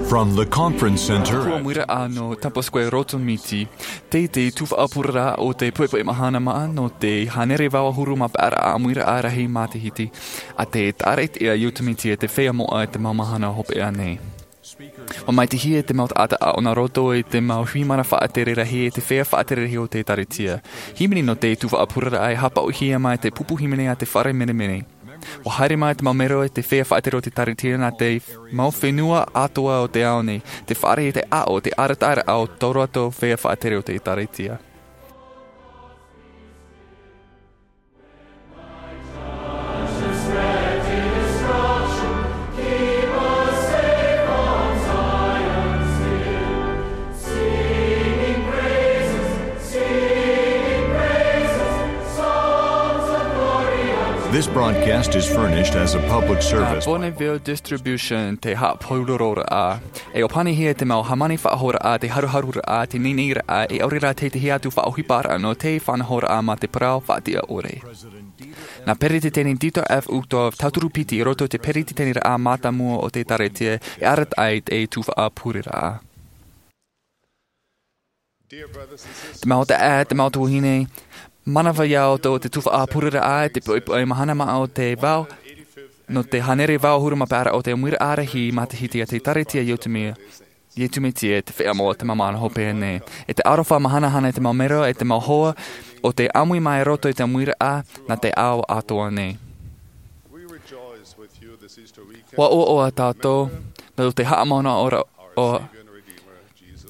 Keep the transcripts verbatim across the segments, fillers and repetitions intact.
From the conference center. Tuaʻamuiraʻa nō Temple Square Rotomiti, teie te tuhaʻa pureraʻa o te poʻipoʻi mahana maʻa nō te hānere vaʻu ʻahuru mā pae raʻa ʻamuiraʻa rahi matahiti, ʻa te ʻāreʻa ia Yosemite e te feiā moʻa i te mau mahana hopeʻa nei. ʻUa maitaʻihia te mau taʻata ʻāʻau nā roto i te mau hui mana faʻatere rahi e te feiā faʻatere rahi o te ʻēkālesia. Hīmene nō te tuhaʻa pureraʻa e haʻapaʻohia mai te pupu hīmene a te fare menemene. ʻUa haere mai te mau mero e te feiā faʻatere o te ʻēkālesia nā te mau fenua atoʻa o te ao nei, te fare e te ʻāʻau, te arataʻiraʻa o tō rātou feiā faʻatere o te ʻēkālesia. This broadcast is furnished as a public service. Bonneville Distribution te haʻapūrororaʻa. E ʻōpanihia te mau hāmani faʻahouraʻa, te haruharuraʻa, te niniiraʻa, e ʻaore rā te tahi atu faʻaʻohiparaʻa nō te faʻanahoraʻa mā te parau faʻatiʻa ʻore. Nā Peretiteni Dieter F. Uchtdorf, tauturu piti i roto i te peretiteniraʻa mātāmua o te ʻēkālesia, e arataʻi te tuhaʻa pureraʻa. Te mau taeaʻe, te mau tuahine, manava ia ʻoutou te tuhaʻa pureraʻa i te poʻipoʻi mahana maʻa o te vaʻu, nō te hānere vaʻu ʻahuru mā pae raʻa o te ʻamuiraʻa rahi matahiti a te ʻēkālesia Yosemite, Yosemite e te feiā moʻa i te mau mahana hopeʻa nei. E te aroha mahanahana i te mau mero e te mau hoa o te ʻāmui mai i roto i te ʻamuiraʻa nā te ao atoʻa nei. ʻUa ʻoaʻoa tātou, nō te haʻamanaʻo ra, o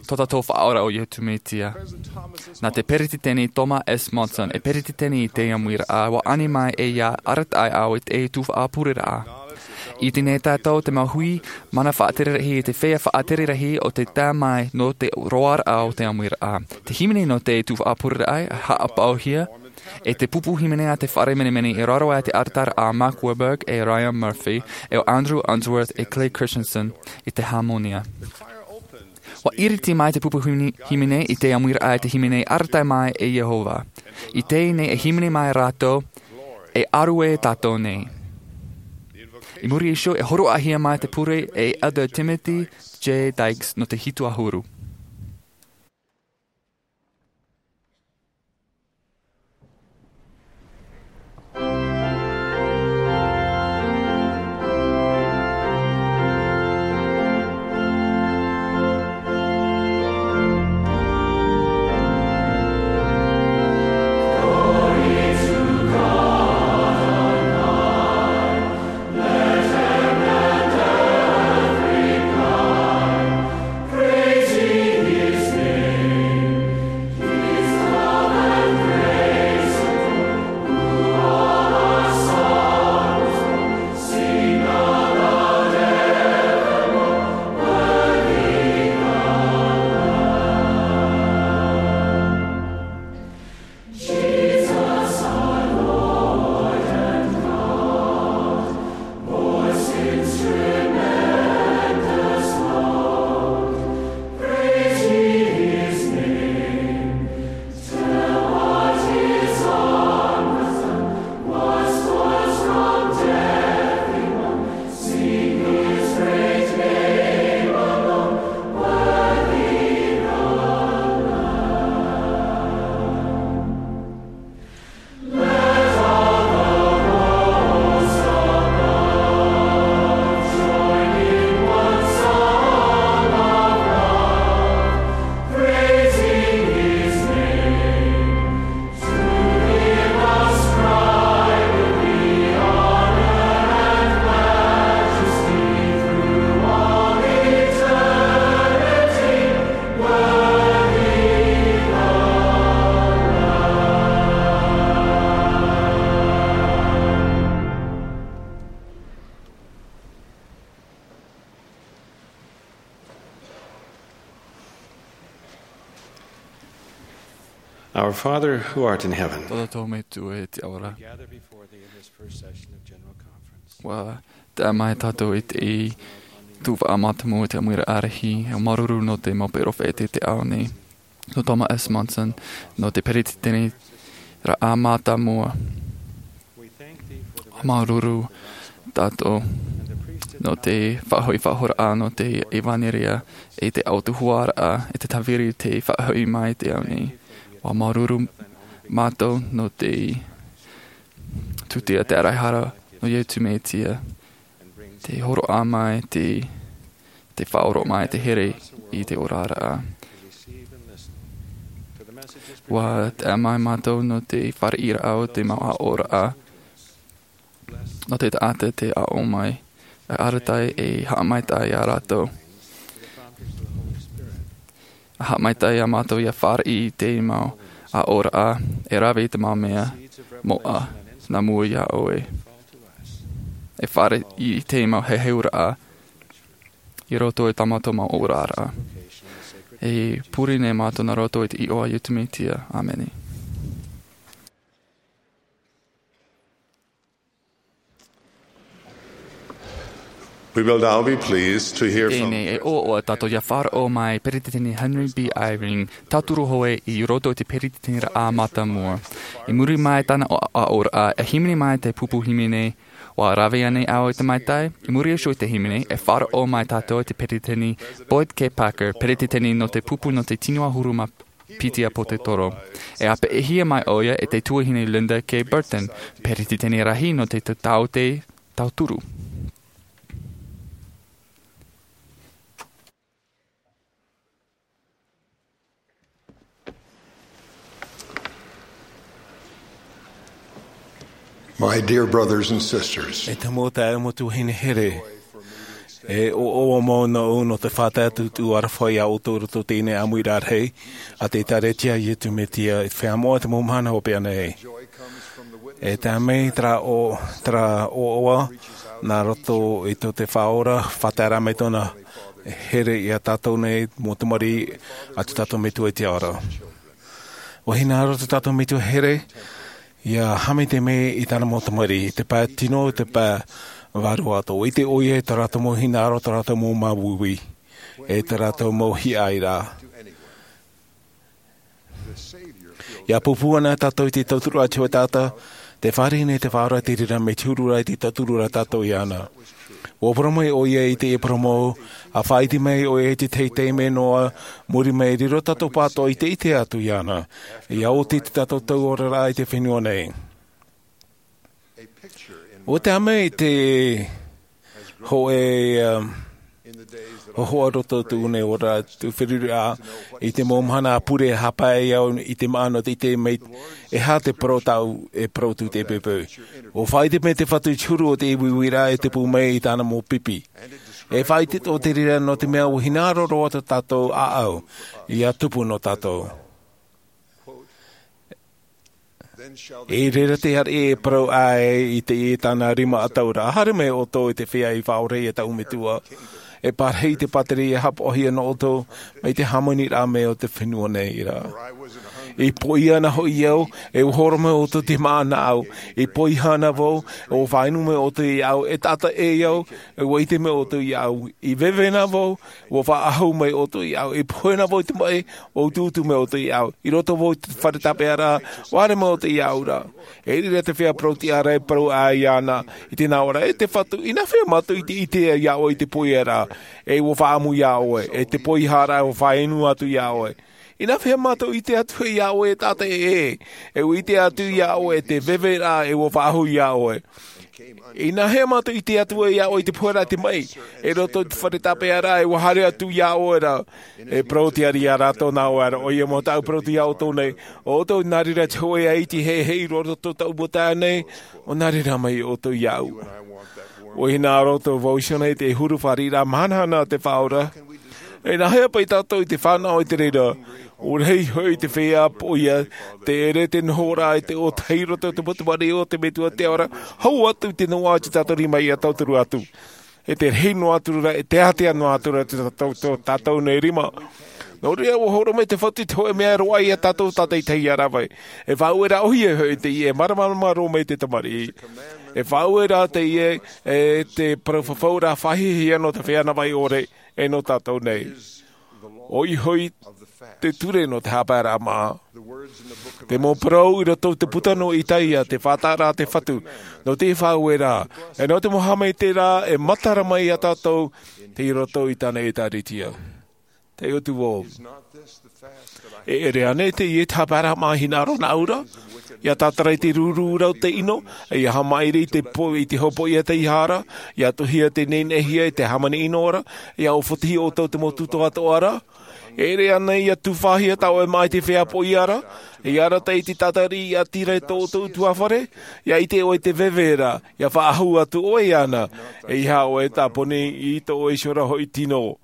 tō tātou Faʻaora ʻo Iesu Mesia. Nā te Peretiteni Thomas S. Monson, e Peretiteni i te ʻamuiraʻa, ʻua ani mai e ia arataʻi au i te tuhaʻa pureraʻa. I teie nei tātou te mau hui, mana faʻatere rahi i te feiā faʻatere rahi o te tae mai nō te roaraʻa o te ʻamuiraʻa. Te hīmene nō te tuhaʻa pureraʻa, haʻapaʻohia, e te pupu hīmene a te fare menemene i raro aʻe i te arataʻiraʻa a Mark Wilberg e Ryan Murphy, e ʻo Andrew Unsworth e Clay Christensen i te hāmonia. ʻUa ʻiriti mai te pupu hīmene, hīmene i te ʻamuiraʻa e te hīmene arataʻi mai e Iehova. I teie nei e hīmene mai rātou, e ʻārue tātou nei. I muri iho e hōroʻahia mai te pure e Elder Timothy J. Dykes nō te hitu ʻahuru. Our Father who art in heaven, Tō tātou Metua i te ao ra. We gather before thee in this first session of General Conference. ʻUa tae mai tātou i te tuhaʻa mātāmua i te ʻamuiraʻa rahi, e māuruuru nō te mau perofeta i te ao nei. Nō Thomas S. Monson, nō te peretiteniraʻa mātāmua. We thank thee for the māuruuru tātou. And the priesthood nō te faʻahoʻi faʻahoraʻa nō te ʻevanelia, e te autahuʻaraʻa, e te tāviri te faʻahoʻi mai i te ao nei. ʻUa māuruuru mātou nō te tūtia te ʻaraʻehara nō Iesu Mesia, te hōroʻa mai, te, te faʻaroʻo mai te here i te oraraʻa. ʻUa tae mai mātou nō te fāriʻiraʻa o te mau aʻoraʻa, nō te taʻata te aʻo mai, e arataʻi e haʻamaitaʻi iā rātou. Haʻamaitaʻi iā mātou ʻia fāriʻi i te mau aʻoraʻa, e rave i te mau mea moʻa nā mua iā ʻoe. E fāriʻi i te mau heheuraʻa i roto i tā mātou mau oraraʻa. E pure nei mātou nā roto i te iʻoa o Iesu Mesia. ʻĀmene. We will now be pleased to hear from Teie nei e ʻoaʻoa tātou ʻia faʻaroʻo mai Peretiteni Henry B. Eyring, tauturu hoʻi i roto i te peretiteniraʻa mātāmua. I muri mai tāna aʻoraʻa, e hīmene mai te pupu hīmene, ʻUa rave ānei au i te maitaʻi? I muri iho i te hīmene, e faʻaroʻo mai tātou i te Peretiteni Boyd K. Packer, Peretiteni nō te pupu nō te tino ʻahuru mā piti a Pōtetoro. E ʻāpeʻehia mai ʻoia e te tuahine Linda K. Burton, Peretiteni rahi nō te taʻata tauturu. My dear brothers and sisters, E te mau taeaʻe, mau tuahine here, e ʻoaʻoa mau nōʻu nō te faʻatae atu tū aroha iā ʻoutou i roto i teie ʻāmuiraʻa rahi a te ʻĒkālesia a Iesu Mesia i te Feiā Moʻa i te mau mahana hopeʻa nei. E tae mai terā ʻo-, terā ʻoaʻoa nā roto i tō te Faʻaora, faʻataeraʻa mai tōna here iā tātou nei mau tamariʻi, a tō tātou Metua i te ao ra. ʻUa hinaʻaro tō tātou Metua here ʻia haʻamaitaʻi mai i tāna mau tamariʻi, i te pae tino, i te pae vārua atoʻa. ʻUa ʻite ʻoia i tā rātou mau hinaʻaro, tā rātou mau māuiui, e tā rātou mau hiʻoraʻa. ʻIa pūpū ana tātou i te tauturu a te Atua, te fāriʻi nei te Faʻaora i te reira mea huru ra i te tauturu ra tātou iāna. ʻUa parau mai ʻoia i te parau mau, ʻa faʻaʻite mai ʻoia i te teitei mea noa, muri mai, riro tātou pāʻatoʻa i te ʻite atu iāna, ʻia oti tā tātou oraraʻa i te fenua nei. ʻUa tae mai te hōʻē, um, hōhoʻa roto i tō nei ora, tō feruri a, i te mau mahana a pure, e haʻapae au i te māʻa nō te ʻite mai, e aha te parau tāʻu e parau atu i te poʻipoʻi. ʻUa faʻaʻite mai te Fatu i te huru o te uiuiraʻa e tupu mai i tāna mau pipi. E faʻaʻite atoʻa te reira nō te mea ʻua hinaʻaro roa tā tātou ʻāʻau ʻia tupu nō tātou. I reira te ariʻi e parau ai i te, i tāna rima ʻataʻuraʻa, haere mai ʻoutou i te feiā i faʻaora iā tāʻu Metua. E pārahi te pātireia haʻapaʻohia nō ʻoutou, mai te hāmaniraʻa mai o te fenua nei ra. I poʻia ana hoʻi au, e ʻua hōroʻa mai ʻoutou i te māʻa nāʻu. I poiha ana vau, e ʻua faʻainu mai ʻoutou iāʻu. E taʻata ʻē au, e ʻua ʻite mai ʻoutou iāʻu. I veve ana vau, ʻua faʻaʻahu mai ʻoutou iāʻu. I pohe ana vau i te maʻi, ʻua utuutu mai ʻoutou iāʻu. I roto vau i te fare tāpeʻaraʻa, ʻua haere mai ʻoutou iāʻu ra. I reira te feiā parau-tiʻa ra e parau ai iāna i te nāʻō ra, e te Fatu, inaha mātou i te ʻite iā ʻoe i te poiaraʻa, e ʻua faʻaʻamu iā ʻoe, e te poiharaʻa ʻua faʻainu atu iā ʻoe. Inaha mātou i ʻite atu iā ʻoe e taʻata ʻē, e ʻua ʻite atu iā ʻoe e te veveraʻa e ʻua faʻaʻahu iā ʻoe. Inaha mātou i ʻite atu iā ʻoe i te poheraʻa i te maʻi, e roto i te fare tāpeʻaraʻa e ʻua haere atu iā ʻoe ra. E parau-tiʻa ra iā rātou nā ʻoe ra, ʻoia mau tāʻu parau-tiʻa iā ʻoutou nei, ʻo ʻoutou nā reira te hōʻē ʻaiti heheʻi i roto i tō tāʻu mau taeaʻe nei, ʻo nā reira mai ʻoutou iāʻu. ʻUa hinaʻaro atoʻa vau iho nei i te huru fāriʻiraʻa mahanahana a te Faʻaora. E nāhea paʻi tātou i te fānaʻo i te reira? ʻUa rahi hoʻi te feiā poʻia, te ʻere, te nohoraʻa i te ʻōtahi i roto i te mau tamariʻi o te Metua i te ao ra, hau atu i te noaʻa o tā tātou rima ʻia tauturu atu. E te rahi noa atu ra, e te ātea noa atu ra tō, tō, tō tātou nei rima. Nō reira, ʻua hōroʻa mai te Fatu i te hōʻē mea e roaʻa iā tātou tātaʻitahi ʻia rave. E faʻaueraʻa ʻōhie hoʻi teie, e māramarama roa mai te tamariʻi. E faʻaueraʻa teie, e te parau fafauraʻa faʻahiahia nō te feiā navaʻi ʻore, e nō tātou nei. ʻOia hoʻi Te ture nō te haʻapaeraʻa māʻa. Te mau parau i roto i te puta nō Isaia, te faʻataʻaraʻa a te Fatu, nō te faʻaueraʻa, e nō te mau haʻamaitaʻiraʻa e matara mai ia tātou, tei roto i tāna ʻĒtārētia. Te ʻotu vau. E ʻere ānei teie te haʻapaeraʻa māʻa i hinaʻaro nāʻu ra, ia tātara i te rūrū ra o te ʻino, ia haʻamaʻiri i te po-, i te hopoiʻa tei hara, ia tuhia te neneʻihia i te hāmani ʻino ra, ia ʻōfatihi ʻoutou te mau tūtoʻa atoʻa ra? E ʻere ānei ia tufaʻahia tā ʻoe māʻa i te feiā poʻia ra, ia arataʻi i te tātari i ʻati ra i tō ʻoutou ʻutuāfare, ia ʻite ʻoe i te veve ra, ia faʻahou atu ʻoe iāna, e ʻeiaha ʻoe e tāponi i tō ʻoe iho ra hoʻi tino.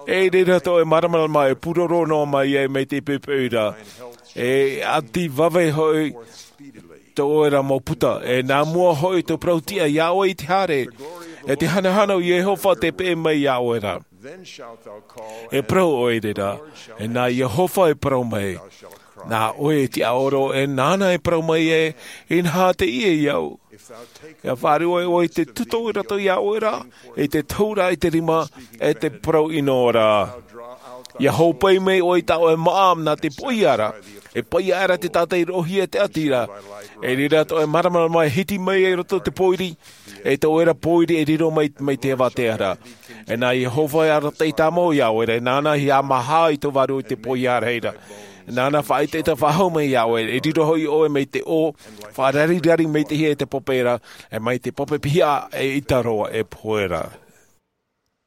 E reira tō ʻoe māramarama e pūroro noa mai ai mai te poʻipoʻi ra, e ʻati vave hoʻi tō ʻoe ra mau puta, e nā mua hoʻi tō parau tiʻa iā ʻoe i te haere, e te hanahana o Iehova te peʻe mai iā ʻoe ra. E parau ʻoe i reira, e nā Iehova e parau mai, nā ʻoe e tiʻaoro, e nāna e parau mai ē, inaha teie iāʻu. Ia faʻaruʻe ʻoe i te tuto i roto iā ʻoe ra, i te tohu ra i te rima, e te parau ʻino ra. Ia hōpoi mai ʻoe i tā ʻoe māʻa nā te poʻia ra, e poʻia aʻera te tātari i roʻohia i te ʻati ra. E reira tō ʻoe māramarama e hiti mai ai i roto i te pōiri, e tō ʻoe ra pōiri e riro mai, mai te avatea ra. E nā Iehova e arataʻi tāmau iā ʻoe ra, e nāna e haʻamāha i tō vārua i te poʻia ra. Nāna faʻaʻetaʻeta faʻahou mai iā ʻoe, e riro hoʻi ʻoe mai te ʻō, faʻararirari mai te hia e te pape ra, e mai te pape pihaʻa e ʻita roa e pohe ra.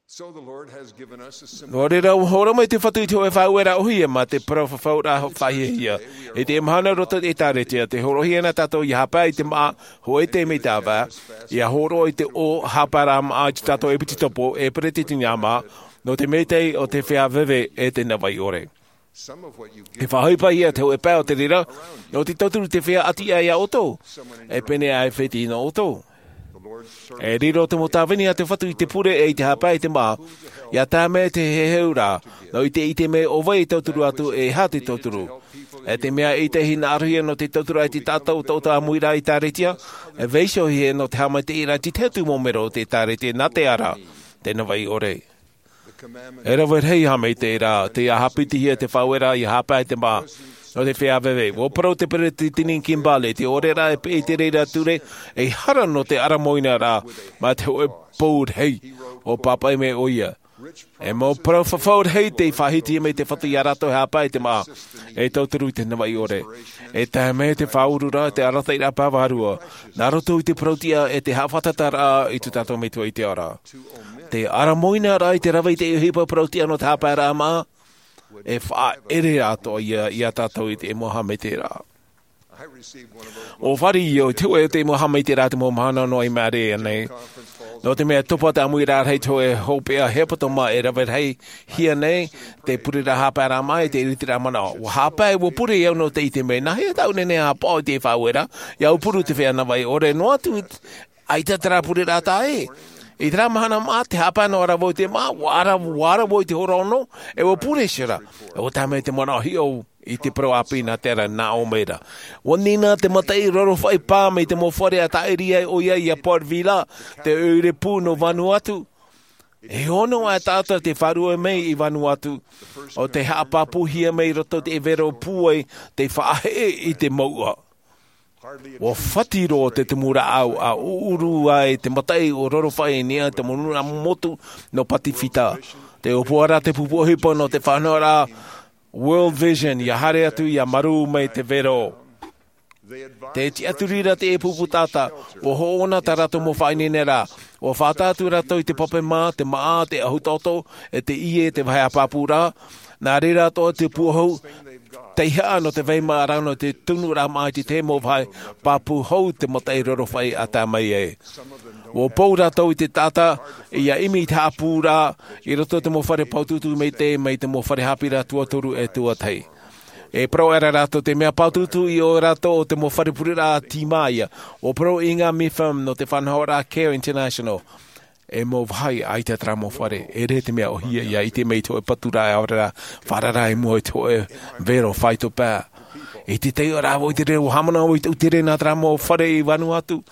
Nō reira, ʻua hōroʻa mai te Fatu i te hōʻē faʻaueraʻa ʻōhie mā te parau fafauraʻa faʻahiahia. I teie mahana i roto i te ʻĒtārētia, tē hōroʻahia na tātou ia haʻapae i te māʻa, hoʻi te mea tāvā, ia hōroʻa i te ʻō haʻapaeraʻa māʻa i tā tātou ʻepitopo, e peretiteni māʻa, nō te mea o te feiā veve e te navaʻi ʻore. E faʻaʻohipahia te hōʻē pae o te reira, nō te tauturu i te feiā ʻati aʻe iā ʻoutou, e pēneiaʻe fētiʻi nō ʻoutou. E riro te mau tāvini a te Fatu i te pure e i te haʻapae i te māʻa, ia tae mai te heheuraʻa, nō te ʻite mai ʻo vai e tauturu atu, e aha te tauturu. E te mea ʻita e hinaʻarohia nō te tauturu i te taʻata ʻotaʻota ʻāmui ra i te ʻĒtārētia, e vaiihohia nō te haʻamaitaʻiraʻa i te tahi atu mau mero o te ʻĒtārētia nā te ara, te navaʻi ʻore. E rave rahi haʻamaitaʻiraʻa, tē haʻapitihia te faʻaueraʻa ia haʻapae i te māʻa, nō te feiā veve. ʻUa parau te peretiteni Kimball, te ʻōreraʻa e peʻe i te reira ture, e hara nō te ʻaramoina ra, mā te hōʻē pou rahi, ʻua pāpaʻi mai ʻoia. E mau parau fafau rahi tei faʻahiti mai te Fatu iā rātou e haʻapae i te māʻa, e tauturu i te navaʻi ʻore. E tae mai te faʻaururaʻa, te arataʻiraʻa pāruru, nā roto i te parau tiʻa e te haʻafātataraʻa i tō tātou Metua i te ao ra. Te ʻaramoina ra i te rave i te ʻohipa parau tiʻa nō te haʻapaeraʻa māʻa, e faʻaʻere atoʻa ia, iā tātou i te mau haʻamaitaʻiraʻa. ʻUa fāriʻi au i te hōʻē o te mau haʻamaitaʻiraʻa te mau mahana noa i maʻiri aʻenei. Nō te mea topa te ʻāmuiraʻa rahi te hōʻē hopeʻa hepetoma e rave rahi hia nei, te pureraʻa haʻapaeraʻa māʻa i te ʻiritiraʻa manaʻo. ʻUa haʻapae, ʻua pure au nō te ʻite mai, nāhea tāʻu e nehenehe e haʻapaʻo i te faʻaueraʻa, ia ʻaupuru te feiā navaʻi ʻore noa atu, ʻaita terā pureraʻa taʻa ʻē. I terā mahana māʻa, tē haʻapae noa ra vau i te māʻa, ʻua ara, ʻua ara vau i te hora ono, e ʻua pure iho ra. E ʻua tae mai te manaʻo hiʻo i te parau ʻāpī nā te ara nā ʻō mai ra. ʻUa nina te mataʻi rorofaʻi pā mai te mau fare a tāʻiri ai ʻoia iā Port Vila, te ʻoire pū nō Vanuatu. E ono ā taʻata tei faʻaruʻe mai i Vanuatu, ʻo tei haʻapāpūhia mai i roto i te vero pūai, tei faʻaheʻe i te mouʻa. ʻUa fati roa te tumu rāʻau, ʻa ʻuʻuru ai te mataʻi ʻo rorofaʻi i niʻa i te mau nūnaʻa motu nō Pacific. Tē ʻōpua ra te pupu ʻohipa nō te faʻanahoraʻa World Vision, ia haere atu, ia marū mai te vero. Tē tiʻaturi ra te pupu taʻata, ʻua hoʻona tā rātou mau faʻaineineraʻa, ʻua faʻataʻa atu rātou i te pape mā, te māʻa, te ʻahu taʻoto, e te ʻie, te vāhi haʻapāpūraʻa. Nā reira atoʻa te puʻohu, tei haʻa nō te vai māʻa ra nō te tunuraʻa māʻa i te tahi mau vāhi pāpū hou te mataʻi rorofaʻi a tae mai ai. ʻUa pou rātou i te taʻata, ia ʻimi i te haʻapūraʻa, i roto i te mau fare pāutuutu maitaʻi, mai te mau fare haʻapiʻiraʻa tuatoru e tuatahi. E parau aʻera rātou te mea pāutuutu i ʻō rātou o te mau fare pureraʻa tīmāia, ʻua parau i ngā MIFM nō te faʻanahoraʻa Care International. E mau vāhi ʻaita terā mau fare, e ʻere te mea ʻōhie ia ʻite mai i te hōʻē paturaʻa e ʻaore rā, faʻarara i mua i te hōʻē vero faito pae. I te taiʻoraʻa vau i te reira, ʻua haʻamanaʻo vau i te ʻūtere nā terā mau fare i Vanuatu.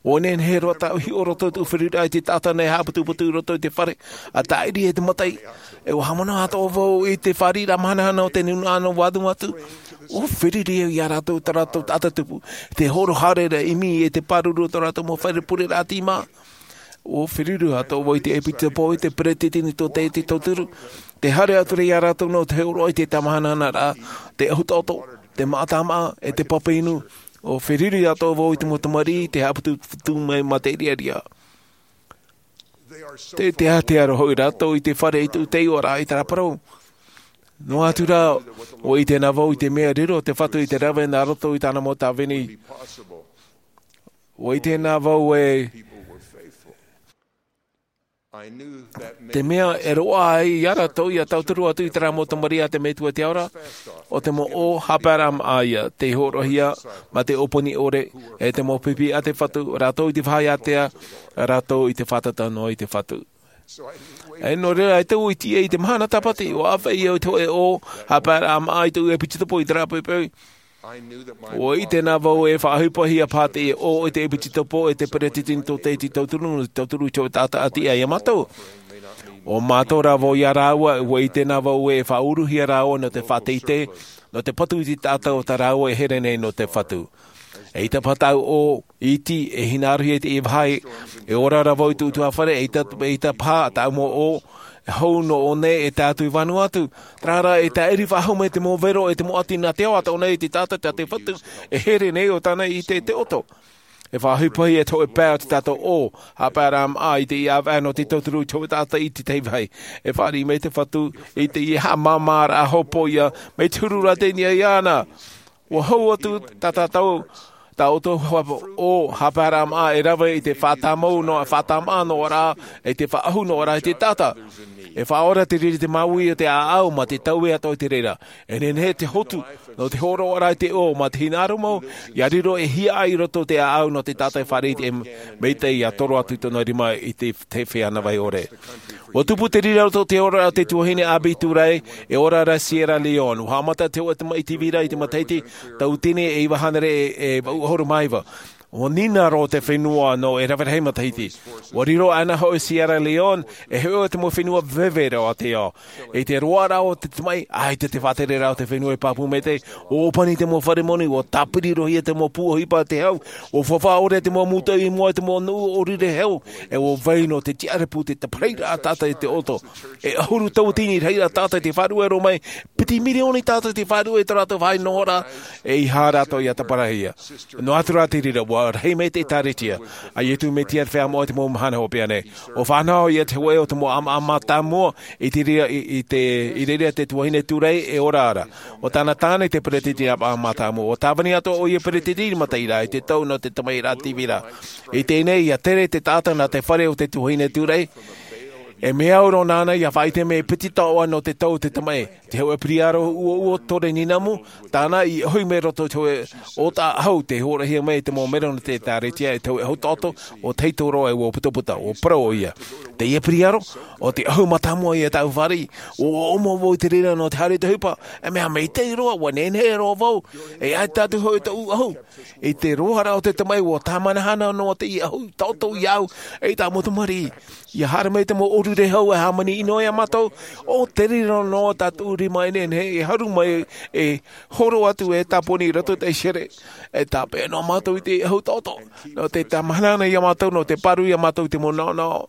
ʻO nehenehe roa tāʻu i hiʻo roto i te feruriraʻa i te taʻata nei haʻaputuputu i roto i te fare, a tāʻiri e te mataʻi. E ʻua haʻamanaʻo atoʻa vau i te fāriʻiraʻa mahanahana o te nūnaʻa nō Vanuatu. ʻUa feruri au iā rātou, tā rātou taʻata tupu, te hōroʻa haere ra ʻimi e te pāruru o tō rātou mau fare pureraʻa tīmā. ʻUa feruri atoʻa vau i te ʻepisekopo, i te peretiteni tō te, te tauturu. Te haere atu ra iā rātou nō te hōroʻa i te tāmahanahana ra, te ʻahu taʻoto, te mātāmā, e te pape inu. ʻUa feruri atoʻa vau i te mau tamariʻi, te haʻaputuputu mai mā te riaria. Te, te ātea roa hoʻi rātou i te fare i tū tei ora i te parau. Noa atu rā, ʻua ʻite na vau i te mea riro te Fatu i te rave nā roto i tāna mau tāvini. ʻUa ʻite na vau e te mea e roaʻa ai iā rātou ia tauturu atu i terā mau tamariʻi a te Metua i te ao ra, ʻo te mau ʻō haʻapaeraʻa māʻa ia, tei hōroʻahia mā te ʻōpani ʻore, e te mau pipi a te Fatu, rātou i te vāhi ātea, rātou i te fātata noa i te Fatu. E nō reira, e tau i tīaʻi i te mahana tāpati, ʻua ʻāfaʻi au i te hōʻē ʻō haʻapaeraʻa māʻa i tōʻu ʻepisekopo i terā poipoi. ʻUa ʻite na vau e faʻaʻohipahia paha teie ʻō i te ʻepisekopo e te peretiteni tō te, te tauturu, te tauturu i te hōʻē taʻata ʻati iā mātou. ʻO mātou rā vau iā rāua, ʻua ʻite na vau e faʻauruhia rāua nō te faʻateitei, nō te patu i te taʻata o tā rāua e here nei nō te Fatu. ʻEita paha tāʻu ʻō iti, e hinaʻarohia i teie vāhi, e ora ra vau i tū utuafare, ʻeita, ʻeita paha tāʻu mau ʻō, e hou nō ʻō nei e tae atu i Vanuatu. Terā rā, e tāʻiri faʻahou mai te mau vero, e te mau ʻati nā te ao atoʻa nei i te taʻata tā te Fatu, e here nei ʻo tāna i te, te ʻoto. E faʻaʻohipahia te hōʻē pae o te tātou ʻō haʻapaeraʻa māʻa i teie ʻāvaʻe nō te tauturu i te hōʻē taʻata i te tahi vāhi. E fāriʻi mai te Fatu i teie haʻamāmāraʻa hopoiʻa, mai te huru rā teie nei iāna. ʻUa hou atu tā tātou, tā ʻoutou ʻō haʻapaeraʻa māʻa e rave i te faʻatāmau noa, faʻatāmau noa rā, i te faʻaʻahu noa rā i te taʻata. E faʻaora te riri te māuiui o te ʻāʻau mā te taui atoʻa i te reira. E nehenehe te hotu, nō te hōroʻa ra i te ʻō mā te hinaʻaro mau, ʻia riro e hiaʻai i roto te ʻāʻau nō te taʻata e fāriʻi i te maitaʻi ʻia toro atu i tōna rima i te, te feiā navaʻi ʻore. ʻUa tupu te riri i roto i te oraraʻa o te tuahine Abby Turay, e ora ra Sierra Leone. ʻUa haʻamata te hōʻē tamaʻi tīvira i te matahiti, tauatini e iva hānere e, e vaʻu ʻahuru mā iva. ʻUa nina roa te fenua nō e rave rahi matahiti. ʻUa riro ʻana hoʻi Sierra Leone, e hoʻi te mau fenua veve roa o te ao. I te roaraʻa o te tamaʻi, ʻaita te faʻatereraʻa o te fenua e pāpū maitaʻi, ʻua ʻōpani te mau fare moni, ʻua tāpiri roa ia te mau pū ʻohipa a te hau, ʻua fāfā ʻore te mau mūtoʻi i mua i te mau nuʻu ʻōrire hau, e ʻua vai noa te tiʻarapu, te tāpiriraʻa taʻata i te ʻoto. E ʻahuru tauatini rahiraʻa taʻata tei faʻaruʻe roa mai, piti mirioni taʻata tei faʻaruʻe i tō rātou vāhi nohoraʻa, e ʻeiaha rātou ʻia taparahi. Noa atu rā te reira, ʻua rahi mai te ʻĒkālesia a Iesu Mesia te Feiā Moʻa i te mau mahana hopeʻa nei. ʻUa fānaʻo ia te hōʻē o te mau ʻāmaʻa mātāmua i te reira, i, i te, i reira te tuahine Turay e ora ra. ʻO tāna tāne te peretiteni ʻāmaʻa mātāmua. ʻUa tāvini atoʻa ʻoia peretiteni mataʻi ra i te tau nō te tamaʻiraʻa tīvira. I teie nei, ʻia tere te taʻata nā te fare o te tuahine Turay. E mea au roa nāna ʻia faʻaʻite mai e piti taoʻa nō te tau o te tamaʻi. Te hōʻē piriaro uaua tore ninamu, tāna i ʻohi mai roto i te hōʻē ʻōtaʻa ʻahu tei hōroʻahia mai i te mau mero nō te ʻĒkālesia, i te hōʻē ʻahu taʻoto, ʻo Teitoro e ʻua putaputa, ʻua parau ʻoia. Teie piriaro, ʻo te ʻahu mātāmua ia tāʻu fāriʻi, ʻua ʻomo vau i te reira nō te haere i te ʻohipa, e mea maitaʻi roa, ʻua nehenehe roa vau, e ʻaita atu hoʻi tōʻu ʻahu. I te roaraʻa o te tamaʻi, ʻua tāmahanahana noa teie ʻahu taʻoto iāʻu, e tā mau tamariʻi. ʻIa haere mai te mau ʻōrire hau e hāmani noa iā mātou, ʻo te reira noa tā tōʻu rima e nehenehe e haru mai e horo atu e tāponi i roto i te ʻaihere. E tāpeʻa noa mātou i te ʻahu taʻoto. Nō te tāmahanahana iā mātou, nō te pāruru iā mātou i te mau naʻonaʻo.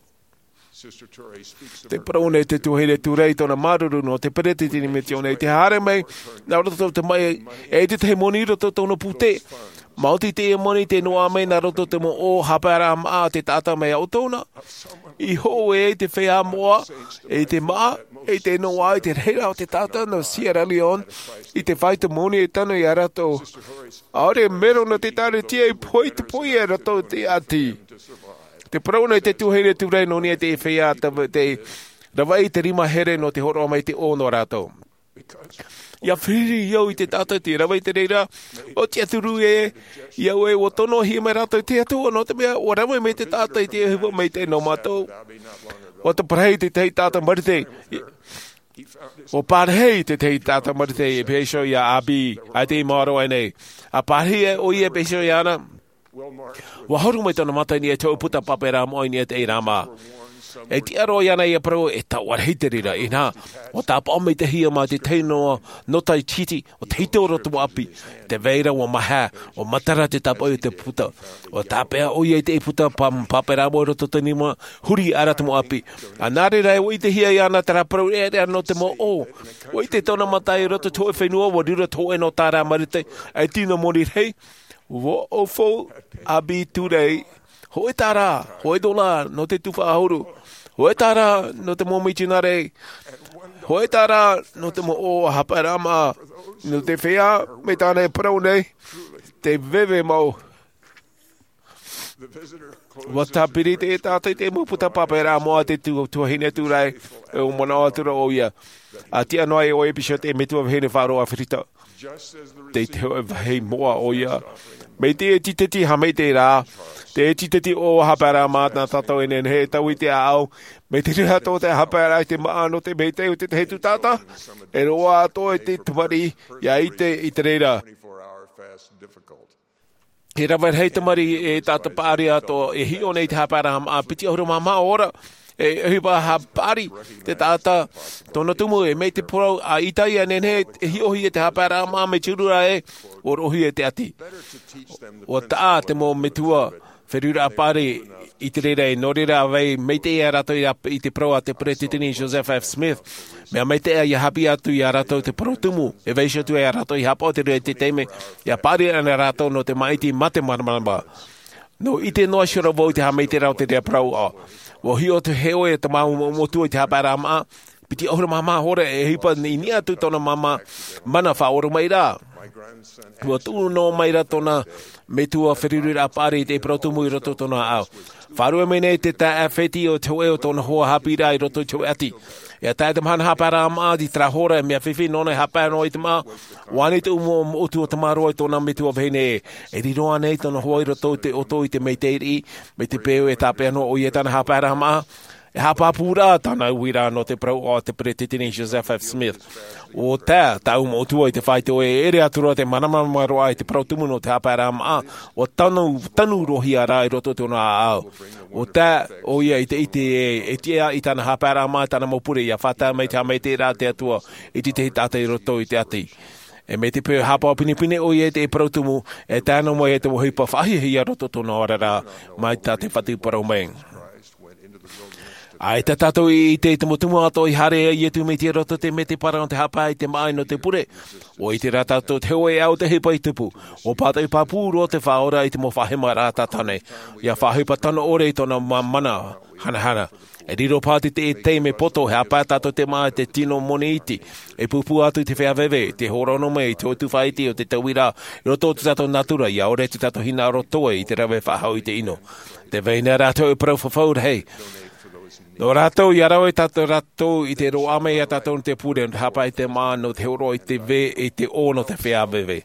Tē parau nei te tuahine Turay i tōna māuruuru nō te peretiteni misiōna, i te haere mai nā roto i te tamaʻi, e tētahi moni i roto i tōna pūtē. Maoti teie moni tē noaʻa mai nā roto i te mau ʻō haʻapaeraʻa māʻa a te taʻata mai iā ʻoutou na. I hōʻē ai te feiā moʻa, i te māʻa, i te noaʻa i te rahiraʻa o te taʻata nō Sierra Leone, i te fāito moni e tano iā rātou. ʻAore mero nō te ʻĒkālesia i pohe i te pohe iā rātou i te ʻati. Tē parau nei te tuahine Turay nō niʻa i te feiā, te, te ravaʻi i te rima here nō te hōroʻa mai i te ʻō nō rātou. ʻIa feruri au i te taʻata tei rave i te reira, ʻo tiʻaturi ē, ʻia au ē, ʻua tonohia mai rātou e te Atua, nō te mea, ʻua rave mai te taʻata i te ʻohipa maitaʻi nō mātou. ʻUa taparahi te tahi taʻata Marite, ʻua pārahi te tahi taʻata Marite e pēhea iho iā Abby, ʻaita i maoro aʻe nei. ʻA pārahi ʻoia e pēhea iho iāna. Ua horo mai tōna mata i niʻa i te hōʻē puta pāpā rā moʻa i niʻa i te ʻeiʻeiraʻa mā. E tiʻa roa iāna ia parau e taʻu rahi te reira, inaha, ua tāpaʻo mai te hia mā te tahi noa nō tai titi, o te hito o roto mau ʻāpī. Te vai ra ua maha, ua matara te tāpaʻo i te puta. Ua tāpeʻa ʻoia i te puta pā-, pāpā rā moʻa i roto te nima, huri ara te mau ʻāpī. A nā reira e ua ʻitehia iāna terā parau reʻareʻa nō te mau ʻō. Ua ʻite tōna mata i roto te hōʻē fenua, ua riro te hōʻē nō tā rā marite, e tino moni rahi. Ua ʻōfau a Biturei, hōʻē tārā, hōʻē dola nō te tufa ʻahuru, hōʻē tārā nō te mau mitionare, hōʻē tārā nō te mau ʻō a hapaʻaraʻa mā, nō te feiā, mai tāna e parau nei, te veve mau. Ua tāpiri te taʻata i te mau puta pāpā rā moʻa te tu-, tuahine Turai, e ʻua manaʻo atu ra ʻoia. A tiʻa noa ai ʻoia i te pīsote e metua vahine faʻaroʻo ʻĀfirika. Tei te hōʻē vāhi moʻa ʻoia. Mai te tīteti haʻamaitaʻi rā. Te tīteti ʻō a hapaʻaraʻa mā nā tātou e nehenehe e taui i te ʻāʻau. Mai te reira atoʻa te hapaʻaraʻa i te māʻa nō te maitaʻi o te tahi atu taʻata. E roaʻa atoʻa i te tamariʻi, ʻia ʻite i te reira. E rave rahi tamariʻi e taʻata paʻari atoʻa, e hiʻo nei te hapaʻaraʻa mā, piti ʻahuru mā maha ora, e, e ʻohipa ha paʻari, te taʻata, tōna tumu e, mai te parau, a ʻĪtaia e nehenehe, e hiʻohia te hapaʻaraʻa mā, mai te huru ra e, ʻua roʻohia te ʻati. ʻUa taʻa te mau metua, feruriraʻa paʻari, i te reira e, nō reira ʻa vai, maitaʻi ia rātou i ra-, i te parau a te Peretiteni Joseph F. Smith, mea maitaʻi ʻia haʻapiʻi atu ia rātou te parau tumu, e vaiiho atu ia rātou i haʻapaʻo i te reira i te taime, ʻia paʻari ana rātou nō te māʻiti mā te māramarama. Nō ʻite noa iho ra vau i te haʻamaitaʻiraʻa o te reira parau ʻā. ʻUa hiʻo atu e ʻoe te mau mo-, motu i te hapaʻaraʻa mā, piti ʻahuru mā maha ora e ʻohipa i niʻa atu tōna māmā, mana faʻaoromaʻi ra. ʻUa tuʻu noa mai ra tōna metua feruriraʻa paʻari i te parau tumu i roto i tōna ʻāʻau. Faʻaruʻe mai nei te taeaʻe fētiʻi o te hōʻē o tōna hoa haʻapiʻiraʻa i roto i te hōʻē ʻati. ʻIa tae te mahana hapaʻaraʻa mā i terā hora, e mea fifi nōna e haʻapaʻo noa i te māʻa, ʻua ani tuʻu mo-, moʻotu o te māroa i tōna metua vahine ē. E riro ānei tōna hoa i roto i te ʻoto i te maitaʻi riʻi, mai te peu e tāpeʻa noa ʻoia i tāna hapaʻaraʻa mā, e haʻapāpū ra tāna uiraʻa nō te parau o te Peretiteni Joseph F. Smith. ʻUa tae tāʻu moʻotua i te faito e ʻere atu ra te māramarama roa i te parau tumu nō te hapaʻaraʻa mā, ʻua tanu, tanu roa hia ra i roto i tōna ʻāʻau. ʻUa tae ʻoia i te ʻite e, e tiʻa i tāna hapaʻaraʻa mā, tāna mau pure ʻia faʻatae mai te haʻamaitaʻiraʻa a te Atua i te tahi taʻata i roto i te ʻati. E mai te peu e haʻapaʻo pinepine ʻoia i te parau tumu, e tae noa mai e te ʻohipa faʻahiahia i roto i tōna oraraʻa, mai tā te Fatu parau mai. ʻAita tātou i ʻite i te mau tumu atoʻa i haere ai Iesu Mesia i roto i te mea parau nō te haʻapaʻo i te māʻa nō te pure. ʻUa ʻite rā tātou te hōʻē ʻāʻau te ʻohipa i tupu. ʻUa pātoʻi pāpū roa te Faʻaora i te mau faʻahemaraʻa tātane. ʻIa faʻaʻohipa tano ʻore i tōna ma-, mana hanahana. E riro paha te, te taime poto, e haʻapaʻo tātou i te māʻa i te tino moni iti. E pūpū atu i te feiā veve, te hōrono mai i te hōʻē tufa iti o te tauiraʻa, i roto i tō tātou nātura, ʻia ʻore tō tātou hinaʻaro toe i te rave faʻahou i te ʻino. Tē vai nei rā te hōʻē parau fafau rahi. Nō rātou, ʻia rave tātou, rātou i te roaʻa mai ia tātou nō te pure, nō te haʻapaʻo i te māʻa, nō te hōroʻa i te vē, i te ʻō nō te feiā veve.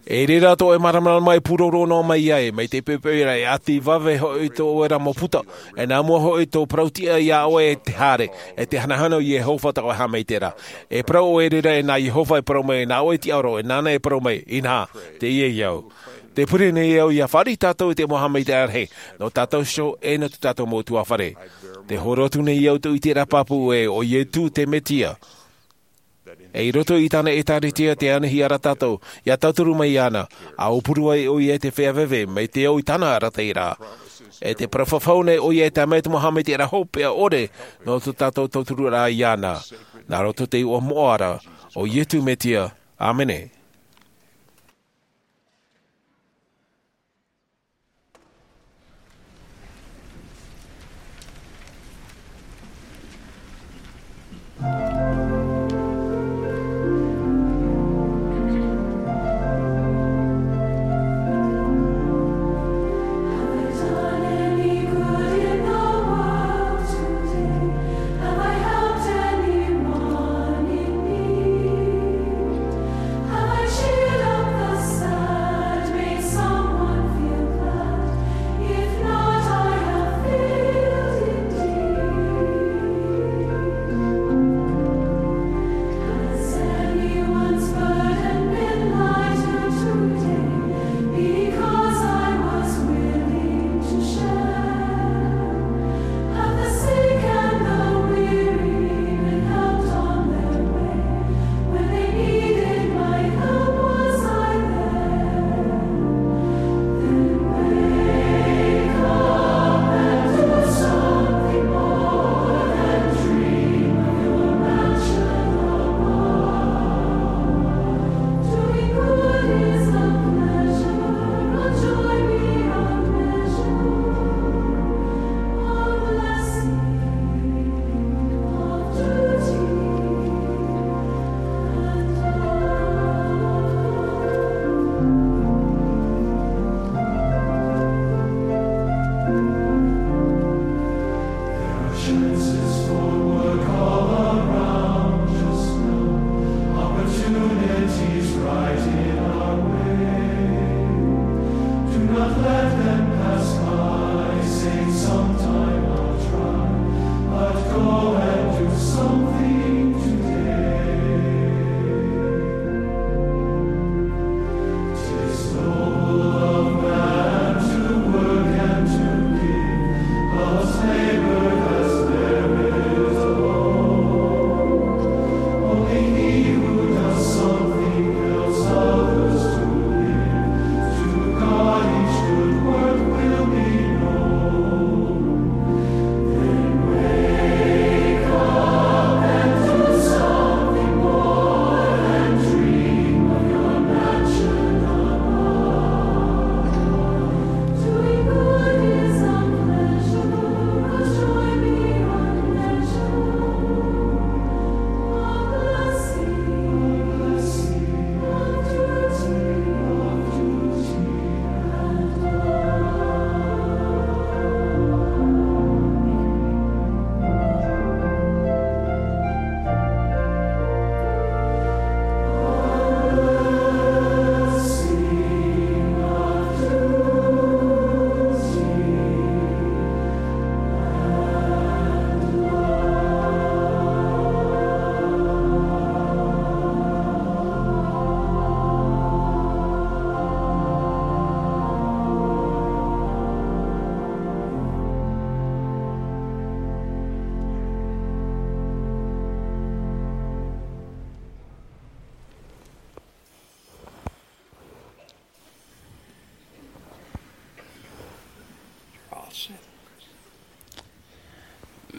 E reira atoʻa e māramarama e pūroro noa mai ai, mai te peu ra e ʻati vave hoʻi tō ʻoe ra mau puta, e nā mua hoʻi tō parau tiʻa ia ʻoe e te haere, e te hanahana o Iehova tā ʻoe haʻamaitaʻiraʻa. E parau ʻoe e reira e nā Iehova e parau mai, nā ʻoe e tiʻa roa, e nāna e parau mai, inaha, teie au. Tē pure nei au ʻia fāriʻi tātou i te mau haʻamaitaʻiraʻa rahi, nō tātou iho e nō tō tātou mau ʻutuāfare. Tē hōroʻa atu nei au tō ʻiteraʻa pāpū ē, ʻo Iesu te Mesia. E i roto i tāna ʻĒtārētia tē anihia ra tātou, ʻia tauturu mai iāna, ʻa ʻōpuru ai ʻoia i te feiā veve, mai te au i tāna arataʻiraʻa. E tē parau fafau nei ʻoia e tae mai te mau haʻamaitaʻiraʻa hopeʻa ʻore, nō tō tātou tautururaʻa iāna. Nā roto i te iʻoa moʻa ra, ʻo Iesu Mesia. ʻĀmene.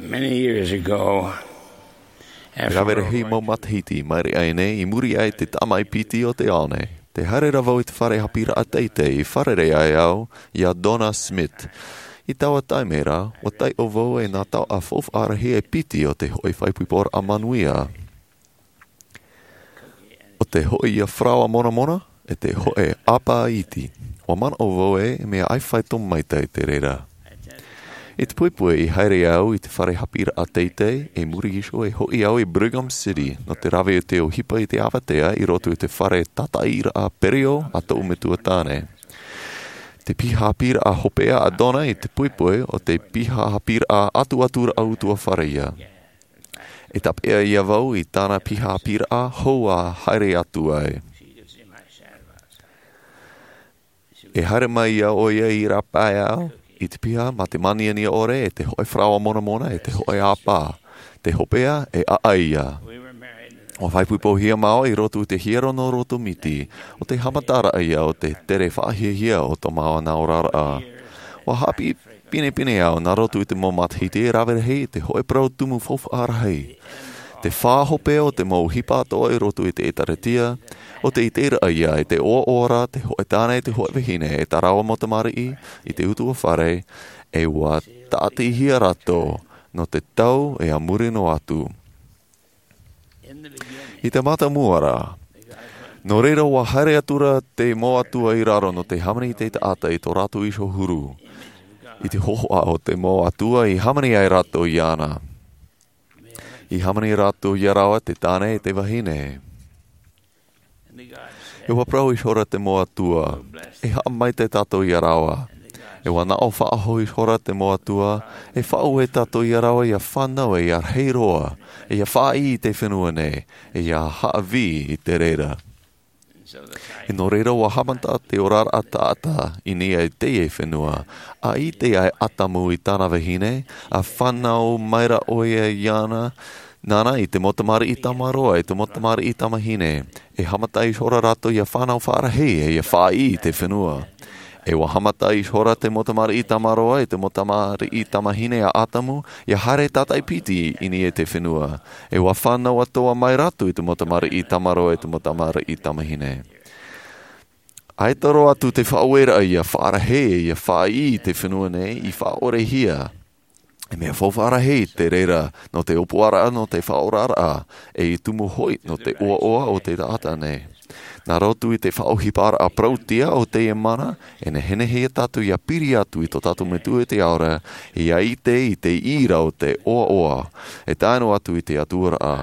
Many years ago, e rave rahi mau matahiti mai reira nei, i muri aʻe i te tāmaʻi piti o te ao nei, tē haere ra vau i te fare haʻapiʻiraʻa teitei i fārerei ai au iā Donna Smith. I taua taime ra, ʻua taiʻo vau e nā taoʻa faufaʻa rahi e piti o te hōʻē faʻaipoiporaʻa manuia, ʻo te hōʻē ia faraoa monamona, e te hōʻē ʻāpā iti. ʻUa manaʻo vau ē, e mea ʻaita e faito maitaʻi te reira. I te poʻipoʻi i haere au i te fare haʻapiʻiraʻa teitei, i muri iho e hoʻi au i Brigham City, nō te rave o te ʻohipa i te avatea i roto i te fare tātaʻiraʻa perio a tōʻu metua tāne. Te piha haʻapiʻiraʻa hopeʻa a Donna i te poʻipoʻi, ʻo te piha haʻapiʻiraʻa atuaturaʻa ʻutuāfare ia. E tāpeʻa ia vau i tāna piha haʻapiʻiraʻa hou ʻa haere atu ai. E haere mai ia ʻoia i rāpae au i te piha mā te māniania ʻore, e te hōʻē faraoa monamona, e te hōʻē ʻāpā. Te hopeʻa e ʻaʻai ia. ʻUa faʻaipoipohia māua i roto i te hiero nō roto miti, ʻo te haʻamataraʻa ia o te tere faʻahiahia o tō māua nā oraraʻa. ʻUa haʻapiʻi pinepine au nā roto i te mau matahiti e rave rahi i te hōʻē parau tumu faufaʻa rahi. Te fā hopeʻa o te mau ʻohipa atoʻa i roto i te ʻēkālesia, ʻo te ʻiteraʻa ia i te ʻoaʻoa ra te hōʻē tāne, te hōʻē vahine, e tā rāua mau tamariʻi i te ʻutuāfare, e ʻua tāʻatihia rātou nō te tau e a muri noa atu. I te mātāmua ra, nō reira ʻua haere atu ra te mau atua i raro nō te hāmani i te taʻata i tō rātou iho huru. I te hōhoʻa o te mau atua i hāmani ai rātou iāna. I hāmani rātou ia rāua te tāne e te vahine. E ʻua parau ihora te mau atua, e haʻamaitaʻi tātou ia rāua. E ʻua naʻo faʻahou ihora te mau atua, e faʻaue tātou ia rāua ia fānau e ia rahi roa, e ia faʻaʻī i te fenua nei, e ia haʻavī i te reira. E nō reira ʻua haʻamata te oraraʻa taʻata i niʻa i teie fenua, ʻa ʻite ai ʻĀtamu i tāna vahine, ʻa fānau maira ʻoia iāna, nāna i te mau tamariʻi tamaroa, i te mau tamariʻi tamahine. E haʻamata ihora rātou ia fānau faʻarahi, e ia faʻaʻī i te fenua. E ʻua haʻamata ihora te mau tamariʻi tamaroa, i te mau tamariʻi tamahine a ʻĀtamu, ia haere tātaʻi piti i niʻa i te fenua. E ʻua fānau atoʻa mai rātou i te mau tamariʻi tamaroa, i te mau tamariʻi tamahine. ʻAita roa atu te faʻaueraʻa ia faʻarahi, ia faʻaʻī i te fenua nei, i faʻaʻorehia. E mea faufaʻa rahi te reira nō te ʻōpuaraʻa, nō te faʻaoraraʻa, e i tumu hoʻi nō te ʻoaʻoa o te taʻata nei. Nā roto i te faʻaʻohiparaʻa parauʻtiʻa o teie mana, e nehenehe ia tātou ia piri atu i tō tātou Metua i te ao ra, ia ʻite i te ʻīra o te ʻoaʻoa, e tae noa atu i te ʻatuaraʻa.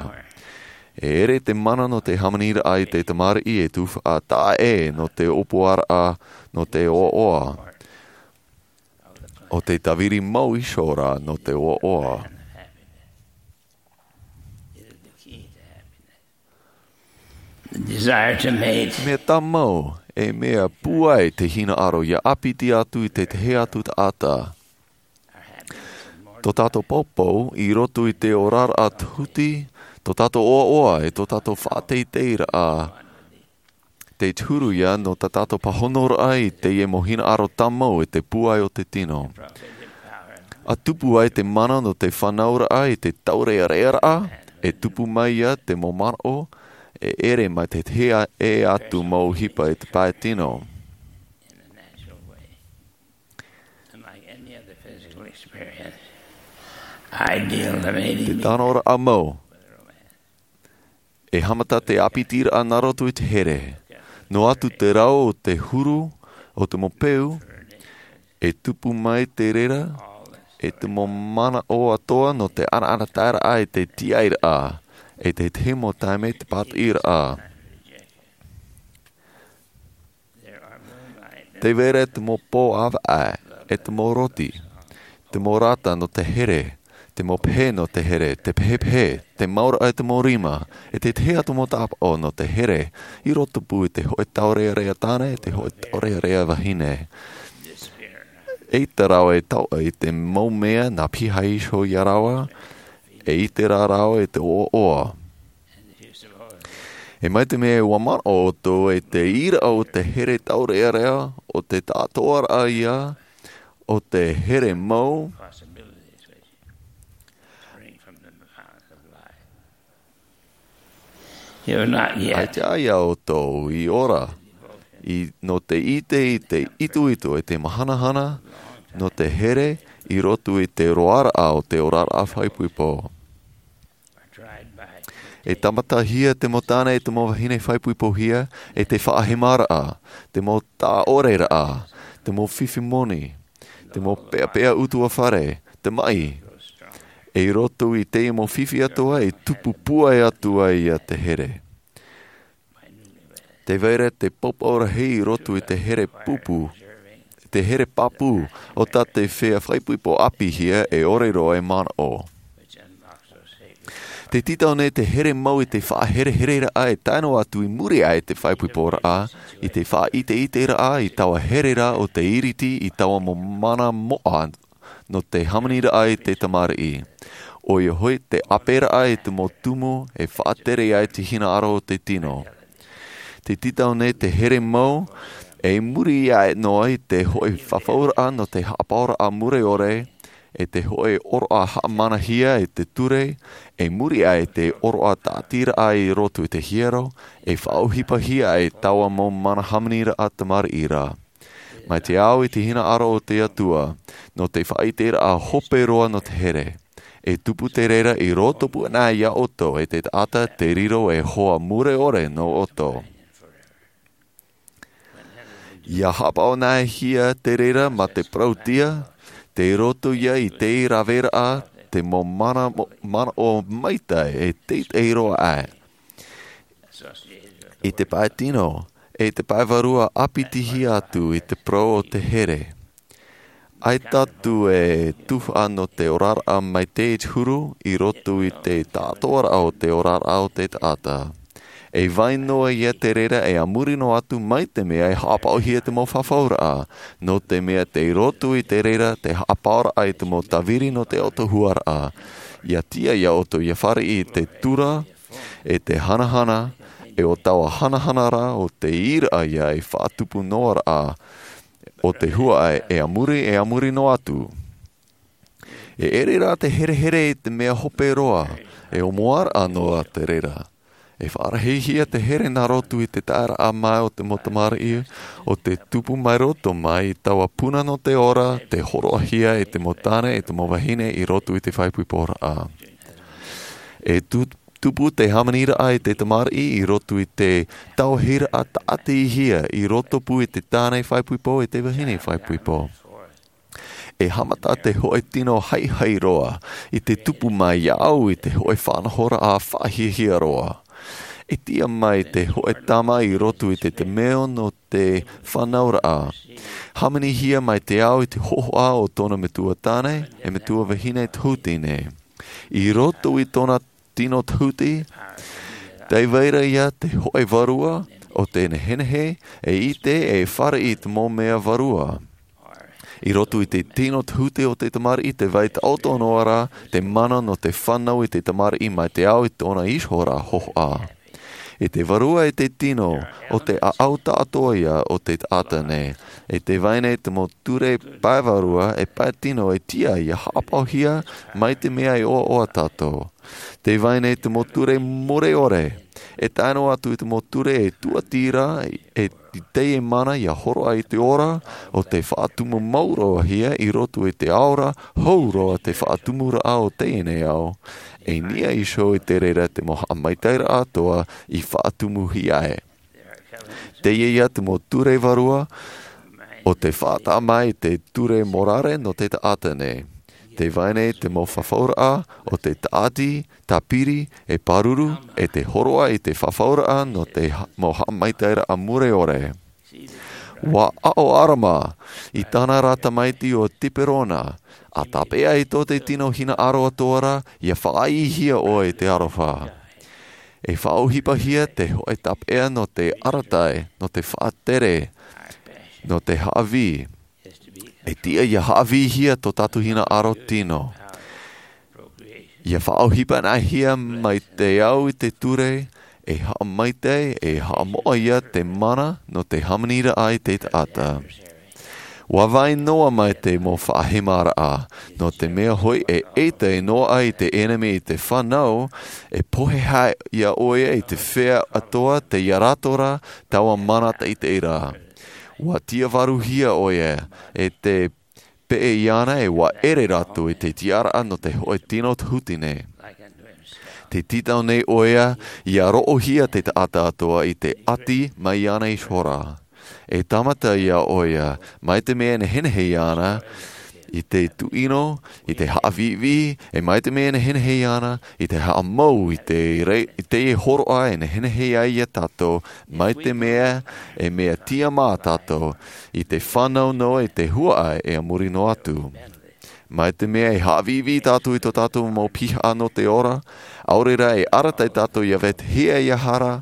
E ʻere te mana nō te hāmaniraʻa i te tamariʻi e tuhaʻa taʻa ʻē nō te ʻōpuaraʻa, nō te ʻoaʻoa. ʻO te tāviri mau iho ra nō te ʻoaʻoa. Desire to mate. Mea tāmau, e mea pūai te hinaʻaro ia ʻāpiti atu i te tahi atu taʻata. Tō tātou poupou, i roto i te oraraʻa tuhuti, tō tātou ʻoaʻoa, e tō tātou faʻateiteiraʻa. Te huru ia nō tā tātou pāhonoraʻa i teie mau hinaʻaro tāmau e te pūai o te tino. ʻA tupu ai te mana nō te fānauraʻa i te taurearearaʻa, e tupu mai ia te mau manaʻo, e ʻere mai te tahi ʻē atu mau ʻohipa i te pae tino. And like any other physical experience, ideal to mating. Te tanoraʻa mau. E haʻamata te ʻāpitiraʻa nā roto i te here. Noa atu te rau o te huru, o te mau peu, e tupu mai te reira, e te mau manaʻo atoʻa nō te ʻanaʻanataeraʻa e te tiʻairaʻa, e te tahi mau taime te pātiʻiraʻa. Te vera te mau pō ʻāvaʻe, e te mau roti, te mau rata nō te here, te mau pehe nō te here, te pehepehe, te mauraʻa e te mau rima, e te tahi atu mau tāpaʻo nō te here, i roto pū i te hōʻē taurearea tāne, e te hōʻē taurearea vahine. ʻEita rāua e tauʻa i te mau mea nā piha iho ia rāua, e ʻite rā rāua i te ʻoaʻoa. E mai te mea ʻua manaʻo ʻoutou e te ʻīraʻa o te here taurearea, o te taʻatoʻaraʻa ia, o te here mau, You're not yet. Aita ia ʻoutou i ora i, nō te ʻite i te itoito e te mahanahana, nō te here i roto i te roaraʻa o te oraraʻa faʻaipoipo. E tāmatahia te mau tāne e te mau vahine faʻaipoipohia e te faʻahemaraʻa, te mau taʻoreraʻa, te mau fifi moni, te mau peapea utuafare, te maʻi. E i roto i te mau fifi atoa e tupu pūai atu ai ia te here. Te vai ra te pāpū rahi i roto i te here pūpū, te here pāpū, o tā te feiā faʻaipoipo ʻāpīhia e ʻore roa e manaʻo. Te tītau nei te here mau i te faʻaherehereraʻa e tae noa atu i muri aʻe i te faʻaipoiporaʻa, i te faʻaʻiteʻiteraʻa i taua here ra o te iriti i taua mau mana moʻa nō te hāmaniraʻa i te tamariʻi. ʻOia hoʻi te ʻāperaʻa i te mau tumu e faʻatere ai te hinaʻaro o te tino. Te tītau nei te here mau, e muri aʻe noa i te hōʻē fafauraʻa nō te haʻapaʻoraʻa mure ʻore, e te hōʻē ʻōroʻa haʻamanahia e te ture, e muri aʻe i te ʻōroʻa tāʻatiraʻa i roto i te hiero, e faʻaʻohipahia ai taua mau mana hāmaniraʻa tamariʻi ra. Mai te ao i te hinaʻaro o te Atua, nō te faʻaʻiteraʻa hope roa nō te here. E tupu te reira i roto pū ana ia ʻoutou e te taʻata te riro e hoa mure ʻore nō ʻoutou. Ia haʻapaʻo nā hea te reira mā te parauʻtiʻa, tei roto ia i te raveraʻa, te mau mana, manaʻo maitaʻi e teitei roa aʻe. I te pae tino, e te pae vārua ʻāpitihia atu i te parau o te here. ʻAita atu e tuhaʻa nō te oraraʻa maitaʻi i te huru i roto i te tāʻātoʻaraʻa o te oraraʻa o te taʻata. E vai noa ia te reira e a muri noa atu mai te mea e haʻapaʻohia te mau fafauraʻa, nō te mea tei roto i te reira te haʻapaʻoraʻa i te mau tāviri nō te ʻautahuaraʻa. Ia tiʻa ia ʻoutou ia fāriʻi i te tura, e te hanahana, e ʻo taua hanahana ra ʻo te ʻīraʻa ia e faʻatupu noa ra, ʻo te huaʻai e a muri, e a muri noa atu. E ʻere rā te herehere i te mea hope roa, e ʻōmuaraʻa noa te reira. E faʻarahihia te here nā roto i te taeraʻa mai o te mau tamariʻi, ʻo te tupu mai roto mai i taua puna nō te ora, tei hōroʻahia e te mau tāne, e te mau vahine i roto i te faʻaipoiporaʻa. E tu-, tupu te hāmaniraʻa i te tamariʻi i roto i te tauahiraʻa tāʻatihia i roto pū i te tāne faʻaipoipo, e te vahine faʻaipoipo. E haʻamata te hōʻē tino haihai roa i te tupu mai ia ʻau i te hōʻē faʻanahoraʻa faʻahiahia roa. E tiʻa mai te hōʻē tama i roto i te, te meo nō te fānauraʻa. Hāmanihia mai te ao i te hōhoʻa o tōna metua tāne, e metua vahine tahuti nei. I roto i tōna tino tahuti, tei vai ra ia te hōʻē vārua, ʻo te nehenehe, e ʻite, e fāriʻi i te mau mea vārua. I roto i te tino tahuti o te tamariʻi, tē vai taʻoto noa ra te mana nō te fānau i te tamariʻi mai te ao i tōna iho ra hōhoʻa. I te vārua e te tino, ʻo te ʻāʻau taʻatoʻa ia o te taʻata nei. E tē vai nei te mau ture pae vārua, e pae tino e tiʻa ia haʻapaʻohia mai te mea e ʻoaʻoa tātou. Tē vai nei te mau ture mure ʻore, e tae noa atu i te mau ture e tuati ra, e i teie mana ia hōroʻa i te ora, ʻo te faʻatumu mau roa hia i roto i te ao ra, hou roa te faʻatumuraʻa o teie nei ao. E niʻa iho i te reira te mau haʻamaitaʻiraʻa atoʻa i faʻatumuhia ai. Teie ia te mau ture vārua, ʻo te faʻataʻa mai te ture morare nō te taʻata nei. Tē vai nei te mau fafauraʻa, ʻo te tāʻati, tāpiri, e pāruru, e te hōroʻa i te fafauraʻa nō te ha-, mau haʻamaitaʻiraʻa mure ʻore. ʻUa aʻo ʻArama, i tāna ra tamaiti ʻo Tiperona, ʻa tāpeʻa i tō te tino hinaʻaro atoʻa ra, ia faʻaʻīhia ʻoe i te aroha. E faʻaʻohipahia te hōʻē tāpeʻa nō te arataʻi, nō te faʻatere, nō te haʻavī. E tiʻa ia haʻavīhia tō tātou hinaʻaro tino. Ia faʻaʻohipa nā hea mai te ao i te ture, e haʻamaitaʻi, e haʻamoʻa ia te mana nō te hāmaniraʻa i te taʻata. Ua vai noa mai te mau faʻahemaraʻa, nō te mea hoʻi e ʻaita e noaʻa i te ʻenemi i te fānau, e pohe hia ʻoia i te feiā atoʻa tei ia rātou ra, taua mana taʻitaʻi ra. Ua tiavaruhia ʻoia, e te peʻe iāna e ua ʻere rātou i te tiʻaraʻa nō te hōʻē tino huti nei. Te tītau nei ʻoia, ia roʻohia te taʻata atoʻa i te ʻati mai iāna iho ra. E tāmata ia ʻoia, mai te mea e nehenehe iāna, i te tuʻino, i te haʻaviʻiviʻi, e mai te mea e nehenehe iāna, i te haʻamau, i te rei, i te hōroʻa e nehenehe ai ia tātou, mai te mea e mea tiʻamā tātou, i te fānau noa i te huaʻai e a muri noa atu. Mai te mea e haʻaviʻiviʻi tātou i tō tātou mau piha nō te ora, ʻaore rā e arataʻi tātou ia vetahi ia hara,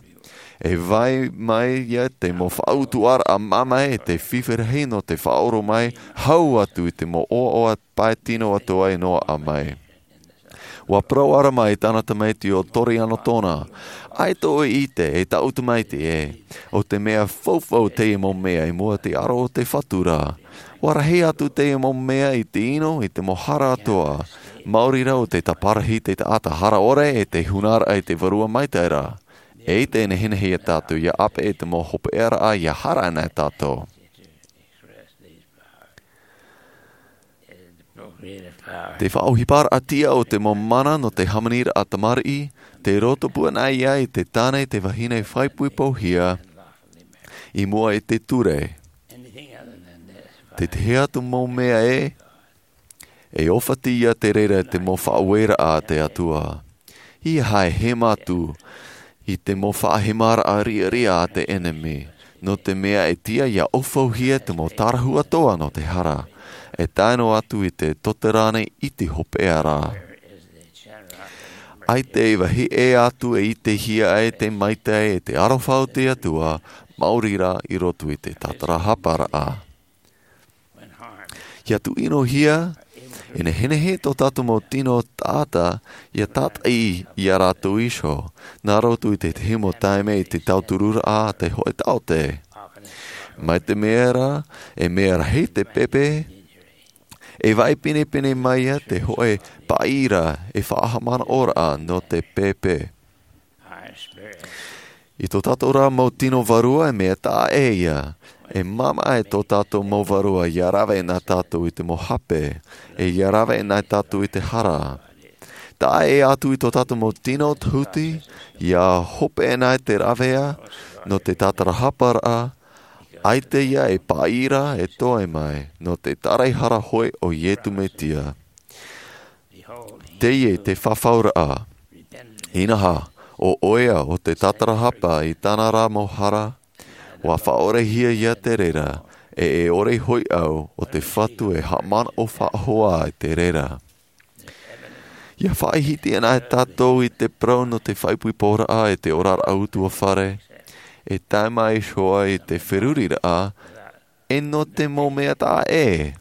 e vai mai ia te mau faʻautuʻaraʻa māmā e te fifi rahi nō te faʻaʻoro mai, hau atu i te mau ʻoaʻoa pae tino atoʻa e noaʻa mai. Ua parau ʻara mai tāna tamaiti ʻo Tori Anotona, ʻaita ʻoe ʻite e taʻu tamaiti ē, ʻo te mea faufaʻa teie mau mea i mua te aro o te Fatu ra. Ua rahi atu teie mau mea i te ʻino i te mau hara atoʻa, maori rā ʻo te tāparahi te taʻata hara ʻore e te hunaraʻa i te Vārua Maitaʻi ra. E ʻaita e nehenehe ia tātou ia ʻāpeʻe i te mau hopeʻaraʻa ia hara ana e tātou. Te faʻaʻohiparaʻa tiʻa o te mau mana nō te hāmaniraʻa tamariʻi, te roto pū anaʻe ia i te tāne te vahine faʻaipoipohia, i mua i te ture. Te tahi atu mau mea ē, e ʻōfati ia te reira te mau faʻaueraʻa a te Atua. ʻIa haʻehema atu i te mau faʻahemaraʻa riʻariʻa a te ʻenemi, nō te mea e tiʻa ia ʻaufauhia te mau tārahu atoʻa nō te hara, e tae noa atu i te tote rānei i te hopeʻa ra. ʻAita e vāhi ʻē atu e ʻitehia ai te maitaʻi e te aroha o te Atua, maori rā i roto i te tātarahaparaʻa. Ia tuʻinohia, e nehenehe tō tātou mau tino taʻata, ia tātaʻi ia rātou iho, nā roto i te tahi mau taime i te tautururaʻa a te hōʻē taote. Mai te mea ra, e mea rahi te pēpē, e vaʻi pinepine mai ia te hōʻē paʻi ra, e faʻahaʻamanaʻoraʻa nō te pēpē. I tō tātou rā mau tino vārua e mea taʻa ʻē ia, e māmā e tō tātou mau vārua ia rave nā tātou i te mau hape, e ia rave nā tātou i te hara. Taʻa ʻē atu i tō tātou mau tino huti, ia hope nā te ravea, nō te tātarahaparaʻa, ʻaita ia e paʻi ra e toe mai, nō te tāraehara hoʻi o Iesu Mesia. Teie te fafauraʻa. Inaha, ʻo ʻoia ʻo te tātarahapa i tāna rā mau hara, ua faʻaʻorehia ia te reira, e e ʻore hoʻi au ʻo te Fatu e haʻamanaʻo faʻahou i te reira. Ia faʻahiti ana e tātou i te parau nō te faʻaipoiporaʻa e te oraraʻa utuafare, e tae mai iho ā i te feruriraʻa, e nō te mau mea taʻa ʻē.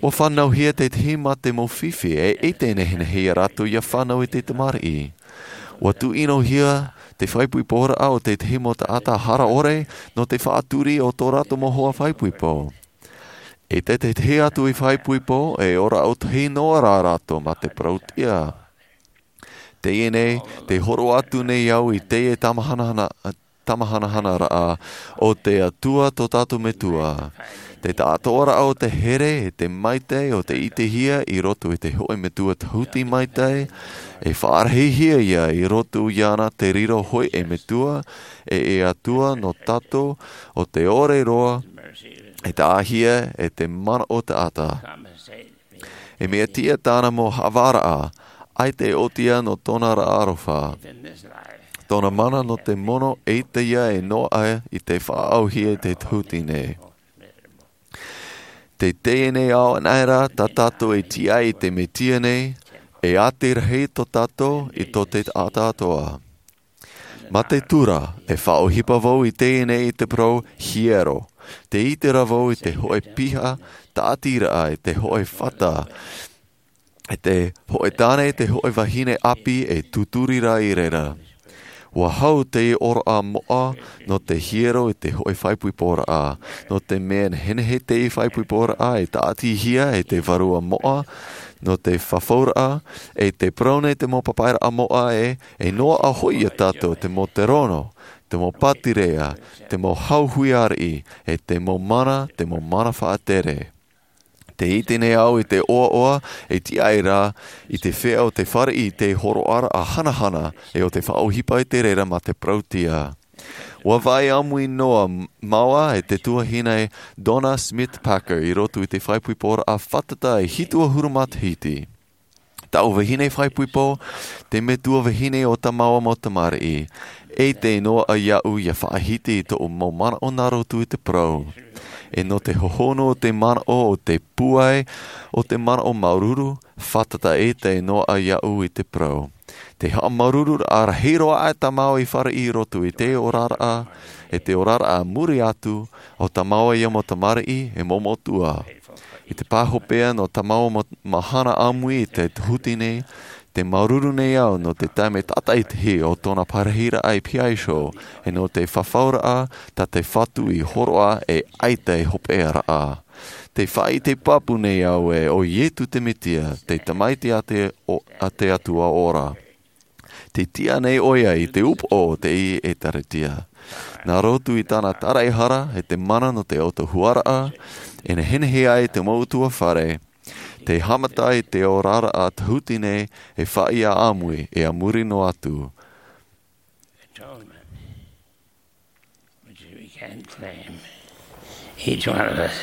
Ua fānauhia te tahi mā te mau fifi, e ʻaita e nehenehe ia rātou ia fānau i te tamariʻi. Ua tuʻinohia te faʻaipoiporaʻa o te tahi mau taʻata hara ʻore, nō te faʻaturi o tō rātou mau hoa faʻaipoipo. ʻAita te tahi atu i faʻaipoipo, e ora ʻautahi noa rā rātou mā te parau tiʻa. Teie nei, tē hōroʻa atu nei au i teie tāmahanahana, tāmahanahanaraʻa, ʻo te Atua tō tātou Metua. Te taʻatoʻaraʻa o te here, e te maitaʻi, ʻo te ʻitehia i roto i te hōʻē Metua Tahuti Maitaʻi, e faʻarahihia ia i roto iāna te riro hōʻē Metua, e e Atua nō tātou, ʻo te ʻore roa, e taʻahia, e te manaʻo taʻata. E mea tiʻa tāna mau haʻavāraʻa, ʻaita e ʻōtia nō tōna ra aroha. Tōna mana nō te mono ʻaita ia e noaʻa i te faʻaʻauhia i te tahuti nei. Tē teie nei ao anaʻe rā tā tātou e tiʻa i te Mesia nei, e ʻati rahi tō tātou i tō te taʻata atoʻa. Mā te tura, e faʻaʻohipa vau i teie nei i te parau hiero. Tē ʻite ra vau i te hōʻē piha, tāʻatiraʻa, i te hōʻē fata, i te hōʻē tāne, i te hōʻē vahine ʻāpī, e tūturi rā i reira. Ua hau te ʻōroʻa moʻa nō te hiero i te hoʻi faʻaipoiporaʻa, nō te mea nehenehe te faʻaipoiporaʻa e tāʻatihia e te vārua moʻa nō te fafauraʻa, e te parau nei te mau papaʻiraʻa moʻa ē, e noaʻa hoʻi ia tātou te mau terono, te mau pātireia, te mau hauhuiaraʻa, e te mau mana, te mau mana faʻatere. Te ʻite nei au i te ʻoaʻoa e tiʻa ai rā i te feiā o te fāriʻi i te hōroʻaraʻa hanahana e o te faʻaʻohipa i te reira mā te parautia. Ua vaʻai ʻāmui noa māua e te tuahine Donna Smith Packer i roto i te faʻaipoiporaʻa fātata e hitu ʻahuru matahiti. Taʻu vahine faʻaipoipo, te metua vahine o tā māua mau tamariʻi, e ʻite noa iāʻu ia faʻahiti i tōʻu mau manaʻo nā roto i te parau. E nō te hohonu o te manaʻo o te pūai, o te manaʻo māuruuru, fātata ʻē te noaʻa iāʻu i te parau. Te haʻamāuruururaʻa rahi roa aʻe tā māua i fāriʻi i roto i te oraraʻa, e te oraraʻa muri atu, o tā māua ia mau tamariʻi, e mau metua. I te pāhopeʻa nō tā māua mau mahana ʻāmui i te tahuti nei, te māuruuru nei au nō te taime tātaʻitahi o tōna parahiraʻa i P I show, e nō te fafauraʻa, tā te Fatu i hōroʻa e ʻaita e hopeʻa raʻa. Te faʻaʻite pāpū nei au ē, ʻo Ietu te Metia, te Tamaiti a te, o, a te Atua ora. Te tiʻa nei ʻoia i te upoʻo o te ʻĒtārētia. Nā roto i tāna tāraʻehara e te mana nō te ʻautuhuaraʻa, e nehenehe ai te mau ʻutuāfare, te haʻamata i te oraraʻa tahuti nei e faʻaʻāmui, e a muri noa atu. Atonement, which we can't claim. Each one of us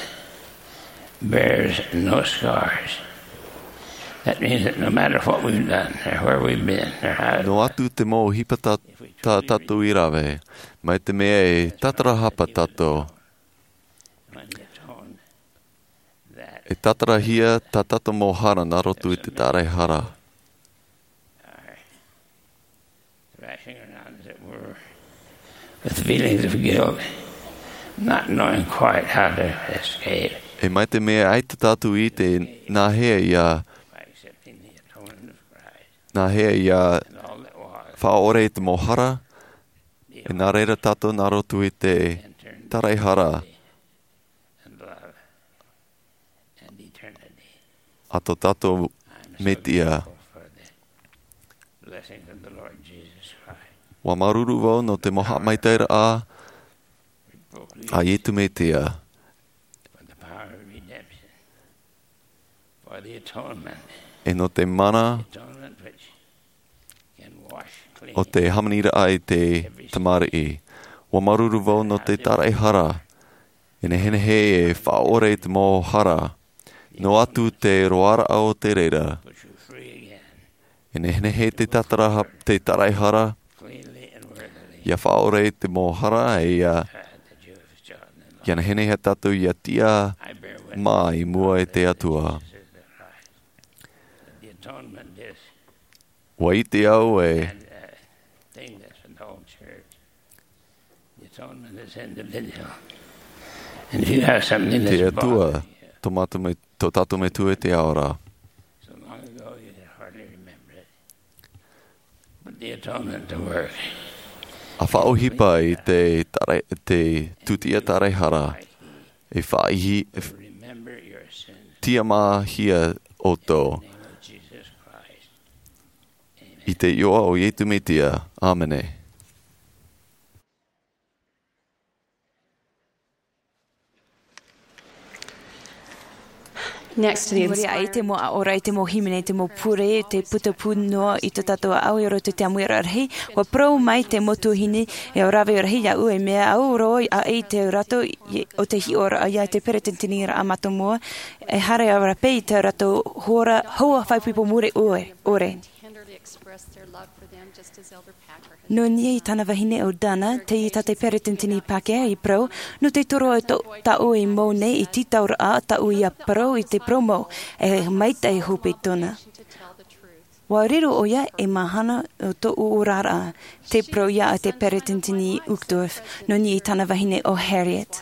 bears no scars. That means that no matter what we've done, or where we've been, or how, Noa atu te mau ʻohipa tā, tā tātou i rave, mai te mea e tātarahapa tātou, e tātarahia tā tātou mau hara nā roto i te tāraʻehara. Thrashing around, as it were, with feelings of guilt, not knowing quite how to escape. E mai te mea ʻaita tātou i ʻite nāhea ia, By accepting the atonement of Christ nāhea ia and all that was, faʻaʻore i te mau hara, e nā reira tātou nā roto i te tāraʻehara. And love and eternity. A tō tātou Metia. Blessings of the Lord Jesus Christ. Ua māuruuru vau nō te mau haʻamaitaʻiraʻa a Ietu Metia. For the power of redemption. For the atonement. E nō te mana Atonement which o te hāmaniraʻa i te tamariʻi. Ua māuruuru vau nō te tāraʻehara. E nehenehe e faʻaʻore i te mau hara. Noa atu te roaraʻa o te reira. E nehenehe te tātara, te tāraʻehara. Ia faʻaʻore i te mau hara, e ia, ia nehenehe tātou ia tiʻa mā i mua i te Atua. Ua ʻite au ē, And, uh, thing that's in the whole church. The atonement is individual. And if you have something that's Te Atua, bothering you, tō mātou me-, tō tātou Metua i te ao ra. So long ago you can hardly remember it. But the atonement to work. A faʻaʻohipa i te tāra-, te tūtiʻa tāraʻehara, e faʻaihi, e f-, Remember your sins. Tiʻamāhia ʻoutou. In the name of Jesus Christ. I te iʻoa o Ietu Metia. ʻĀmene. Next, I muri aʻe i te mau aʻoraʻa, i te mau hīmene, i te mau pure, i te putapū noa i tō tātou ʻāʻau i roto i te ʻāmuiraʻa rahi, ua parau mai te mau tuahine, e ʻo rave rahi iāʻu, e mea au roa aʻe i te rātou i, o te hiʻoraʻa ia te peresideni ra a mātou moa, e haere ʻaore rā paʻi i tā rātou hora, hoa faʻaipoipo mure ʻore, ʻore. Nō niʻa i tāna vahine ʻo Dana, tei tā te peresideni Packer i parau, nō te toro o tō-, tāʻu e mau nei i tītauraʻa, tāʻu ia parau i te parau mau, e maitaʻi hope tōna. Ua riro ʻoia e mahana o tōʻu oraraʻa, tei parau ia a te peresideni Uchtdorf, nō niʻa i tāna vahine ʻo Harriet.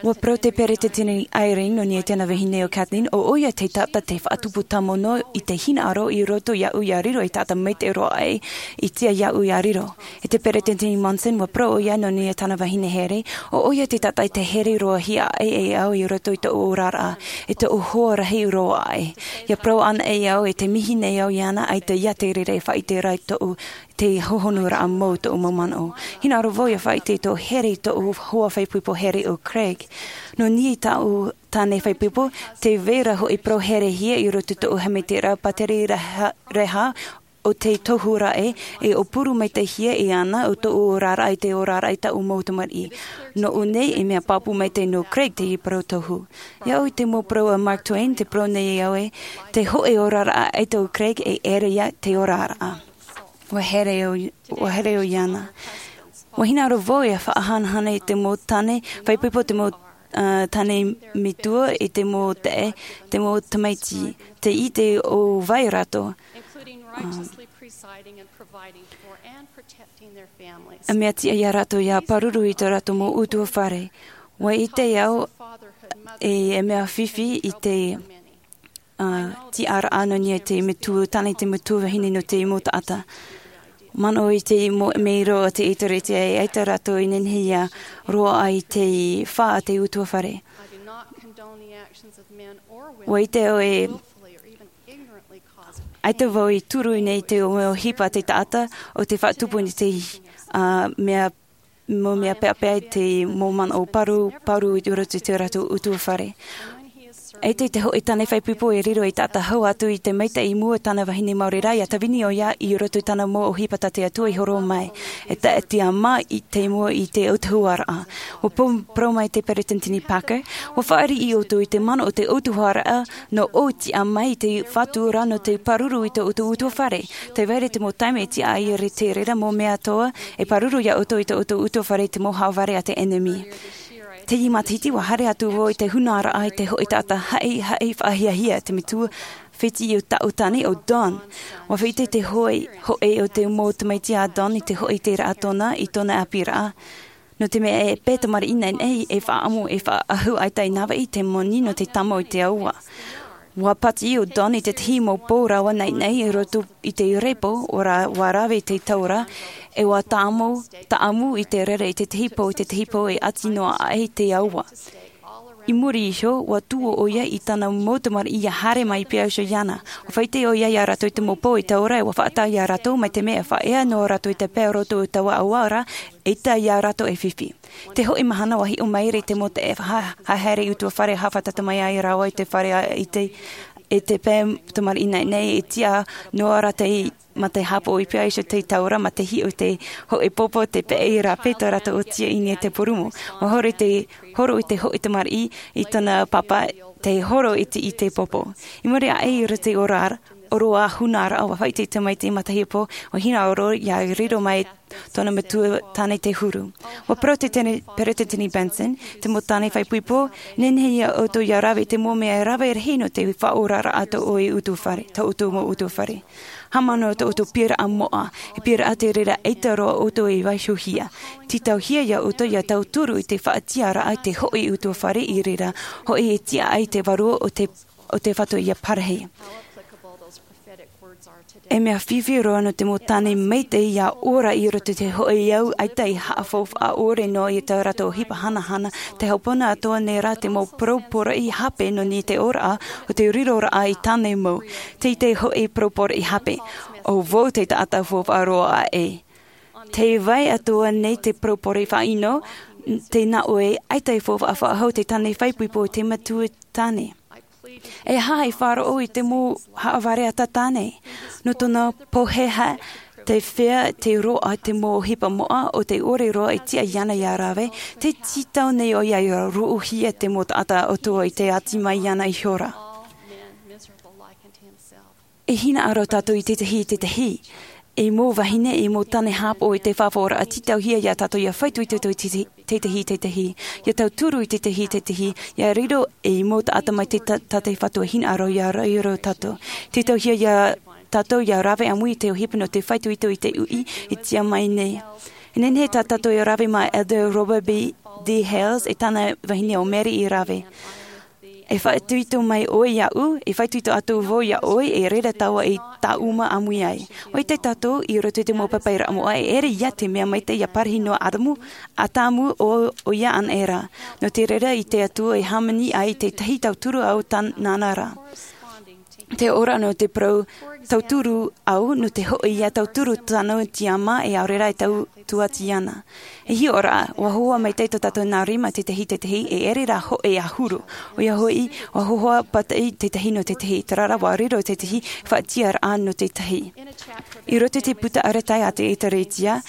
Ua parau te peresideni Eyring nō niʻa i tana vahine ʻo Kathleen, ʻo ʻoia te taʻata tei faʻatupu tāmau noa i te hinaʻaro i roto iāʻu ia riro ei taʻata maitaʻi roa aʻe i tia iāʻu ia riro. E te peresideni Monson, ua parau ʻoia nō niʻa i tana vahine Harriet, ʻo ʻoia te taʻata tei here roa hia aʻe e au i roto i tōʻu oraraʻa, i tōʻu hoa rahi roa aʻe. Ia parau ana e au e te mihi nei au iāna, ʻaita ia te reira e faʻaʻite ra i tōʻu, te hohonuraʻa mau tōʻu mau manaʻo. Hinaʻaro vau ia faʻaʻite i tō Harriet, tōʻu hoa faʻaipoipo Harriet ʻo Craig. Nō niʻa i tāʻu tāne faʻaipoipo, tē vai ra hoʻi parau herehia i roto i tōʻu haʻamaitaʻiraʻa pātiri reha, reha ʻo tei tohu ra ē, e ʻōpuru maitaʻihia iāna ʻo tōʻu oraraʻa i te oraraʻa i tāʻu mau tamariʻi. Nōʻu nei, e mea pāpū maitaʻi nō Craig teie parau tohu. Ia au i te mau parau a Mark Twain, tē parau nei au ē, te hōʻē oraraʻa ʻaita ʻo Craig e ʻere ia te oraraʻa. Ua here ʻo, ua here ʻo iāna. Ua hinaʻaro vau ia faʻahanahana i te mau tāne faʻaipoipo, te mau, ā, tāne metua, i te mau taʻe, te mau tamaiti, tei ʻite ʻo vai rātou. Including righteously presiding and providing for and protecting their families. E mea tiʻa ia rātou ia pāruru i tō rātou mau ʻutuāfare. Ua ʻite au e, e mea fifi i te, ā, tiʻaraʻa nō niʻa i te metua tāne, te metua vahine nō te mau taʻata. Manaʻo i te mau mero a te ʻĒtārētia e ʻaita rātou i nehenehe ia roaʻa i te fā a te ʻutuāfare. I do not condone the actions of men or women Ua ʻite au e willfully or even ignorantly cause ʻaita vau i turu nei te ʻōhipa a te taʻata ʻo tē faʻatupu nei te, ā, mea, mau mea peʻapeʻa i te mau manaʻo pāruru, pāruru i roto i tō rātou ʻutuāfare. ʻAita i te hōʻē tāne faʻaipoipo e riro ei taʻata hau atu i te maitaʻi i mua i tāna vahine maori rā, ia tāvini ʻoia i roto i tāna mau ʻōhipa tā te Atua i horo mai. E taʻa tiʻamā i te mua i te autahuʻaraʻa. Ua pau-, parau mai te peresideni Packer, ua fāriʻi ʻoutou i te mana o te autahuʻaraʻa nō ʻou tiʻa mai i te Fatu rā nō te pāruru i tō ʻoutou ʻutuāfare. Tē vai ra te mau taime e tiʻa ai ra te reira mau mea atoʻa e pāruru ia ʻoutou i tō ʻoutou ʻutuāfare i te mau haʻavare a te ʻenemi. Teie matahiti ua haere atu vau i te hūnaraʻa i te hōʻē taʻata haʻihaʻi faʻahiahia, te metua fētiʻi o tāʻu tāne ʻo Don. Ua faʻaʻite te hōʻē, hōʻē o te mau tamaiti a Don i te hōʻē iteraʻa tōna i tōna ʻāpīraʻa. Nō te mea e pae tamariʻi naʻinaʻi, e faʻaʻamu, e faʻaʻahu ʻaita i navaʻi te moni nō te tāmau i te aua. Ua pātiʻi ʻo Don i te tahi mau pou rava naʻinaʻi i roto i te repo, ʻua ra-, ʻua rave te taura, e ʻua tāmau, tāʻamu i te rere i te tahi pou, i te tahi pou e ʻati noa aʻe i te aua. I muri iho, ua tuō ʻoia i tāna mau tamariʻi ia haere mai i pīhaʻi iho iāna. Ua faʻaʻite ʻoia ia rātou i te mau pou e taura, e ʻua faʻataʻa ia rātou, mai te mea e faʻaea noa rātou i te pae roto i taua aua ra, ʻaita ia rātou e fifi. Te hōʻē mahana ua hiʻo mai ra i te mau taʻata e faʻa-, haere ʻutuāfare, haʻafātata mai ai rāua i te fare a, i te, e te pae tamariʻi naʻinaʻi, e tiʻa noa ra te, mā te haʻapaʻo i pīhaʻi iho te taura, mā te hiʻo i te hōʻē pōpō, te peʻe i rāpae tō rātou ʻōtia i niʻa i te purūmu. Ua horo i te, horo i te hōʻē tamariʻi i tōna pāpā, tē horo i te, i te pōpō. I muri aʻe i roto i te ora, ora hūnaraʻa, ua faʻaʻite te tamaiti matahiapo, ua hinaʻaro ia riro mai tōna metua tāne te huru. Ua parau te tene-, peresideni Benson, te mau tāne faʻaipoipo, nehenehe ia ʻoutou ia rave i te mau mea e rave rahi nō te faʻaoraraʻa tō ʻoe ʻutuāfare, tō ʻoutou mau ʻutuāfare. Haʻamanaʻo tō ʻoutou piʻiraʻa moʻa, e piʻiraʻa te reira ʻaita roa ʻoutou e vaihohia. Tītauhia ia ʻoutou ia tauturu i te faʻatiʻaraʻa i te hōʻē ʻutuāfare i reira, hōʻē e tiʻa ai te vārua o te, o te Fatu ia parahi. E mea fifi roa nō te mau tāne maitaʻi ia ora i roto i te hōʻē au ʻaita i haʻafaufaʻa ʻore noa i tā rātou ʻohipa hanahana, te hopona atoʻa nei rā te mau parau poroʻi hape nō niʻa i te ora o te riroraʻa i tāne mau. Tei te hōʻē parau poroʻi hape. ʻO vau te taʻata faufaʻa roa aʻe. Tē vai atoʻa nei te parau poroʻi faʻaʻino, tē nā ʻoe ʻaita e faufaʻa faʻahou te tāne faʻaipoipo i te metua tāne. E aha e faʻaroʻo i te mau haʻavare ʻata tāne? Nō tōna pōheha, tē fea te roaʻa te mau ʻohipa moʻa o te ʻore roa e tiʻa iāna ia rave, tē tītau nei ʻoia ia rūʻuhia te mau taʻata atoʻa i te ʻati mai iāna ihora. E hinaʻaro tātou i te tahi, i te tahi. E mau vahine, e mau tāne haʻapaʻo i te faʻaora, tītauhia ia tātou ia faʻaitoito i te, te, te tahi, te tahi. Ia tauturu i te tahi, te tahi. Ia riro e mau taʻata mai te ta-, tā te Fatu e hinaʻaro ia riro tātou. Tītauhia ia tātou ia rave ʻāmui i te ʻohipa nō te faʻaitoito i te uʻi e tiʻa mai nei. E nehenehe tā tātou e rave mā Elder Robert B. D Hales e tāna vahine o Mary i rave. E faʻaitoito mai ʻoe iāʻu, e faʻaitoito atu vau iā ʻoe, e reira tāua i tāʻuma ʻāmui ai. ʻOia tātou i roto i te mau papairaʻa moʻa, e ʻere ia te mea maitaʻi ia parahi noa ʻadamu, ʻadamu ʻo, ʻoia anaʻe ra. Nō te reira i te Atua e hāmani ai te tahi tauturu au tāna ra. Te ora nō te parau tauturu au, nō te hoʻi ia tauturu tāna tiama e ʻaore ra e tau tuati ana. E hiʻo ra, ua hōhoʻa maitaʻi tō tātou nā rima tētahi tētahi, e ʻere ra hoʻi ʻahuru. ʻOia hoʻi, ua hōhoʻa pātaʻi tētahi nō tētahi, terā rā ua riro tētahi faʻatiʻaraʻa nō tētahi. I roto i te puta arataʻi a te Ētārētia,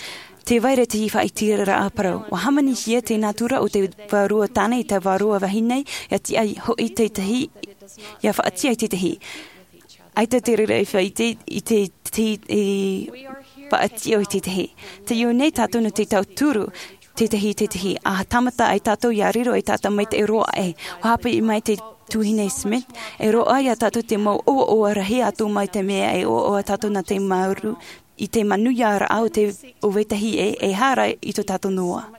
tē vai ra te faʻaitiraʻa parau. Ua hāmanihia te nātura o te vārua tāne i te vārua vahine, ia tiʻa hoʻi tētahi, ia faʻatiʻa i tētahi. ʻAita te reira e faʻaite i te, te, e faʻatiʻa i tētahi. Tē ʻite nei tātou nō te tauturu tētahi, tētahi. ʻA tāmata ai tātou ia riro e tātou maitaʻi roa ē. Ua haʻapiʻi mai te tuahine Smith, e roaʻa ia tātou te mau ʻoaʻoa rahi atu mai te mea e ʻoaʻoa tātou nā te mauru, i te manuiaraʻa o te, o vetahi ē, e hara i tō tātou noa.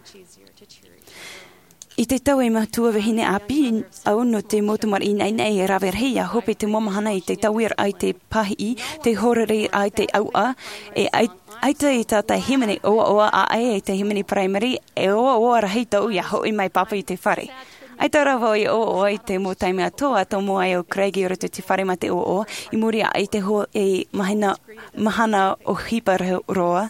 I te tau e matua vahine ʻāpī au nō te mau tamariʻi naʻinaʻi e rave rahi, ia hope te mau mahana i te tauiraʻa i te pāhiʻi, te horeraʻa i te ʻauʻa, e ʻai-, ʻaita e tātaʻi hīmene ʻoaʻoa ʻaʻe, e te hīmene paraimere, e ʻoaʻoa rahi tōʻu ia hoʻi mai pāpū i te fare. ʻAita rā vau e ʻoaʻoa i te mau taime atoʻa, tomo ai ʻo Craig i roto i te fare mā te ʻoaʻoa, i muri aʻe i te ho-, e mahina, mahana ʻohipa ra-, roa.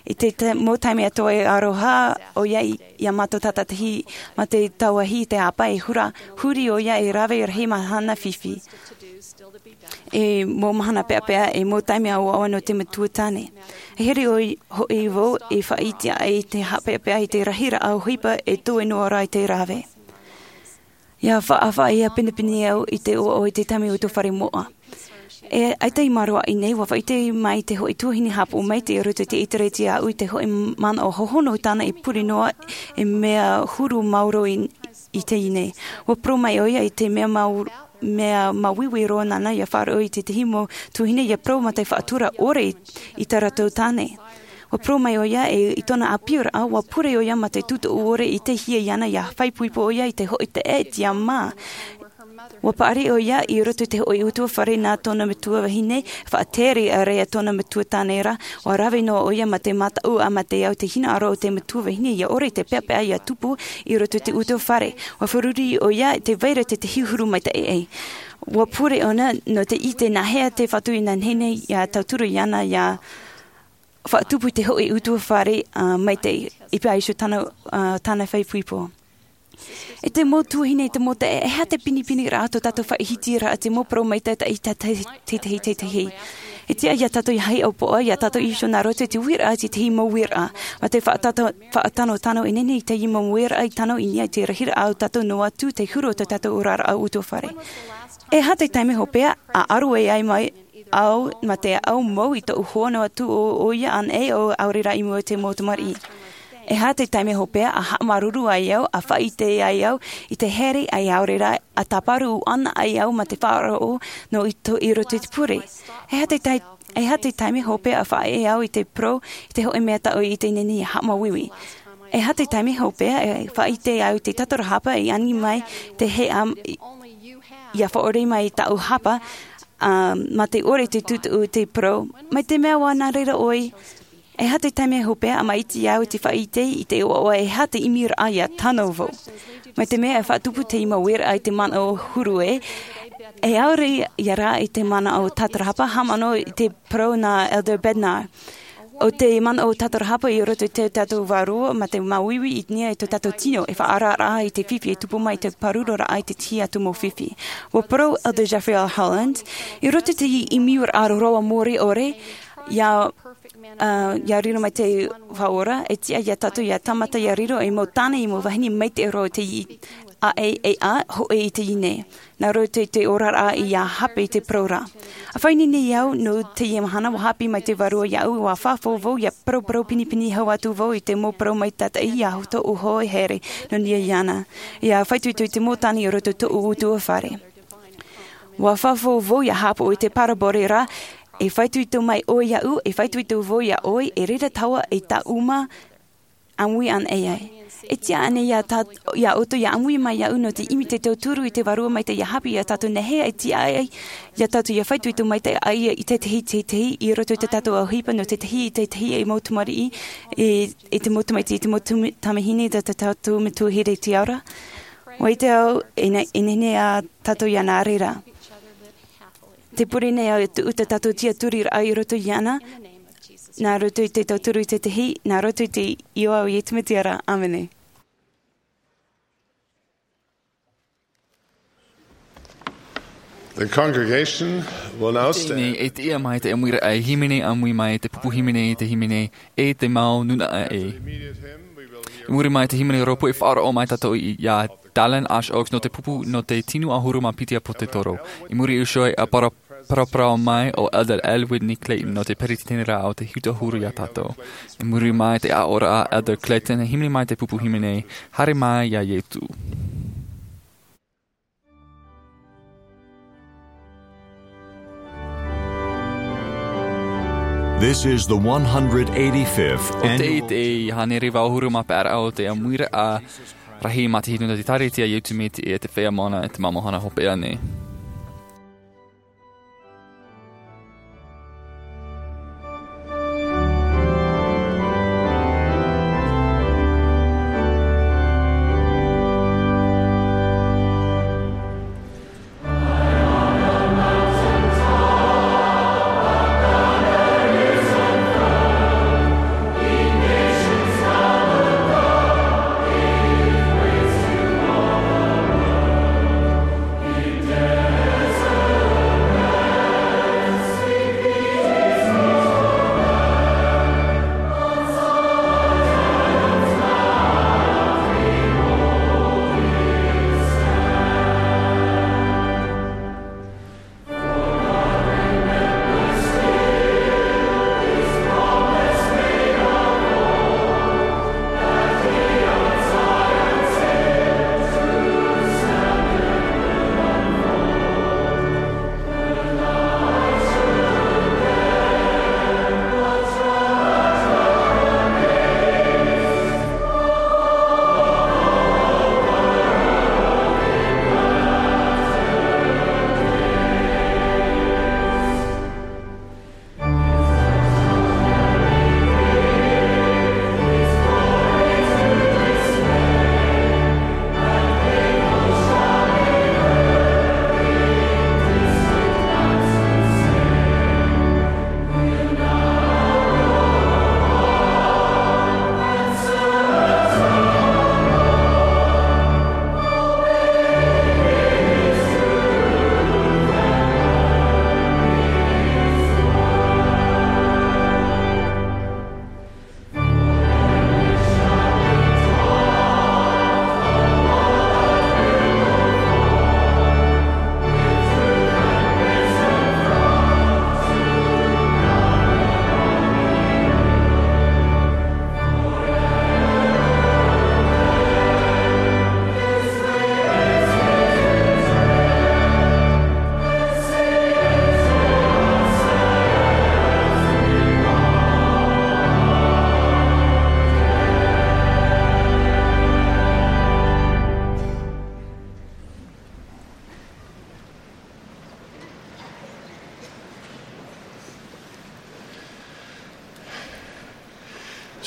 I te ta-, mau taime atoʻa e aroha ʻoia i, ia mātou tātaʻitahi mā te tauahi i te ʻāpā, e hura, huri ʻoia e rave rahi mahana fifi. E mau mahana peʻapeʻa, e mau taime ʻoaʻoa nō te matua tāne. E here ʻoe hoʻi vau e faʻaʻite aʻe i te haʻapeʻapeʻa i te rahiraʻa ʻohipa e toe noa ra i te rave. Ia faʻaʻapaʻa, ia pinepine au i te ʻoaʻoa i te taime o tō fare moʻa. E, ʻaita i māroaʻa nei, ua faʻaʻite mai te hoʻi tuahine haʻapaʻo maitaʻi i roto i te Ētārētia aʻu i te hoʻi manaʻo hohonu tāna e pure noa e mea huru maoro i, i teie nei. Ua parau mai ʻoia i te mea mau-, mea māuiui roa nāna ia faʻaroʻo i tētahi mau tuahine ia parau mā te faʻatura ʻore i, i tā rātou tāne. Ua parau mai ʻoia e, i tōna ʻāpīraʻa, ua pure ʻoia mā te tūtuʻu ʻore i te hia iāna ia faʻaipoipo ʻoia i te hoʻi taʻeʻaeʻa mā. Ua paʻari ʻoia i roto i te hoʻi ʻutuāfare nā tōna matua vahine, faʻatere ʻāreʻa tōna matua tāne ra, ua rave noa ʻoia mā te mataʻu ʻa mā te au te hinaʻaro o te matua vahine ia ʻore i te peʻapeʻa ia tupu i roto i te ʻutuāfare. Ua fārerei ʻoia tē vai ra tētahi huru maitaʻi. Ua pure ʻōna nō te ʻite nāhea te Fatu i nā nei ia tauturu iāna ia faʻatupu i te hoʻi ʻutuāfare, ā, maitaʻi, i pā iho tāna, ā, tāna faʻaipoipo. E te mau tuahine, e te mau taeaʻe, e aha te pinepine ra tō tātou faʻahitiraʻa, te mau parau maitaʻi i te, te, te, te, te, te. E tiʻa ia tātou ia haʻapiʻi, ia tātou iho nā roto i te uiraʻa, te, te mau uiraʻa. Mā te faʻatata-, faʻatanotano e nehenehe i te mau uiraʻa i tano i niʻa i te rahiraʻa o tātou noa atu te huru o tō tātou oraraʻa ʻutuāfare. E aha te taime hopeʻa a ʻaru ai mai au, mā te au mau i tōʻu hoa noa atu ʻo, ʻoia anaʻe ʻo ʻaore rā i mua i te mau tamariʻi. E aha te taime hopeʻa a haʻamāuruuru ai au, a faʻaʻite ai au i te here, ʻaore rā a tāparu ana ai au mā te faʻaroʻo nō i tō, i roto i te pure. E aha te tai-, e aha te taime hopeʻa a faʻaʻite au i te parau, i te hoʻi mea taʻu i teie nei haʻamāuiui. E aha te taime hopeʻa e faʻaʻite au i te tatarahapa i ani mai te heʻa ia faʻaʻore mai i tāʻu hapa, ā, mā te ʻore te tūtuʻu te parau, mai te mea ʻua nā reira ʻoe. E aha te taime hopeʻa a maʻiti au i te faʻaʻite i te ʻoaʻoa e aha te ʻimiraʻa ia tano vau. Mai te mea e faʻatupu te mau uiraʻa i te manaʻo huru ē, e ʻaore ia rā i te manaʻo tatarahapa, haʻamanaʻo i te parau nā Elder Bednar. ʻO te manaʻo tatarahapa i roto i tō tātou vārua, mā te māuiui i niʻa i tō tātou tino, e faʻaararaʻa i te fifi e tupu mai i te pāruruaraʻa i te tahi atu mau fifi. Ua parau Elder Jeffrey R. Holland, i roto i te ʻimiraʻa roa mōreʻore, ia, ā, ia riro mai te Faʻaora, e tiʻa ia tātou ia tāmata ia riro ei mau tāne, ei mau vahine maitaʻi roa i te i-, ʻaʻe, e ʻā, hoʻi i teie nei. Nā roto i te oraraʻa ia hape i te parau ra. ʻA faʻaineine au, nō teie mahana, ʻua haʻapiʻi mai te Vārua iāʻu, ʻua faʻaʻite vau, ia paraparau pinepine hau atu vau i te mau parau maitaʻi ia tōʻu hoa here nō niʻa iāna. ʻIa faʻaitoito i te mau tāne i roto i tōʻu ʻutuāfare. ʻUa faʻaʻite vau ia haʻapaʻo i te parabole ra, e faʻaitoito mai ʻoe iāʻu, e faʻaitoito vau iā ʻoe, e reira tāua e tāʻuma ʻāmui ana ai. E tiʻa ana ia tā-, ia ʻoutou ia ʻāmui mai iāʻu nō te ʻimi te tauturu i te Vārua Maitaʻi ia haʻapiʻi iā tātou, nāhea e tiʻa ai ia tātou ia faito i tō Maitaʻi ia i tētahi, tētahi, i roto i tā tātou ʻohipa nō tētahi, i tētahi, i te mau tamariʻi, i, i te mau tamaiti, i te mau tama-, tamahine, tā, tā tātou Metua here i te ao ra. ʻUa ʻite au, e ne-, e nehenehe ā tātou ia nā reira. Te pure nei au e tuʻu tā tātou tiʻaturiraʻa i roto iāna, nā roto i te tauturu i tētahi, nā roto i te iʻoa o Iesu Mesia ra. ʻĀmene. The congregation will now stand. Nei, e tiʻa mai te ʻāmuiraʻa e hīmene, ʻāmui mai te pupu hīmene, te hīmene, e te mau nūnaʻa ē. I muri mai te hīmene rōpū e faʻaroʻo mai tātou i, iā Dallin H. Oaks nō te pupu nō te tino ʻahuru mā piti ʻāpōsetolo. I muri iho ē ʻa para-, paraparau mai ʻo Elder L. Whitney Clayton nō te peretiteneraʻa o te Hitu ʻAhuru iā tātou. I muri mai te aʻoraʻa a Elder Clayton, e hīmene mai te pupu hīmene, Haere mai iā Iesu. This is the one hundred eighty-fifth annual. ʻO tei te hānere vaʻu ʻahuru mā pae raʻa o te ʻāmuiraʻa rahi maitaʻi nō te Ēkālesia a Iesu Mesia i te Feiā Moana e te Māmā Hopeʻa nei.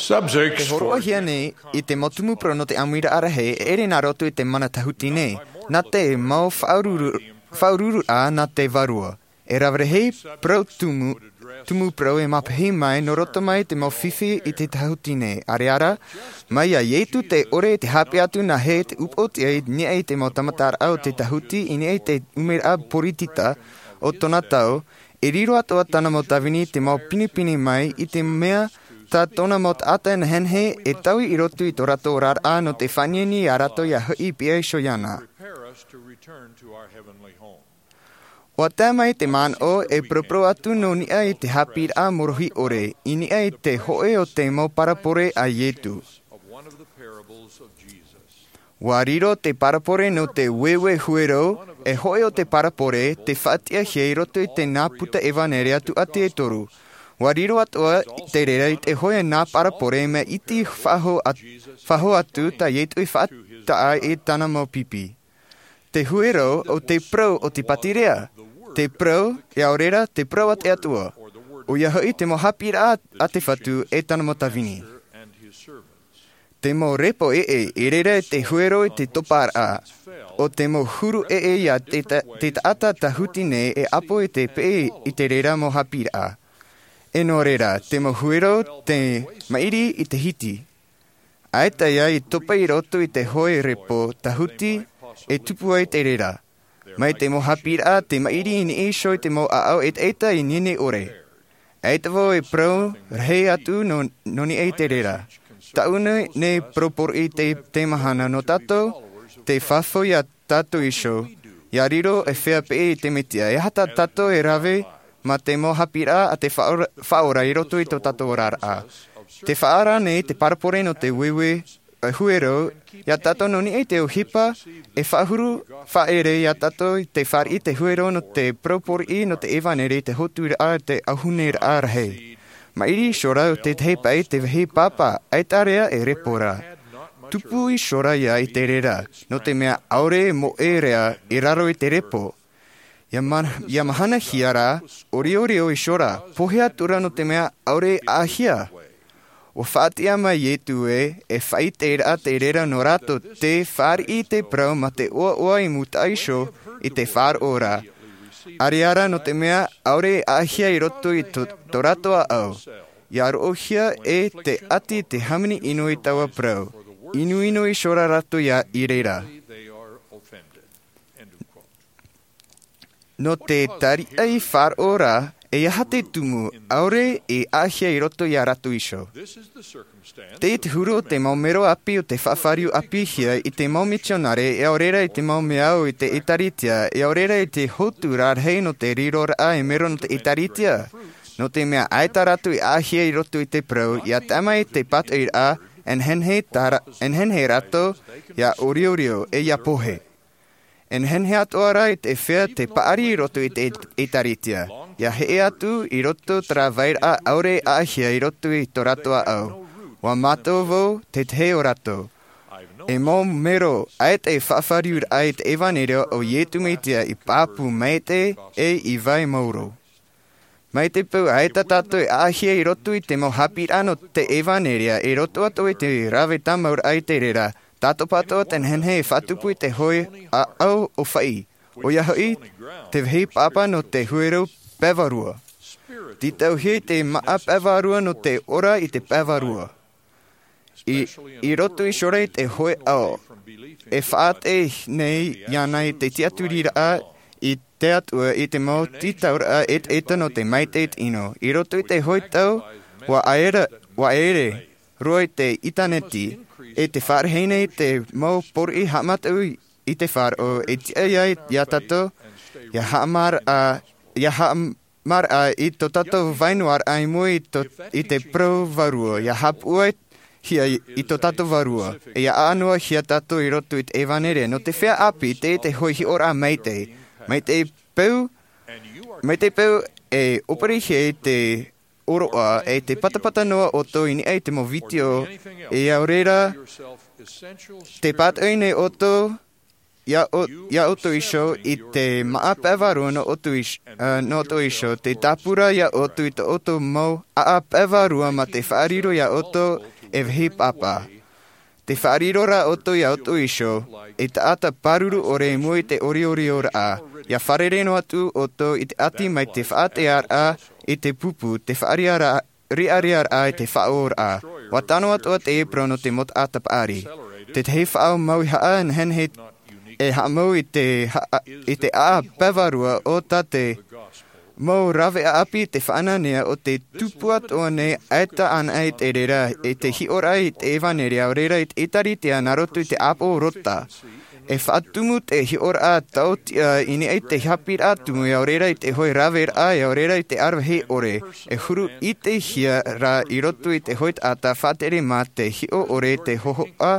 Subjects for E hōroʻahia nei i te mau tumu parau nō te ʻāmuiraʻa rahi, e ʻere nā roto i te mana tāhuti nei, nā te mau faʻaururu-, faʻaurururaʻa nā te Vārua. E rave rahi parau tumu, tumu parau e mapiʻi mai nō roto mai te mau fifi i te tāhuti nei. ʻAreʻa rā, mai iā Iesu te ʻore i te haʻapiʻi atu nāhea te upoʻotiʻa i niʻa i te mau tāmataraʻa o te tāhuti, i niʻa i te ʻumeraʻa poritita o tōna tau, e riro atoʻa tāna mau tāvini i te mau pinepine mai i te mea tā tōna mau taʻata nehenehe e taui i roto i tō rātou oraraʻa nō te faʻaʻiteʻite iā rātou ia hoʻi pihaʻi iho iāna. ʻUa tae mai te manaʻo e paraparau atu nō niʻa i te haʻapiʻiraʻa mōrohi ʻore, i niʻa i te hōʻē o te mau parabole a Iesu. ʻUa riro te parabole nō te ueue huero, e hōʻē o te parabole, tei faʻatiʻahia i roto i te nā puta ʻevanelia tūʻati e toru. Ua riro atu ʻoe i te reira i te hoʻe nā parabole mea iti faʻaho atu tā iesu i faʻataʻa i tāna mau pipi. Te huero o te parau o te pātireia, te parau e ʻaore rā te parau a te atua, ʻoia hoʻi te mau haʻapiʻiraʻa a te fatu e tāna mau tāvini. Te mau repo ʻeʻe i reira i te huero i te toparaʻa o te mau huru ʻeʻe ia te taʻata tāhuti nei e ʻapo i te peʻe i te reira mau haʻapiʻiraʻa. E nō reira te mau huero te maʻiri i te hiti. ʻAita ia i topa i roto i te hoʻe repo tāhuti e tupu ai te reira. Mai te mau haʻapiʻiraʻa te maʻiri i niʻa iho i te mau ʻaʻau ʻetaʻeta i nini ʻore. ʻAita vau e parau rahi atu nō niʻa i te reira. Taʻu nei parau poroʻi te mahana nō tātou te fafau ia tātou iho ia riro e fea peʻe i te mesia e aha tā tātou e rave mā te mau haʻapiʻiraʻa a te faʻaora i roto i tō tātou oraraʻa. Te faʻaara nei te parabole nō te huero ia tātou nō niʻa i te ʻohipa e faʻahuru faʻaere ia tātou i te fāriʻi te huero nō te parau poroʻi nō te ʻevanelia i te hōturaʻa i te ʻauhuneraʻa rahi. Maʻiri iho rā o tētahi paʻi te vāhi pāpā ʻaita rā e repo ra. Tupu iho rā ia i te reira nō te mea ʻaore moʻe rā i raro i te repo. Ia mahanahia rā, ʻoriorio iho rā, pohe atu rā nō te mea ʻaore e ʻaʻahia. Ua faʻatiʻa mai iesu ē e faʻaiteraʻa te reira nō rātou te fāriʻi te parau mā te ʻoaʻoa i mūtaʻa iho i te faʻaroʻo ra. ʻAreʻa rā nō te mea ʻaore e ʻaʻahia i roto i tō rātou ʻaʻau. Ia roʻohia e te ʻati te hāmani ʻino i taua parau. Inuinu iho rā rātou i reira. Nō te tariʻa i faʻaroʻo ra, e aha te tumu ʻaore e ʻaʻahia i roto ia rātou iho? Tei te huru o te mau mero ʻāpī o te faʻafāriu ʻāpīhia i te mau mitionare e ʻaore rā i te mau mea au i te ʻēkālesia e ʻaore rā i te hōturaʻa rahi nō te riroraʻa e mero nō te ʻēkālesia. Nō te mea ʻaita rātou i ʻaʻahia i roto i te parau ia tae mai te pātoʻiraʻa e nehenehe rātou ia ʻoriorio e ia pohe. E nehenehe atoʻa rā i te fea te paʻari i roto i te ʻēkālesia ia heʻe atu i roto terā vairaʻa ʻaore e ʻaʻahia i roto i tō rātou ʻaʻau. Ua mātau vau tētahi o rātou. E mau mero ʻaita e faʻafāriuraʻa i te ʻevanelia o iesu mesia i pāpū maitaʻi e i vai maoro. Mai te peu ʻaita tātou e ʻaʻahia i roto i te mau haʻapiʻiraʻa nō te ʻevanelia i roto atu i te rave tāmauraʻa i te reira, tātou pātoʻa te nehenehe e faʻatupu i te hoʻe ʻaʻau ʻōfaʻi, ʻoia hoʻi te vāhi pāpā nō te huero pae vārua. Tītauhia i te māʻa pae vārua nō te ora i te pae vārua. I roto iho rā i te hoʻe ʻaʻau e faʻaʻite nei iāna i te tiʻaturiraʻa i te atua i te mau tītauraʻa ʻetaʻeta nō te maitaʻi i te ʻino i roto i te hoʻe tau. Ua ʻere roa i te ʻinitaneti e te faʻarahi nei te mau poroʻi haʻamātau i te faʻaroʻo e tiʻa ai iā tātou ia haʻamaraʻa ia haʻamaraʻa i tō tātou vainuaraʻa i mua i te parau vārua ia haʻapuʻuhia i tō tātou vārua e ia ʻānoahia tātou i roto i te ʻevanelia nō te fea ʻāpī tei te hoʻe hiʻoraʻa maitaʻi. Mai te peu mai te peu e ʻōperehia i te ʻoroʻa e te patapata noa ʻoutou i niʻa i te mau vitiō e ʻaore rā te pātoʻi nei ʻoutou iā ʻoutou iho i te māʻa pae vārua nō ʻoutou iho te tāpura iā ʻoutou i tō ʻoutou mau ʻaʻa pae vārua mā te faʻariro iā ʻoutou e vāhi pāpā. Te faʻariro rā ʻoutou iā ʻoutou iho e taʻata pāruru ʻore i mua i te ʻoriʻorioraʻa ia fārerei noa atu ʻoutou i te ʻati mai te faʻatearaʻa i te pupu te faʻariʻariʻaraʻa i te faʻaʻoraʻa. Ua tano atoʻa te epro nō te mau taʻata paʻari. Tētahi faʻaau mau i haʻa nehenehe e haʻamau i te ʻaʻa pae vārua o tā te mau rave ʻāpī te faʻanahonahoa o te tupu atoʻa nei ʻaita ʻana i te reira i te hiʻoraʻa i te ʻevanelia ʻaore rā i te ʻēkālesia nā roto i te ʻāpoʻo rota. E faʻatumu te hiʻoraʻa taotiʻa i niʻa i te haʻapiʻiraʻa tumu ʻaore rā i te hoʻe raveraʻa ʻaore rā i te aravihi ʻore e huru ʻitehia rā i roto i te hoʻe taʻata faʻatere mā te hiʻo ʻore te hōhoʻa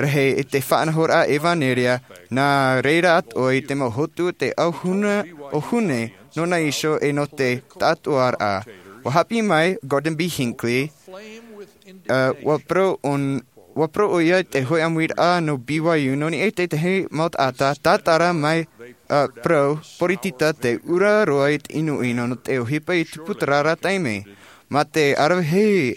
rahi i te faʻanahoraʻa ʻevanelia nā reira atoʻa i te mau hotu o te ʻauhune nōna iho e nō te taʻatoʻaraʻa. Ua haʻapiʻi mai Gordon B. Hinckley, ua parau ʻoia i te hoʻi ʻāmuiraʻa nō B Y U nō niʻa i te tahi mau taʻata tātara mai parau poritita te ura roa i te ʻinoʻino nō te ʻohipa i tupu i terā taime. Mā te aravihi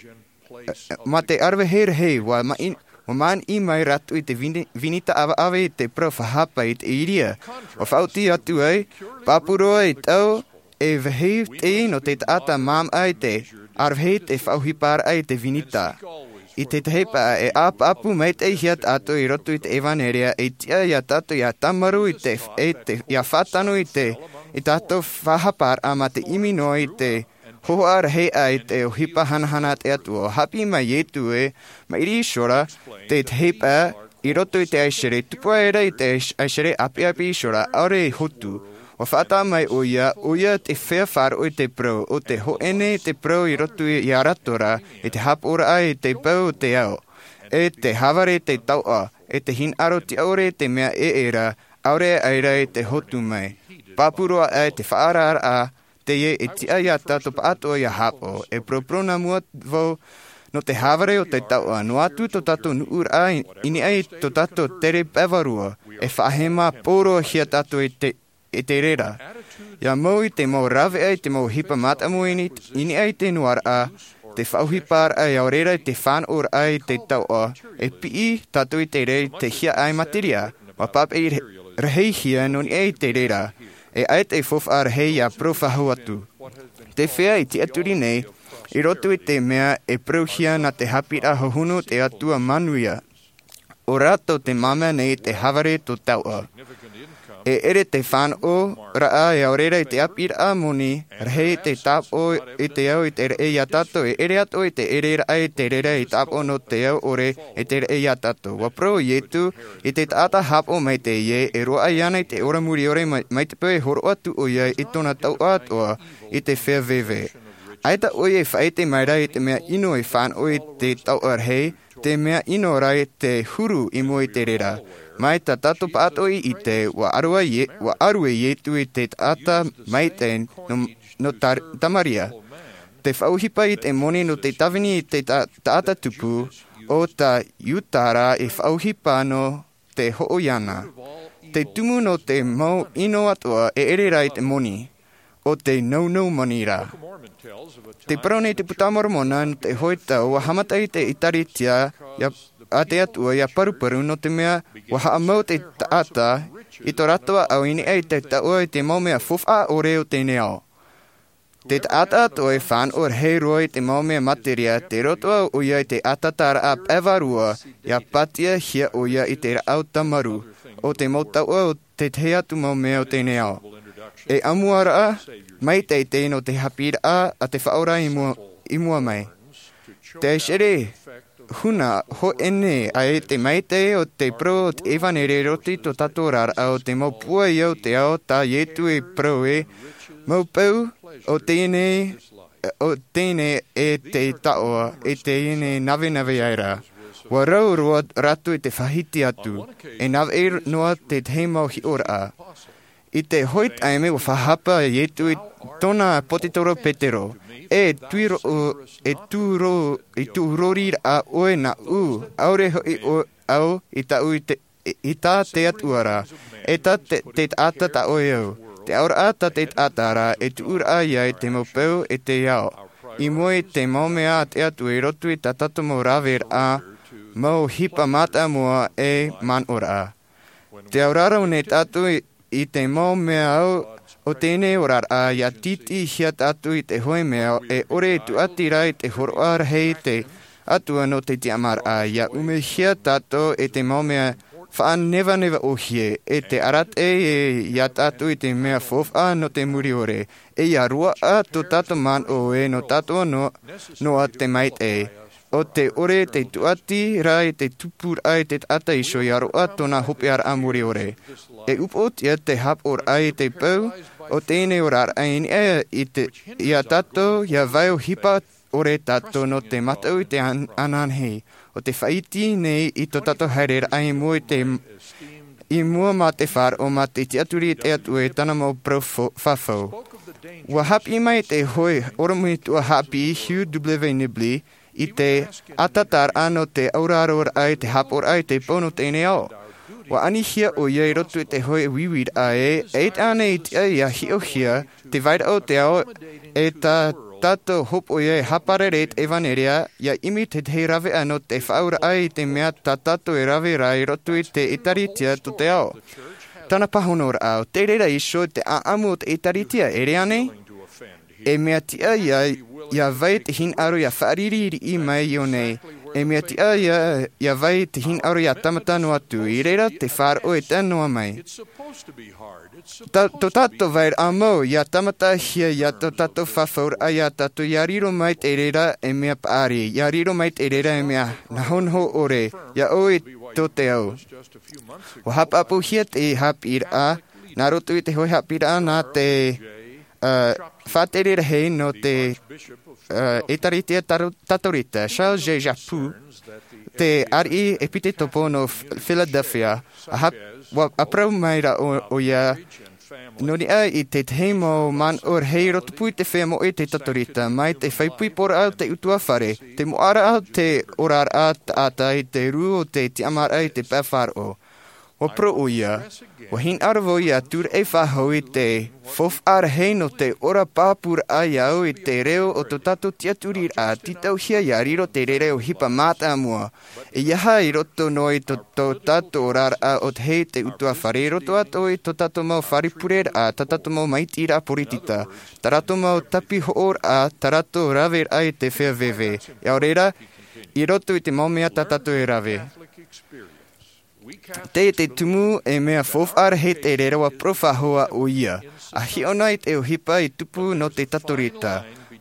mā te aravihi rahi ua māniʻi mai rātou i te vinita ʻavaʻava i te parau faʻahapa i te ʻīria. Ua faʻaoti atu ai pāpū roa i tau e vahi tei nō te taʻata māmā i te aravihi te faʻaohiparaʻa i te vinita. I te tahi pae e ʻāpāpū maitaʻihia tātou i roto i te ʻevanelia e tiʻa iā tātou ia tāmarū i te ia faʻatano i te i tātou faʻahaparaʻa mā te ʻimi noa i te hohoʻa rahi ʻā i te ʻohipa hanahana a te atua. Haʻapiʻi mai iesu e maʻiri iho ra te tahi pae i roto i te ʻaisere tupu aʻera i te ʻaisere ʻāpiʻapi iho ra ʻaore i hotu. Ua faʻataʻa mai ʻoia ʻoia te fea faʻaroʻo i te parau o te hoʻene i te parau i roto i a rātou ra i te hāpaʻoraʻa i te peu o te ao e te hāvare i te tauʻa e te hinaʻaro tiʻaore i te mea ʻeʻera ʻaore aʻera i te hotu mai. Pāpū roa ʻā i te faʻaararaʻa teie e tiʻa iā tātou pāʻatoʻa ia hāpaʻo e poroporona mua vau nō te hāvare o te tauʻa noa atu tō tātou nuʻuraʻa i niʻa i tō tātou tere pae vārua e faʻahema pōroʻahia tātou i te i te reira. Ia mau i te mau rāveʻa i te mau ʻohipa mātāmua i niʻa i te noaraʻa te faʻaohiparaʻa ia reira i te fānaʻoraʻa i te tauʻa e piʻi tātou i te reira i te hiaʻai materia ua pāpaʻi rahihia nō niʻa i te reira e ʻaita e faufaʻa rahi ia parau faʻahou atu. Te fea i tiʻaturi nei i roto i te mea e parauhia nā te haʻapiʻiraʻa hohonu o te atua manuia ʻo rātou te māmā nei i te hāvare tō tauʻa. E ʻere te fānaʻoraʻa e ʻaore rā i te ʻāpīraʻa moni rahi i te tāpaʻo i te ao i te reira iā tātou e ʻere atoʻa i te ʻereraʻa i te reira i tāpaʻo nō te ao ʻore i te reira iā tātou. Ua parau iesu i te taʻata hāpaʻo mai teie e roaʻa iāna i te ora muriʻore mai te peu e horoʻa atu ʻoia i tōna tauʻa atoʻa i te fea veve. ʻAita ʻoia e faʻaʻite mai rā i te mea ʻino e fānaʻo i te tauʻa rahi te mea ʻino rā i te huru i mua i te reira. Mai tā tātou pāʻatoʻa i ʻite ua ʻaru e iesu i te taʻata maitaʻi nō tamaria. Te faʻaohipa i te moni nō te tāvini i te taʻata tupu o tā iuda rā e faʻaohipa nō te hoʻo iāna. Te tumu nō te mau ʻino atoʻa e ʻere rā i te moni o te nounou moni rā. Te parau nei te puta a moromona nō te hoʻi tau ua haʻamata i te ʻēkālesia a te atua ia paruparu nō te mea ua haʻamau te taʻata i tō rātou ʻaʻau i niʻa i te tauʻa i te mau mea faufaʻa ʻore o teie nei ao. Te taʻata atoʻa e fānaʻo rahi roa i te mau mea materia te roto ʻoia i te ʻātaʻataraʻa pae vārua ia pātiahia ʻoia i te rāʻau tāmarū o te mau tauʻa o te tahi atu mau mea o teie nei ao. E ʻāmuaraʻa maitaʻi teie nō te haʻapiʻiraʻa a te faʻaora i mua mai. Te ʻaisere huna hoʻene ai te maitaʻi o te parau o te ʻevanelia i roto i tō tātou oraraʻa o te mau pūai o te ao tā iesu e parau e mau peu o teie nei o teie nei e te tauʻa e teie nei navenave aʻera. Ua rau roa rātou i te faʻahiti atu e navaʻi noa te tahi mau hiʻoraʻa. I te hoʻi taime ua faʻahapa iesu i tōna ʻāpōsetolo petero e tūrori raʻa ʻoe nāʻu ʻaore hoʻi ʻoe au i tāʻu i te i tā te atua rā e tā te taʻata tā ʻoe au. Te auraʻa tā te taʻata rā e tuʻuraʻa ia i te mau peu e te ao i mua i te mau mea a te atua i roto i tā tātou mau raveraʻa mau ʻohipa mātāmua e manaʻoraʻa. Te auraro nei tātou i te mau mea au o teie nei oraraʻa ia tītīhia tātou i te hoʻi mea e ʻore e tūʻati rā i te horoʻa rahi i te atua nō te tiʻamāraʻa ia umehia tātou e te mau mea faʻanevaneva ʻohie e te arataʻi e iā tātou i te mea faufaʻa nō te muriʻore e ia roaʻa tō tātou manaʻo e nō tātou noa te maitaʻi o te ʻore te tūʻati rā i te tupuraʻa i te taʻata iho ia roaʻa tōna hopeʻaraʻa muriʻore. E upoʻotia te haʻapaʻoraʻa i te peu o teie nei oraraʻa i niʻa iā tātou ia vai ʻohipa ʻore tātou nō te mataʻu i te ananahi o te faʻaiti nei i tō tātou haereraʻa i mua i te i mua mā te faʻaroʻo mā te tiʻaturi i te atua i tāna mau parau fafau. Ua hāpiʻi mai te hoʻe ʻorometua hāpiʻi Hugh W. Nibley i te ʻatataraʻa nō te auraroraʻa i te hāpaʻoraʻa i te pō nō teie nei ao. Ua anihia ʻoia i roto i te hoʻe uiuiraʻa ē, e ʻite ānei i tiʻa ia hiʻohia te vairaʻa o te ao, e tā tātou hōpoiʻa e hāparare i te ʻevanelia, ia ʻimi te tahi raveʻa nō te faʻaauraʻa i te mea tā tātou e rave ra i roto i te ʻēkālesia tō te ao. Tāna pāhonoraʻa, ʻo te reira iho te ʻāʻamu o te ʻēkālesia, e rā ānei? E mea tiʻa ia, ia vai te hinaʻaro ia faʻariri riʻi mai iō nei. E mea tiʻa ia, ia vai te hinaʻaro ia tāmata noa atu. I reira te faʻaroʻo e tae noa mai. Tā, tō tātou vairaʻa mau, ia tāmatahia ia tō tātou fafauraʻa ia tātou, ia riro mai te reira e mea paʻari, ia riro mai te reira e mea nahonaho ʻore, ia ʻoe tō te au. Ua hāpaʻapuhia te hāpiʻiraʻa, nā roto i te hoʻe hāpiʻiraʻa nā te, ā, faʻatere rahi nō te, ā, ʻēkālesia Taro-, Katorika, Charles J. Chaput, te ariʻi ʻēpitekopo nō F-, Philadelphia, a hap-, ua, a parau mai ra ʻo, ʻoia, nō niʻa i te tahi mau manaʻo rahi i rotopū i te feiā moʻe te Katorika, mai te faʻaipoiporaʻa o te ʻutuāfare, te moʻaraʻa o te oraraʻa taʻata i te rū o te tiʻamāraʻa i te pae faʻaroʻo. Ua parau ʻoia, ua hinaʻaro vau ia tūraʻi faʻahou i te faufaʻa rahi nō te ora pāpūraʻa ia au i te reo o tō tātou tiʻaturiraʻa, tītauhia ia riro te reira e ʻohipa mātāmua. ʻEiaha i roto noa i tō, tō tātou oraraʻa ʻo tahi te ʻutuāfare, i roto atoʻa i tō tātou mau fare pureraʻa, tā tātou mau māʻitiraʻa poritita, tā rātou mau tāpihoʻoraʻa, tā rātou raveraʻa i te feiā veve. ʻIa ʻore ra, i roto i te mau mea tā tātou e rave. Tē, te tumu e mea faufaʻa rahi te reira ua parau faʻahou ʻoia. ʻA hiʻo na i te ʻohipa i tupu nō te Katorika.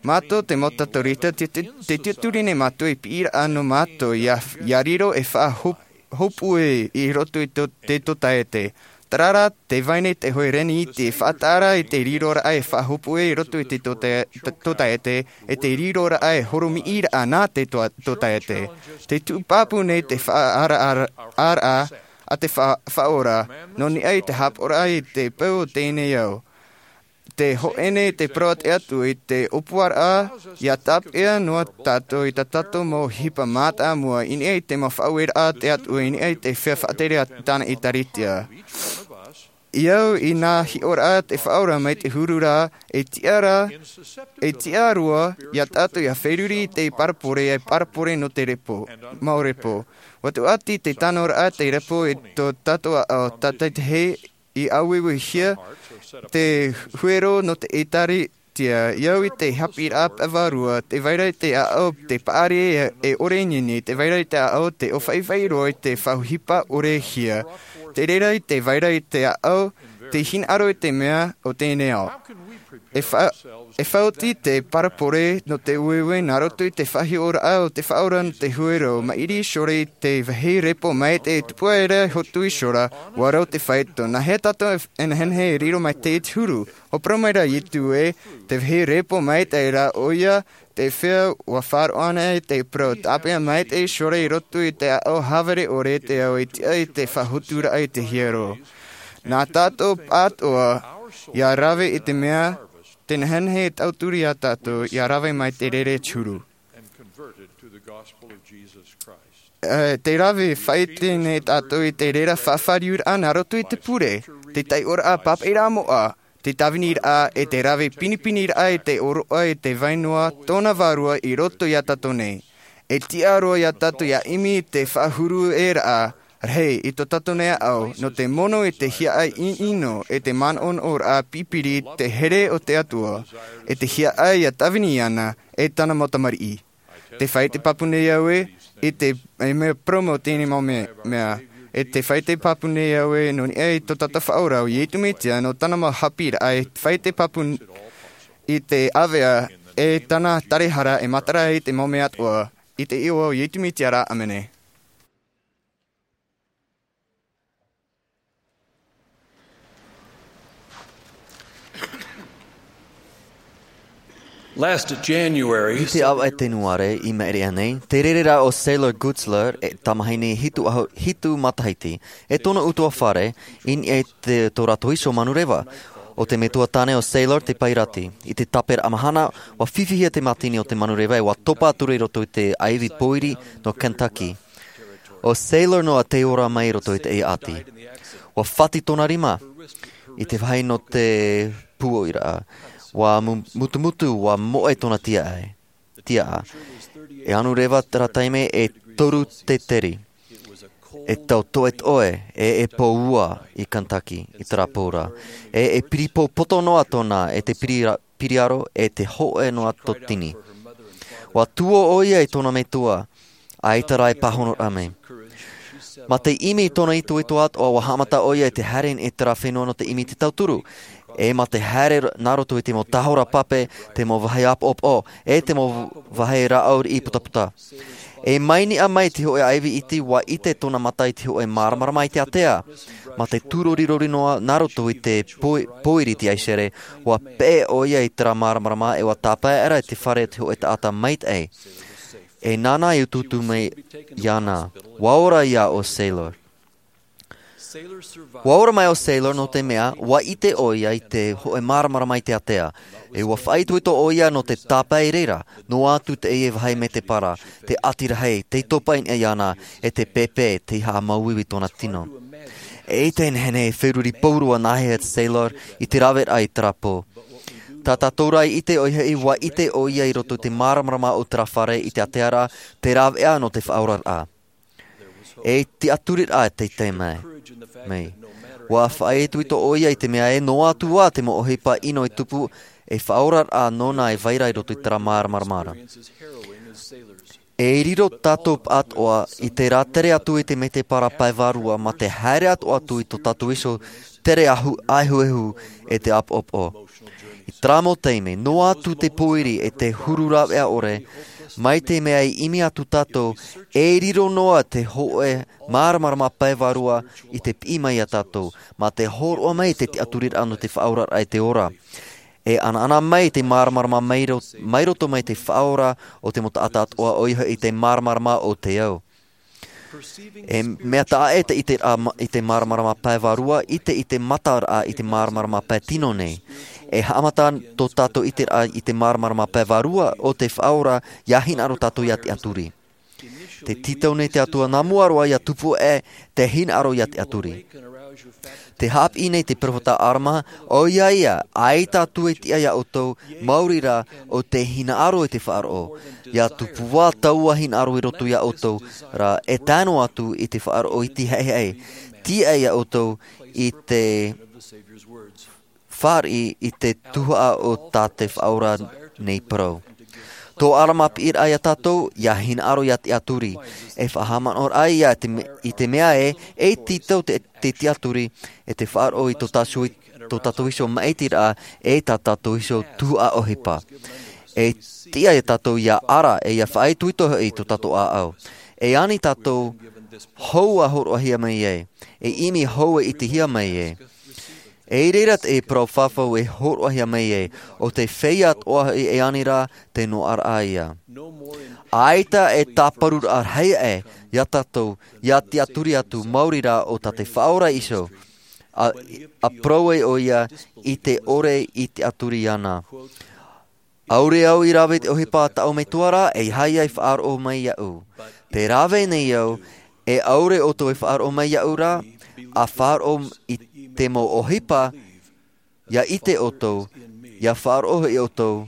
Mātou te mau Katorika, te, te, te tiʻaturi nei mātou e piʻiraʻa nō mātou ia, ia riro e faʻahop-, hopue i roto i tō, te tōtaiete. Terā rā, tē vai nei te hoʻe reni i te faʻataʻa ra i te riroraʻa e faʻahopue i roto i te tōta-, tō-, tōtaiete, e te riroraʻa e horomiʻiraʻa nā te tō-, tōtaiete. Tē tuʻu pāpū nei te faʻaaraʻa, araʻa a te fa-, Faʻaora, nō niʻa i te hāpaʻoraʻa i te peu o teie nei ao. Tē hōʻē nei te parau a te Atua i te ʻōpuaraʻa, ia tāpeʻa noa tātou i tā tātou mau ʻohipa mātāmua, i niʻa i te mau faʻaueraʻa a te Atua, i niʻa i te feiā faʻatere a tāna ʻēkālesia. I au i nā hiʻoraʻa a te Faʻaora mai te huru ra, e tiʻa ra, e tiʻa roa ia tātou ia feruri i te parabole, e parabole nō te repo, mau repo. Ua tuʻati te tanoraʻa te repo i tō tātou ʻāʻau, tātaitahi i ʻāueuehia te huero nō te ʻēkālesia, i au i te haʻapiʻiraʻa pae vārua, tē vai ra i te ʻāʻau te paʻari e, e ʻore i ʻō nei, tē vai ra i te ʻāʻau te ʻōfaʻifaʻi roa i te faʻaʻohipa ʻorehia. Tē reira i te vai ra i te ʻāʻau, te hinaʻaro i te mea o teie nei ao. E fa-, e faʻaoti te parabole nō te ueue nā roto i te faʻahiʻoraʻa o te Faʻaora nō te huero, maʻiri iho ra i te vāhi repo maitaʻi e tupu aʻera e hotu iho ra, ʻua rau te faito. Nāhea tātou e, e nehenehe e riro maitaʻi i te huru? ʻUa parau mai ra Iesu ē, te vāhi repo maitaʻi ra ʻoia, te feiā ʻua faʻaroʻo ana i te parau, tāpeʻa maitaʻi iho ra i roto i te ʻāʻau hāvere ʻore te ao e tiʻa i te faʻahoturaʻa i te hiero. Nā tātou atoʻa, ia rave i te mea, tē nehenehe e tauturu ia tātou, ia rave mai te reira i te huru. E, tē rave faʻaʻite nei tātou i te reira faʻafāriuraʻa nā roto i te pure, te taiʻoraʻa pāpaʻiraʻa moʻa, te tāviniraʻa e te rave pinipiniraʻa i te ʻōroʻa i te vai noa tōna vārua i roto ia tātou nei. E tiʻa roa ia tātou ia ʻimi i te faʻahurueraʻa rahi i tō tātou nei ʻāʻau, nō te mono i te hiaʻai ʻino e te manaʻonaʻoraʻa pipiri te here o te Atua, e te hiaʻai ia tāvini ana e tāna mau tamariʻi. Tē fāʻite pāpū nei au ē, i te, e mea parau mau teie mau me-, mea. E tē fāʻite pāpū nei au ē, nō niʻa i tō tātou Faʻaora ʻo Iesu Mesia, nō tāna mau haʻapiʻiraʻa, e fāʻite pāpū n-, i te ʻāvaʻe, e tāna tarahara, e matara i te mau mea atoʻa, i te iʻoa o Iesu Mesia ra, ʻāmene. Last January, I te ʻāvaʻe tenuare i maʻiri aʻe nei, tē rere ra ʻo Sailor Gutzler, e tamahine hitu ʻahu-, hitu matahiti, e tōna ʻutuāfare, i niʻa i te, tō rātou iho manureva. O te metua tāne o Sailor te pairati. I te tāpera mahana, ua fifihia te mātini o te manureva e ua topa atu i roto i te aivi pōiri nō Kentucky. O Sailor noa te ora mai i roto i te ʻati. Ua fati tōna rima i te vāhi nō te pūoiraʻa. Ua mu-, mutumutu, ua moʻe tōna tiaʻi. Tiaʻa. E anu reva terā taime e toru te teri. E tau toʻetoʻe, e, e pō ua i Kentucky, i terā pō ra. E, e piri pō poto noa tōna, e te piri ra-, piriaro, e te hoʻe noa tōtini. Ua tuō ʻoia i tōna metua, ʻaita rā e pāhonoraʻa mai. Mā te ʻimi i tōna itoito atoʻa, ua haʻamata ʻoia i te haere i terā fenua nō te ʻimi i te tauturu. E mā te haere nā roto i te mau tahora pape, te mau vāhi ʻāpoʻopoʻo, e te mau vāhi rāʻau riʻi putaputa. E mai niʻa mai te hoʻe aivi iti, ua ʻite tōna mata i te hoʻe māramarama i te ātea. Mā te tūrorirori noa nā roto i te pō-, pōiri te aisere, ua peʻe ʻoia i terā māramarama e ua tāpae ra i te fare o te hoʻe taʻata maitaʻi. E nāna i utuutu mai iāna. Ua ora ïa ʻo Sailor. Ua ora mai ʻo Sailor nō te mea, ua ʻite ʻoia i te hoʻe māramarama i te ātea. E ua faʻaitoito ʻoia nō te tāpae i reira, noa atu teie vāhi mētēpara, te ʻati rahi, tei topa i niʻa iāna, e te pēpē, tei haʻamāuiui tōna tino. E ʻite nehenehe e feruri pauroa nāhea Sailor i te raveraʻa i terā pō. Tā tātou rā i ʻite ʻoia hoʻi, ua ʻite ʻoia i roto i te māramarama o terā fare i te ātea ra, te rāveʻa nō te faʻaoraraʻa. E tiʻaturiraʻa tei tae mai. Mai. Ua faʻaitoito ʻoia i te mea ē, noa atu ā te mau ʻohipa ʻino e tupu, e faʻaoraraʻa nōna e vai ra i roto i terā māramarama ra. E riro tātou pāʻatoʻa i te rātere atu i te mētēpara pae vārua mā te haere atoʻa atu i tō tātou iho tere ahu-, ʻaehuehu e te ʻāpoʻopoʻo. I terā mau taime, noa atu te pōiri e te huru rāveʻa ʻore, mai te mea i ʻimi atu tātou, e riro noa te hoʻe māramarama pae vārua i te piʻi mai iā tātou, mā te hōroʻa mai te tiʻaturiraʻa nō te faʻaoraraʻa i te ora. E ʻanaʻana mai te māramarama mai ro-, mai roto mai te faʻaora o te mau taʻata atoʻa, ʻoia hoʻi te māramarama o te ao. E mea taʻa ʻē te ʻiteraʻa ma-, i te māramarama pae vārua, ʻite i te mataraʻa i te māramarama pae tino nei. E haʻamata tō tātou ʻiteraʻa i te māramarama pae vārua o te faʻaora, ʻia hinaʻaro tātou ʻia tiʻaturi. Tē tītau nei te Atua nā mua roa ʻia tupu aʻe te hinaʻaro ʻia tiʻaturi. Tē haʻapiʻi nei te peropheta ʻArama, ʻoia ia, ʻaita atu e tiʻa iā ʻoutou, maori rā, ʻo tē hinaʻaro i te faʻaroʻo. ʻIa tupu ā taua hinaʻaro i roto iā ʻoutou, rā, e tae noa atu i te faʻaroʻo iti haʻehaʻe. Tiʻa iā ʻoutou i te fāriʻi i te tuhaʻa o tā te Faʻaora nei parau. Tō ʻArama piʻiraʻa iā tātou, ʻia hinaʻaro ʻia tiʻaturi. E faʻahaʻamanaʻoraʻa ïa te me-, i te mea ē, e tītau te, te tiʻaturi, e te faʻaroʻo i tō tātou, tō tātou iho maʻitiraʻa, e tā tātou iho tuhaʻa ʻohipa. E tiʻa iā tātou ʻia ara, e ʻia faʻaitoito hoʻi i tō tātou ʻāʻau. E ani tātou hou ʻa hōroʻahia mai ai, e ʻimi hou e ʻitehia mai ai. E i reira te parau fafau e hōroʻahia mai ai, ʻo te feiā atoʻa hoʻi e ani ra te noaʻaraʻa ïa. ʻAita e tāparuraʻa rahi aʻe iā tātou, ʻia tiʻaturi atu maori rā ʻo tā te Faʻaora iho, ʻa, ʻa parau ai ʻoia i te ʻore i tiʻaturi iāna. ʻAore au i rave i te ʻohipa a tāʻu metua ra, e aha ïa e faʻaroʻo mai iāʻu. Tē rave nei au, e ʻaore ʻoutou e faʻaroʻo mai iāʻu ra, ʻa faʻaroʻo i te mau ʻohipa, ʻia ʻite ʻoutou, ʻia faʻaroʻo hoʻi ʻoutou,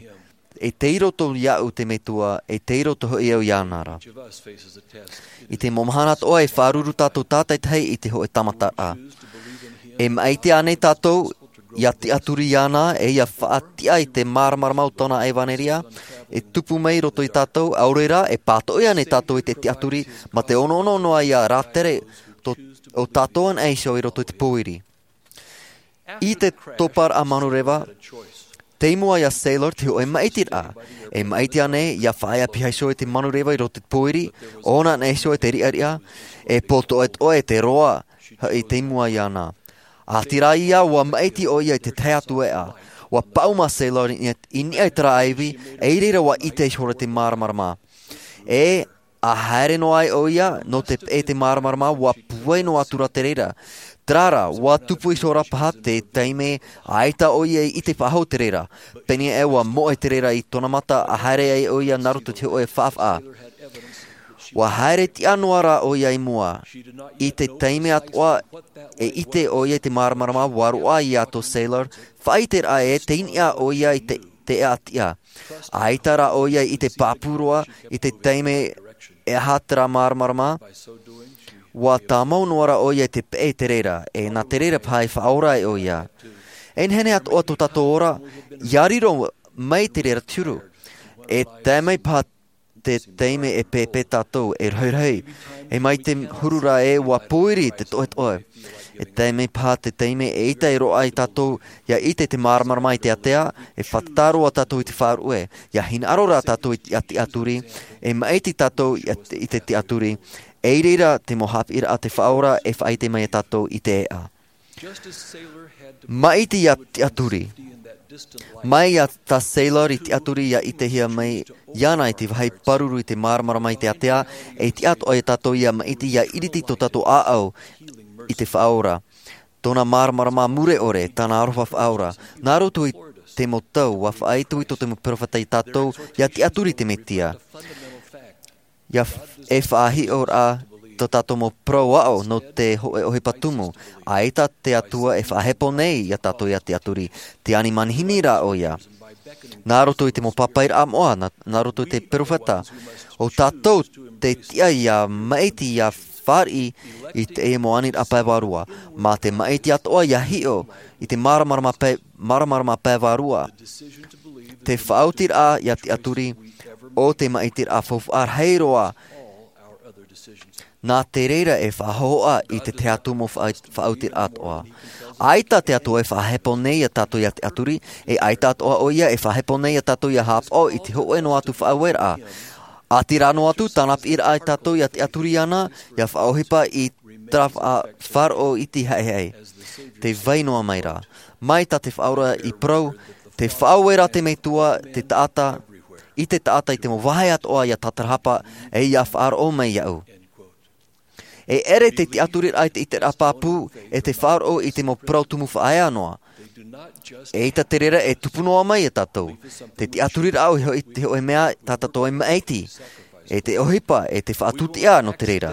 e tei roto iāʻu te Metua, e tei roto hoʻi au iāna ra. I te mau mahana atoʻa e faʻaruru tātou tātaitahi i te hōʻē tāmataraʻa. E maʻiti ānei tātou, ʻia tiʻaturi iāna, e ʻia faʻatiʻa i te māramarama o tōna ʻevanelia, e tupu mai i roto iā tātou, ʻaore rā, e pātoʻi ānei tātou i te tiʻaturi, mā te ʻonoʻono noa ïa rātere tō, ʻo tātou anaʻe iho i roto i te pōiri. I te toparaʻa manureva, tei mua iā Sailor te hōʻē maʻitiraʻa. E maʻiti ānei, ʻia faʻaea piha iho i te manureva i roto i te pōiri, ʻōna anaʻe iho i te riʻariʻa, e pōtoʻetoʻe te roa, hoʻi tei mua iāna. ʻĀtīrā ïa ʻua maʻiti ʻoia i te tahi atu ʻēʻa. ʻUa paʻuma Sailor i, i niʻa i terā ʻaivi, e i reira ʻua ʻite ihora i te māramarama. E, ʻa haere noa ai ʻoia, nō te peʻe i te māramarama, ʻua pūai noa atu rā te reira. Terā rā, ua tupu iho ra paha te taime, ʻaita ʻoia i ʻite faʻahou te reira. Pēneiaʻe ua moʻe te reira i tōna mata a haere ai ʻoia nā roto i te hōʻē faʻafaʻa. Ua haere tiʻa noa rā ʻoia i mua. I te taime atoʻa, e ʻite ʻoia i te māramarama, ua roaʻa iā tō Sailor, faʻaʻiteraʻa ē, tei niʻa ʻoia i te, te ʻātiʻa. ʻAita rā ʻoia i ʻite pāpū roa, i te taime e aha terā māramarama, ua tāmau noa rā ʻoia i te peʻe i te reira, e nā te reira paha i faʻaora ai ʻoia. E nehenehe atoʻa tō tātou ora, ʻia riro mai te reira te huru. E tae mai paha te taime e pēpē tātou, e rohirohi, e mai te huru rā ē ua pōiri te toʻetoʻe. E tae mai paha te taime e ʻita e roaʻa ai tātou, ʻia ʻite te māramarama i te ātea, e fātata roa tātou i te faʻaruʻe, ʻia hinaʻaro rā tātou i te tiʻaturi, e maʻiti tātou i te, i te tiʻaturi, e i reira te mau haʻapiʻiraʻa a te Faʻaora e faʻaʻite mai iā tātou i te ʻēʻa. Maʻiti ʻia tiʻaturi. Mai iā tā Sailor i tiʻaturi ʻia ʻitehia mai iāna i te vāhi pāruru i te māramarama i te ātea, e tiʻa atoʻa iā tātou ʻia maʻiti ʻia ʻiriti tō tātou ʻāʻau i te Faʻaora. Tōna māramarama mure ʻore, tāna aroha faʻaora. Nā roto i te mau tau, ua faʻaitoito te mau peropheta iā tātou, ʻia tiʻaturi i te Mesia. ʻIa f-, e faʻahiʻo rā tō tātou mau parau aʻo nō te hōʻē ʻohipa tumu, ʻaita te Atua e faʻahepo nei iā tātou ʻia tiʻaturi, te ani manihini rā ʻoia. Nā roto i te mau pāpaʻiraʻa moʻa, nā, nā roto i te peropheta, ʻo tātou te tiʻa ʻia maʻiti ʻia fāriʻi i te mau aniraʻa pae vārua, mā te maʻiti atoʻa ʻia hiʻo i te māramarama pae, māramarama pae vārua. Te faʻaotiraʻa ʻia tiʻaturi, ʻo te maʻitiraʻa faufaʻa rahi roa. Nā te reira e faʻahōhoʻa i te tahi atu mau faʻa-, faʻaotiraʻa atoʻa. ʻAita te Atua e faʻahepo nei iā tātou ʻia tiʻaturi, e ʻaita atoʻa ʻoia e faʻahepo nei iā tātou ʻia haʻapaʻo i te hōʻē noa atu faʻaueraʻa. ʻĀtīrā noa atu tāna piʻiraʻa iā tātou ʻia tiʻaturi iāna, ʻia faʻaʻohipa i terā faʻa-, faʻaroʻo iti haʻehaʻe. Tē vai noa mai ra. Mai tā te Faʻaora i parau, te faʻaueraʻa a te Metua, te taʻata, i te taʻata i te mau vāhi atoʻa ʻia tatarahapa, e ʻia faʻaroʻo mai iāʻu. E ʻere te tiʻaturiraʻa i te ʻiteraʻa pāpū, e te faʻaroʻo i te mau parau tumu faʻaea noa. ʻEita te reira e tupu noa mai iā tātou. Te tiʻaturiraʻa ʻoia hoʻi te hōʻē mea tā tātou e maʻiti. E te ʻohipa, e te faʻatūtiʻa nō te reira.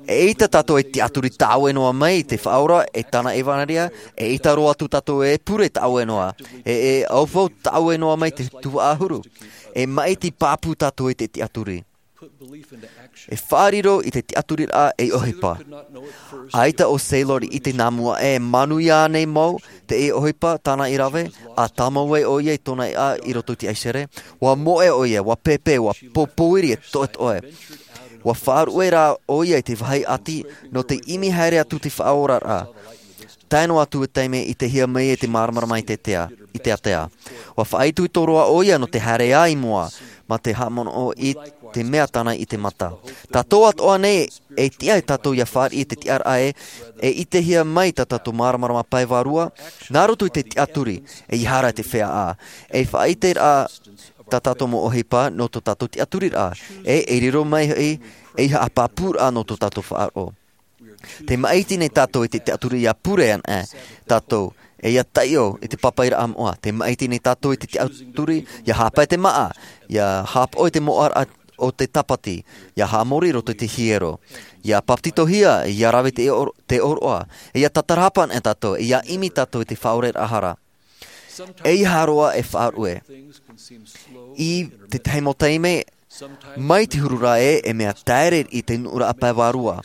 ʻEita tātou e tiʻaturi tāʻue noa mai i te Faʻaora, e tāna ʻevanelia, ʻeita roa atu tātou e pure tāʻue noa. E, e ʻaufau tāʻue noa mai te tuhaʻa huru. E maʻiti pāpū tātou i te tiʻaturi. E faʻariro i te tiʻaturiraʻa ei ʻohipa. ʻAita ʻo Sailor i ʻite nā mua e manuia ānei mau, teie ʻohipa tāna i rave, ʻa tāmau ai ʻoia i tōna ʻēʻa i roto i te ʻaisere. Ua moʻe ʻoia, ua pēpē, ua pōpōiri e toʻetoʻe. Ua faʻaruʻe rā ʻoia i te vāhi ʻati, nō te ʻimi haere atu te faʻaoraraʻa. Tae noa atu te taime i ʻitehia mai e te māramarama i te tea, i te ātea. Ua faʻaitoito roa ʻoia nō te haere ā i mua, mā te haʻamanaʻo i te mea tāna i te mata. Tātou atoʻa nei, e tiʻa e tātou ʻia fāriʻi te tiʻaraʻa ē, e ʻitehia mai tā tātou māramarama pae vārua, nā roto i te tiʻaturi, e ʻeiaha ra te feiā. E faʻaʻiteraʻa tā tātou mau ʻohipa, nō tō tātou tiʻaturiraʻa, e, e riro mai hoʻi, ʻeiaha pāpūraʻa nō tō tātou faʻaroʻo. Te maʻiti nei tātou i te tiʻaturi ʻia pure ana, e, tātou, e ʻia taiʻo i te pāpaʻiraʻa moʻa. Te maʻiti nei tātou i te tiʻaturi, ʻia haʻapae te māʻa, ʻia haʻapaʻo i te moʻaraʻa o te tāpati, ʻia haʻamori i roto i te hiero, ʻia papetitohia, ʻia rave te ʻō-, te ʻōroʻa, e ʻia tatarahapa ana tātou, e ʻia ʻimi tātou i te faʻaoraraʻa hara. ʻEiaha roa e faʻaruʻe. I te tahi mau taime, mai te huru ra ē, e mea taere i te nuʻuraʻa pae vārua.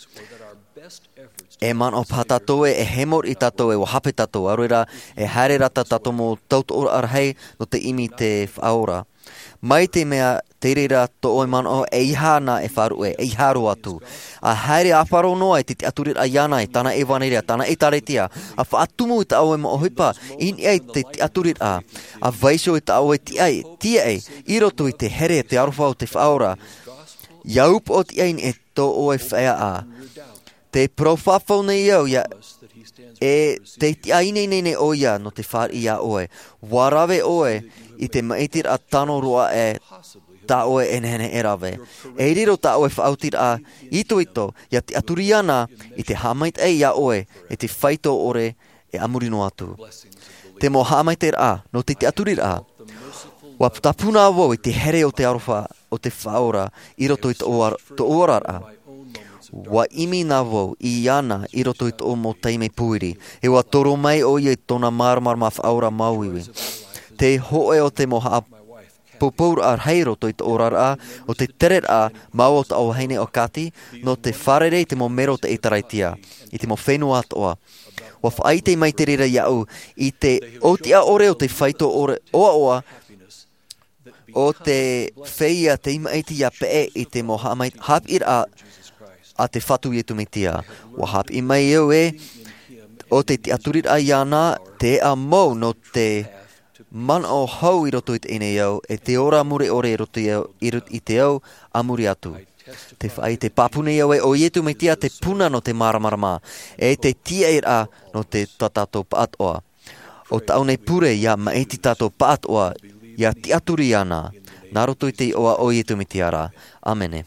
E manaʻo paha tātou ē, e hemo riʻi tātou ē, ʻua hape tātou, ʻaore rā, e haere rā tā tātou mau tautoʻoraʻa rahi nō te ʻimi i te Faʻaora. Mai te mea, te reira tō ʻoe manaʻo, ʻeiaha na e faʻaruʻe, ʻeiaha roa atu. ʻA haere ʻāfaro noa i te tiʻaturiraʻa iāna, i tāna ʻevanelia, tāna ʻēkālesia, ʻa faʻatumu i tā ʻoe mau ʻohipa, i niʻa i te tiʻaturiraʻa, ʻa vaiiho i tā ʻoe tiaʻi, tiaʻi, i roto i te here, te aroha o te Faʻaora. ʻIa upoʻotiʻa i niʻa i tō ʻoe feiā. Tē parau fafau nei au ʻia, e tē tiʻa ineine nei ʻoia nō te fāriʻi iā ʻoe. ʻUa rave ʻoe i te maʻitiraʻa tano roa ē, tā ʻoe e nehenehe e rave. E riro tā ʻoe faʻaotiraʻa itoito ia tiʻaturi iāna i te haʻamaitaʻi iā ʻoe i te faito ʻore e a muri noa atu. Te mau haʻamaitaʻiraʻa nō te tiʻaturiraʻa. Ua tāpuna vau i te here o te aroha o te Faʻaora i roto i tōʻu oraraʻa. Ua ʻimi na vau iāna i roto i tōʻu mau taime pūiri, e ua toro mai ʻoia i tōna māramarama faʻaora māuiui. Te hoʻe o te mau haʻapoupouraʻa rahi roto i tōʻu oraraʻa, o te tereraʻa mau o taʻu vahine o Kati nō te fārerei i te mau mero o te ʻĒtārētia i te mau fenua atoʻa. Ua faʻaʻite mai te reira iāʻu i te ʻōtiʻa ʻore o te faito ʻore ʻoaʻoa o te feiā tei māʻiti ia peʻe i te mau haʻamai-, haʻapiʻiraʻa a te Fatu Iesu Mesia. Ua haʻapiʻi mai au ē, o te tiʻaturiraʻa iāna, te eʻa mau nō te manaʻo hou i roto i teie nei ao, e te ora mure ʻore i roto i, i rot-, i te ao a muri atu. Te faʻaʻite pāpū nei au ē, ʻo Iesu Mesia te puna nō te māramarama, e te tiaʻiraʻa nō te tā tātou pāʻatoʻa. ʻO tāʻu nei pure ia māʻiti tātou pāʻatoʻa, ia tiʻaturi iāna, nā roto i te iʻoa o Iesu Mesia ra. ʻĀmene.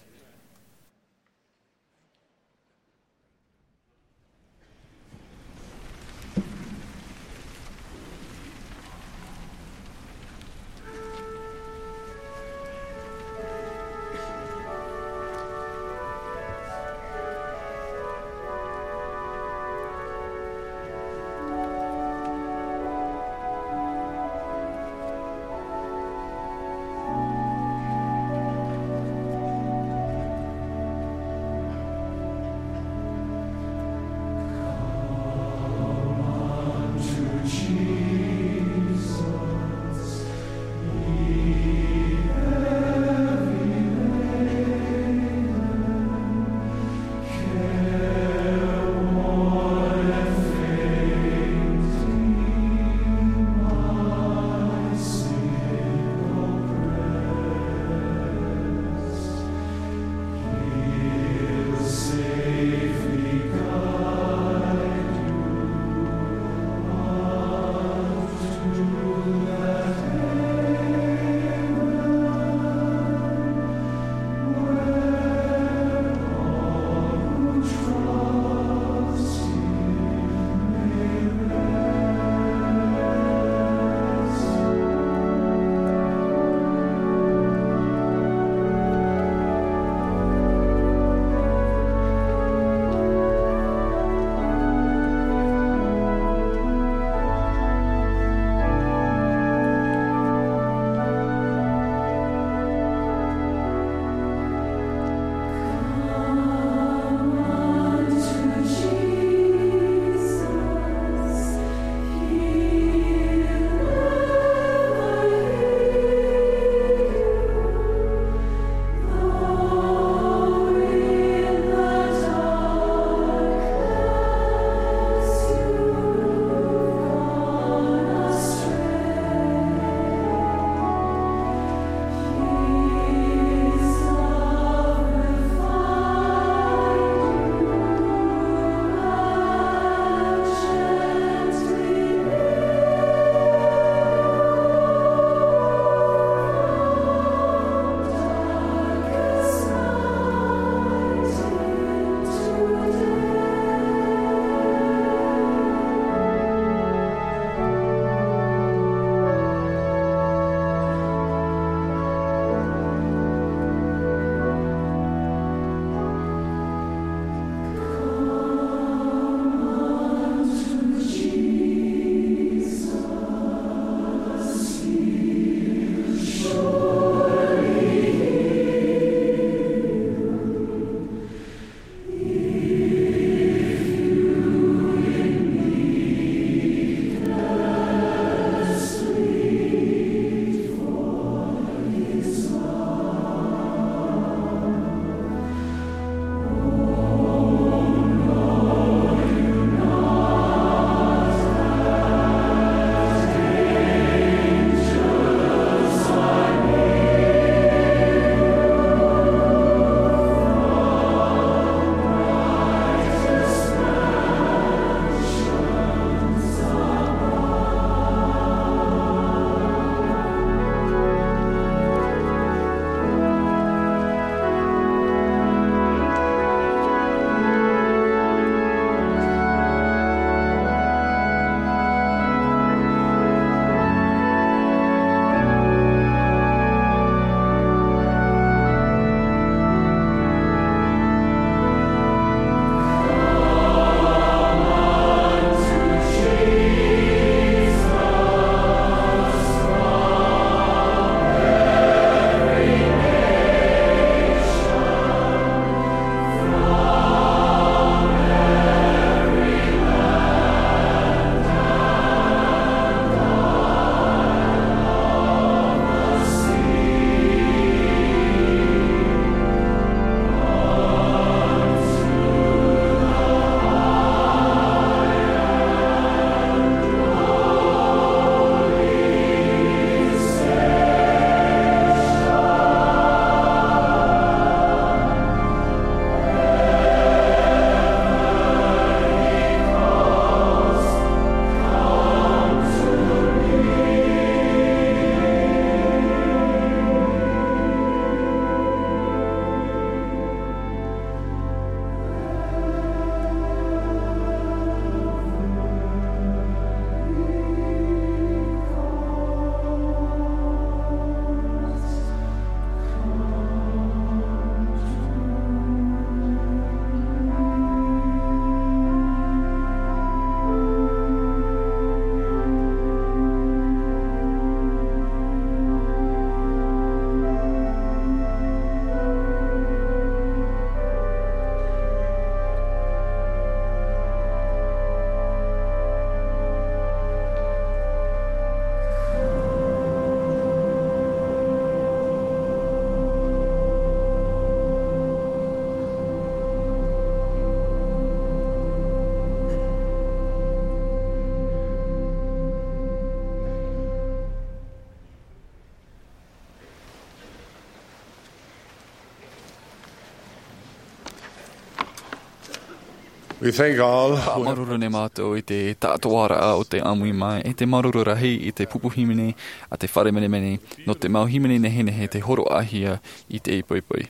We thank God. Māuruuru nei mātou i te taʻatoʻaraʻa o te ʻāmui mai, e te māuruuru rahi i te pupu hīmene a te fare menemene, nō te mau hīmene nehenehe tei hōroʻahia i teie poipoi.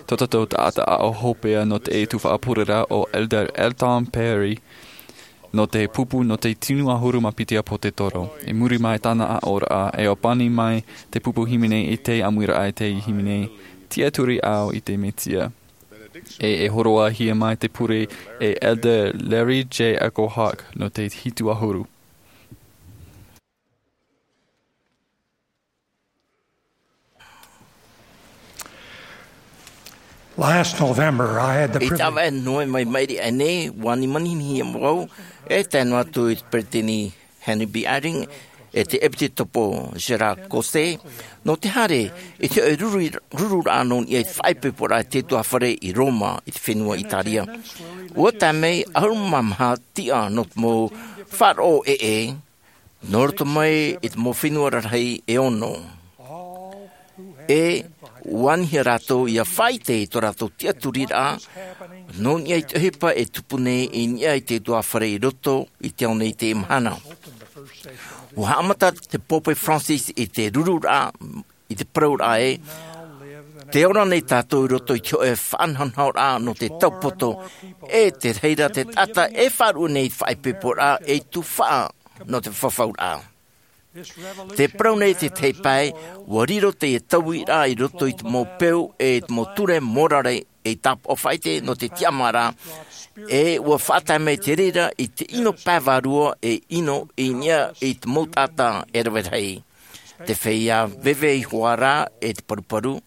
Tō tātou taʻata aʻo hopeʻa nō te tuhaʻa pureraʻa ʻo Elder Elton Perry, nō te pupu nō te tino ʻahuru mā piti ʻāpōsetolo. I muri mai tāna aʻoraʻa, e ʻōpani mai te pupu hīmene i te ʻāmuiraʻa i te hīmene, Tiʻaturi Au i te Mesia. E, e hōroʻahia mai te pure e Elder Larry J Echo Hawk nō te hitu ʻahuru. Last November, I had the I privilege taʻa vaʻe Novema i maʻiri aʻe nei, ʻua ani manihini au, e tae noa atu i te peretiteni Henry B. Eyring, e te ʻEpitekopo Gérard Caussé, nō te haere i te hōʻē ruru-, rururaʻa nō niʻa i te faʻaipoiporaʻa a te ʻutuāfare i Roma, i te fenua Italia. ʻUa tae mai ʻahuru mā maha tiʻa nō te mau faʻaroʻo ʻē, nō roto mai i te mau fenua rarahi e ono. E ʻua anihia rātou ʻia faʻaʻite i tō rātou tiʻaturiraʻa, nō niʻa i te ʻohipa e tupu nei i niʻa i te ʻutuāfare i roto i te ao nei i teie mahana. ʻUa haʻamata te Pope Francis i te rururaʻa, i te parauraʻa ē, tē ora nei tātou i roto i te hōʻē faʻanahonahoraʻa nō te taupoto, e te reira te taʻata e faʻaruʻe nei i te faʻaipoiporaʻa ei tuhaʻa nō te fafauraʻa. Tē parau nei te tahi pae, ʻua riro teie tauiraʻa i roto i te mau peu e i te mau ture morare ei tāpaʻo faʻaʻite nō te tiʻamāraʻa, e ʻua faʻatae mai te reira i te ʻino pae vārua e ʻino i niʻa i te mau taʻata e rave rahi. Te feiā veve ihoā rā e te paruparu,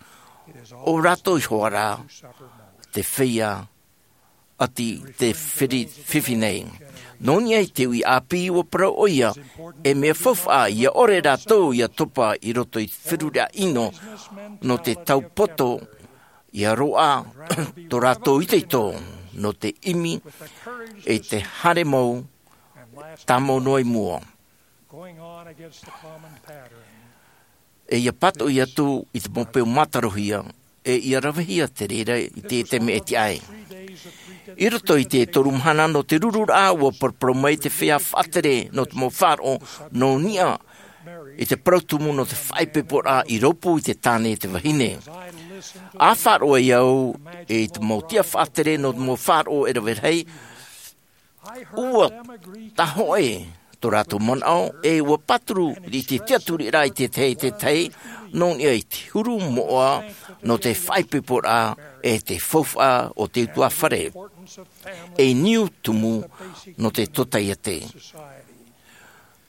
ʻo rātou ihoā rā te feiā ʻati te firi-, fifi nei. Nō niʻa i te uʻi ʻāpī ʻua parau ʻoia, e mea faufaʻa ʻia ʻore rātou ʻia topa i roto i te feruriraʻa ʻino nō te taupoto ʻia roaʻa tō rātou itoito nō te ʻimi i te haere mau tāmau noa i mua. E ʻia pātoʻi atu i te mau peu mātarohia, e ʻia ravehia te reira i te, te mea e tiʻa ai. I roto i te toru mahana nō te rururaʻa, ʻua paraparau mai te feiā faʻatere nō te mau faʻaroʻo nō niʻa i te parau tumu nō te faʻaipoiporaʻa i rōpū i te tāne e te vahine. ʻA faʻaroʻo ai au i te mau tiʻa faʻatere nō te mau faʻaroʻo e rave rahi, ʻua tahoʻe tō rātou manaʻo, e ʻua pāturu i te tiʻaturiraʻa i te tahi, te tahi, nō niʻa i te huru moʻa nō te faʻaipoiporaʻa e te faufaʻa o te ʻutuāfare. E niu tumu nō te totaiete.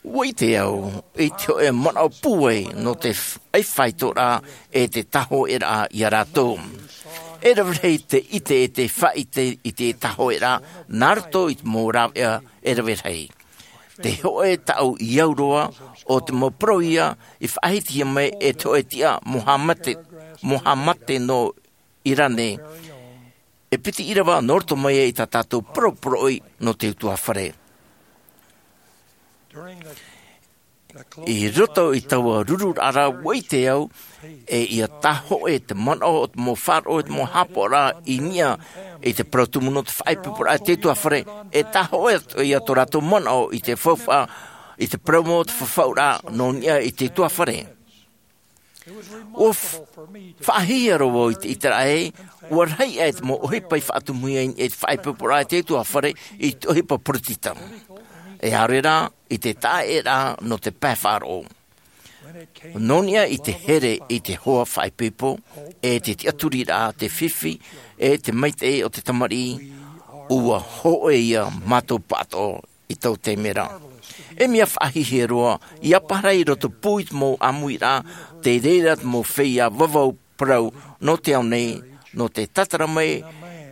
ʻUa ʻite au i te hōʻē manaʻo pūai nō te f-, ʻaifaitoraʻa e te tahoʻeraʻa ia rātou. E rave rahi te ʻite e te faʻaʻite i te tahoʻeraʻa, nā roto i te mau rāveʻa e rave rahi. Te hōʻē taʻu i au roa, ʻo te mau parau ia i faʻahitihia mai e te hōʻē tiʻa Mohamate, Mohamate nō Irane, e piti ʻīrava nō roto mai i tā tātou poroporoʻi nō te ʻutuāfare. I roto i taua rururaʻa ra, ʻua ʻite au, e ʻia tahoʻe te manaʻo o te mau faʻaroʻo, te mau haʻapaʻoraʻa i niʻa i te parau tumu nō te faʻaipoiporaʻa a te ʻutuāfare, e tahoʻe atoʻa ia tō rātou manaʻo i te faufaʻa, i te parau mau o te fafauraʻa nō niʻa i te ʻutuāfare. ʻUa f-, faʻahiahia roa vau i te ʻiteraʻa ē, ʻua rahi aʻe te mau ʻohipa i faʻatumuhia i te faʻaipoiporaʻa a te ʻutuāfare i te ʻohipa poritita. E ʻaore rā, i te taʻaʻēraʻa nō te pae faʻaroʻo. Nō niʻa i te here i te hoa faʻaipoipo, e te tiʻaturiraʻa, te fifi, e te maitaʻi o te tamariʻi, ʻua hōʻē ia mātou pāʻatoʻa i taua taime ra. E mea faʻahiahia roa, ʻia parau i roto pū i te mau ʻāmuiraʻa, te reira te mau feiā vavau parau nō te ao nei, nō te tātara mai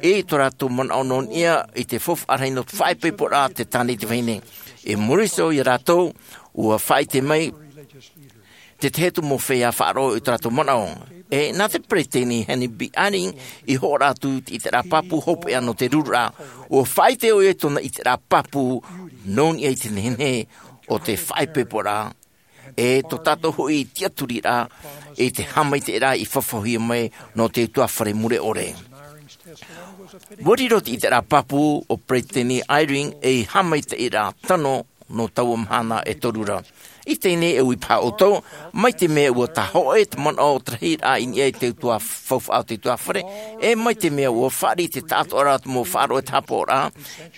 i tō rātou manaʻo nō niʻa i te faufaʻa rahi nō te faʻaipoiporaʻa a te tāne e te vahine. I muri iho ia rātou, ʻua faʻaʻite mai te tahi atu mau feiā faʻaroʻo i tō rātou manaʻo. E nā te peretiteni Henry B. Eyring i hōroʻa atu i te ʻiteraʻa pāpū hopeʻa nō te rururaʻa, ʻua faʻaʻite ʻoia i tōna ʻiteraʻa pāpū nō niʻa i te nehenehe o te faʻaipoiporaʻa, e tō tātou hoʻi tiʻaturiraʻa i te haʻamaitaʻiraʻa i fafauhia mai nō te ʻutuāfare mure ʻore. Ua riro te ʻiteraʻa pāpū o Peresideni Eyring ei haʻamaitaʻiraʻa tano nō taua mahana e toru ra. I teie nei e ui paha ʻoutou, mai te mea ua tahoʻe te manaʻo o te rahiraʻa i niʻa i te utuafare, faufaʻa o te utuafare, e mai te mea ua fāriʻi te taʻatoʻaraʻa o te mau faʻaroʻo e te haʻapaʻoraʻa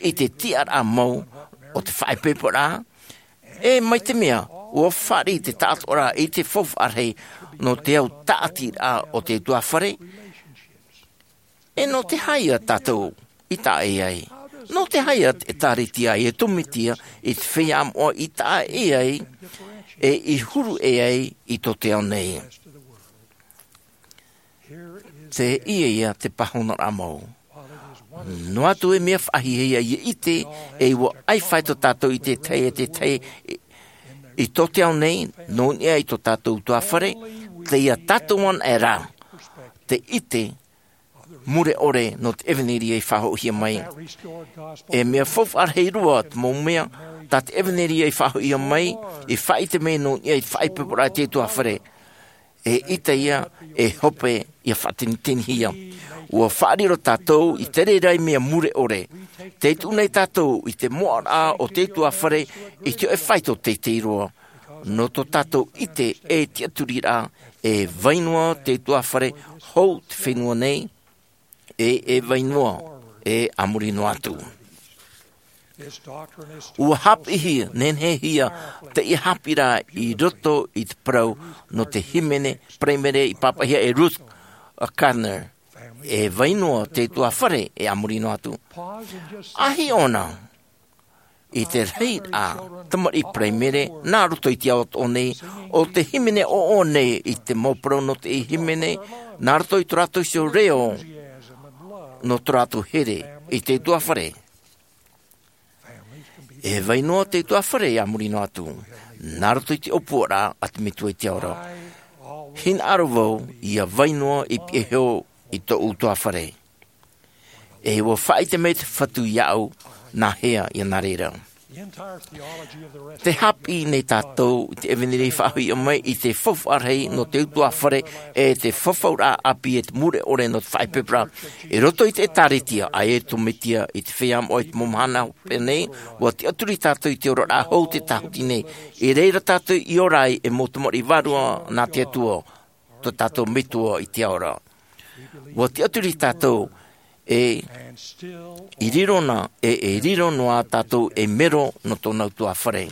i te tiʻaraʻa mau o te faʻaipoiporaʻa, e mai te mea ua fāriʻi te taʻatoʻaraʻa i te faufaʻa rahi nō te au tāʻatiraʻa o te utuafare. E nō te aha ia tātou i taʻa ʻē ai? Nō te aha ia te ʻĒtārētia e tōmite ia i te feiā moʻa i taʻa ʻē ai, e i huru ʻē ai i tō te ao nei? Teie ia te pāhonoraʻa mau. Noa atu e mea faʻahiahia ia ʻite, e ua ʻaita tō tātou i te tahi e te tahi i, i tō te ao nei, nō niʻa i tō tātou utuafare, teie tātou anaʻe rā, te ʻite mure ʻore nō te ʻevanelia i faʻahoʻihia mai. E mea faufaʻa rahi roa te mau mea tā te ʻevanelia i faʻahoʻihia mai, i faʻaʻite mai nō niʻa i te faʻaipoiporaʻa i te utuafare. E ʻaita ia e hope ia faʻatinitinihia. Ua faʻariro tātou i te reira i mea mure ʻore. Tē tuʻu nei tātou i te moʻaraʻa o te utuafare i te hōʻē faito teitei roa. Nō tō tātou ʻite e tiʻaturiraʻa, e vai noa te utuafare hou te fenua nei, e, e vai noa, e a muri noa atu. Ua haʻapiʻihia, nenehehia teie haʻapiʻiraʻa i roto i te parau nō te hīmene Paraimere i pāpaʻihia e Ruth Gardner, e vai noa te utuafare, e a muri noa atu. ʻAhiʻo na i te rahiraʻa tamariʻi Paraimere nā roto i te ao atoʻa nei, ʻo te hīmene ʻoaʻoa nei i te mau parau nō te hīmene nā roto i tō rātou iho reo, nō tō rātou here i te utuafare. E vai noa te utuafare, e a muri noa atu, nā roto i te ʻōpuaraʻa a te Metua i te ao ra. Hinaʻaro vau ia vai noa i pihaʻi iho i tōʻu utuafare. E ua faʻaʻite mai te Fatu iāʻu nā hea ia nā reira. Tē haʻapiʻi nei tātou i te ʻevanelia i faʻahoʻihia mai i te faufaʻa rahi nō te utuafare, e te fafauraʻa ʻāpī e te mure ʻore nō te faʻaipoiporaʻa. I roto i te ʻĒtārētia, ʻaita e tōmite ia i te feiā moʻa i te mau mahana hopeʻa nei, ua tiʻaturi tātou i te oraraʻa hou tē tāhuti nei. I reira tātou i ora ai e mau tamariʻi vārua nā te Atua, tō tātou Metua i te ao ra. Ua tiʻaturi tātou, e i riro na, e, e riro noa tātou ei mero nō tōna utuafare.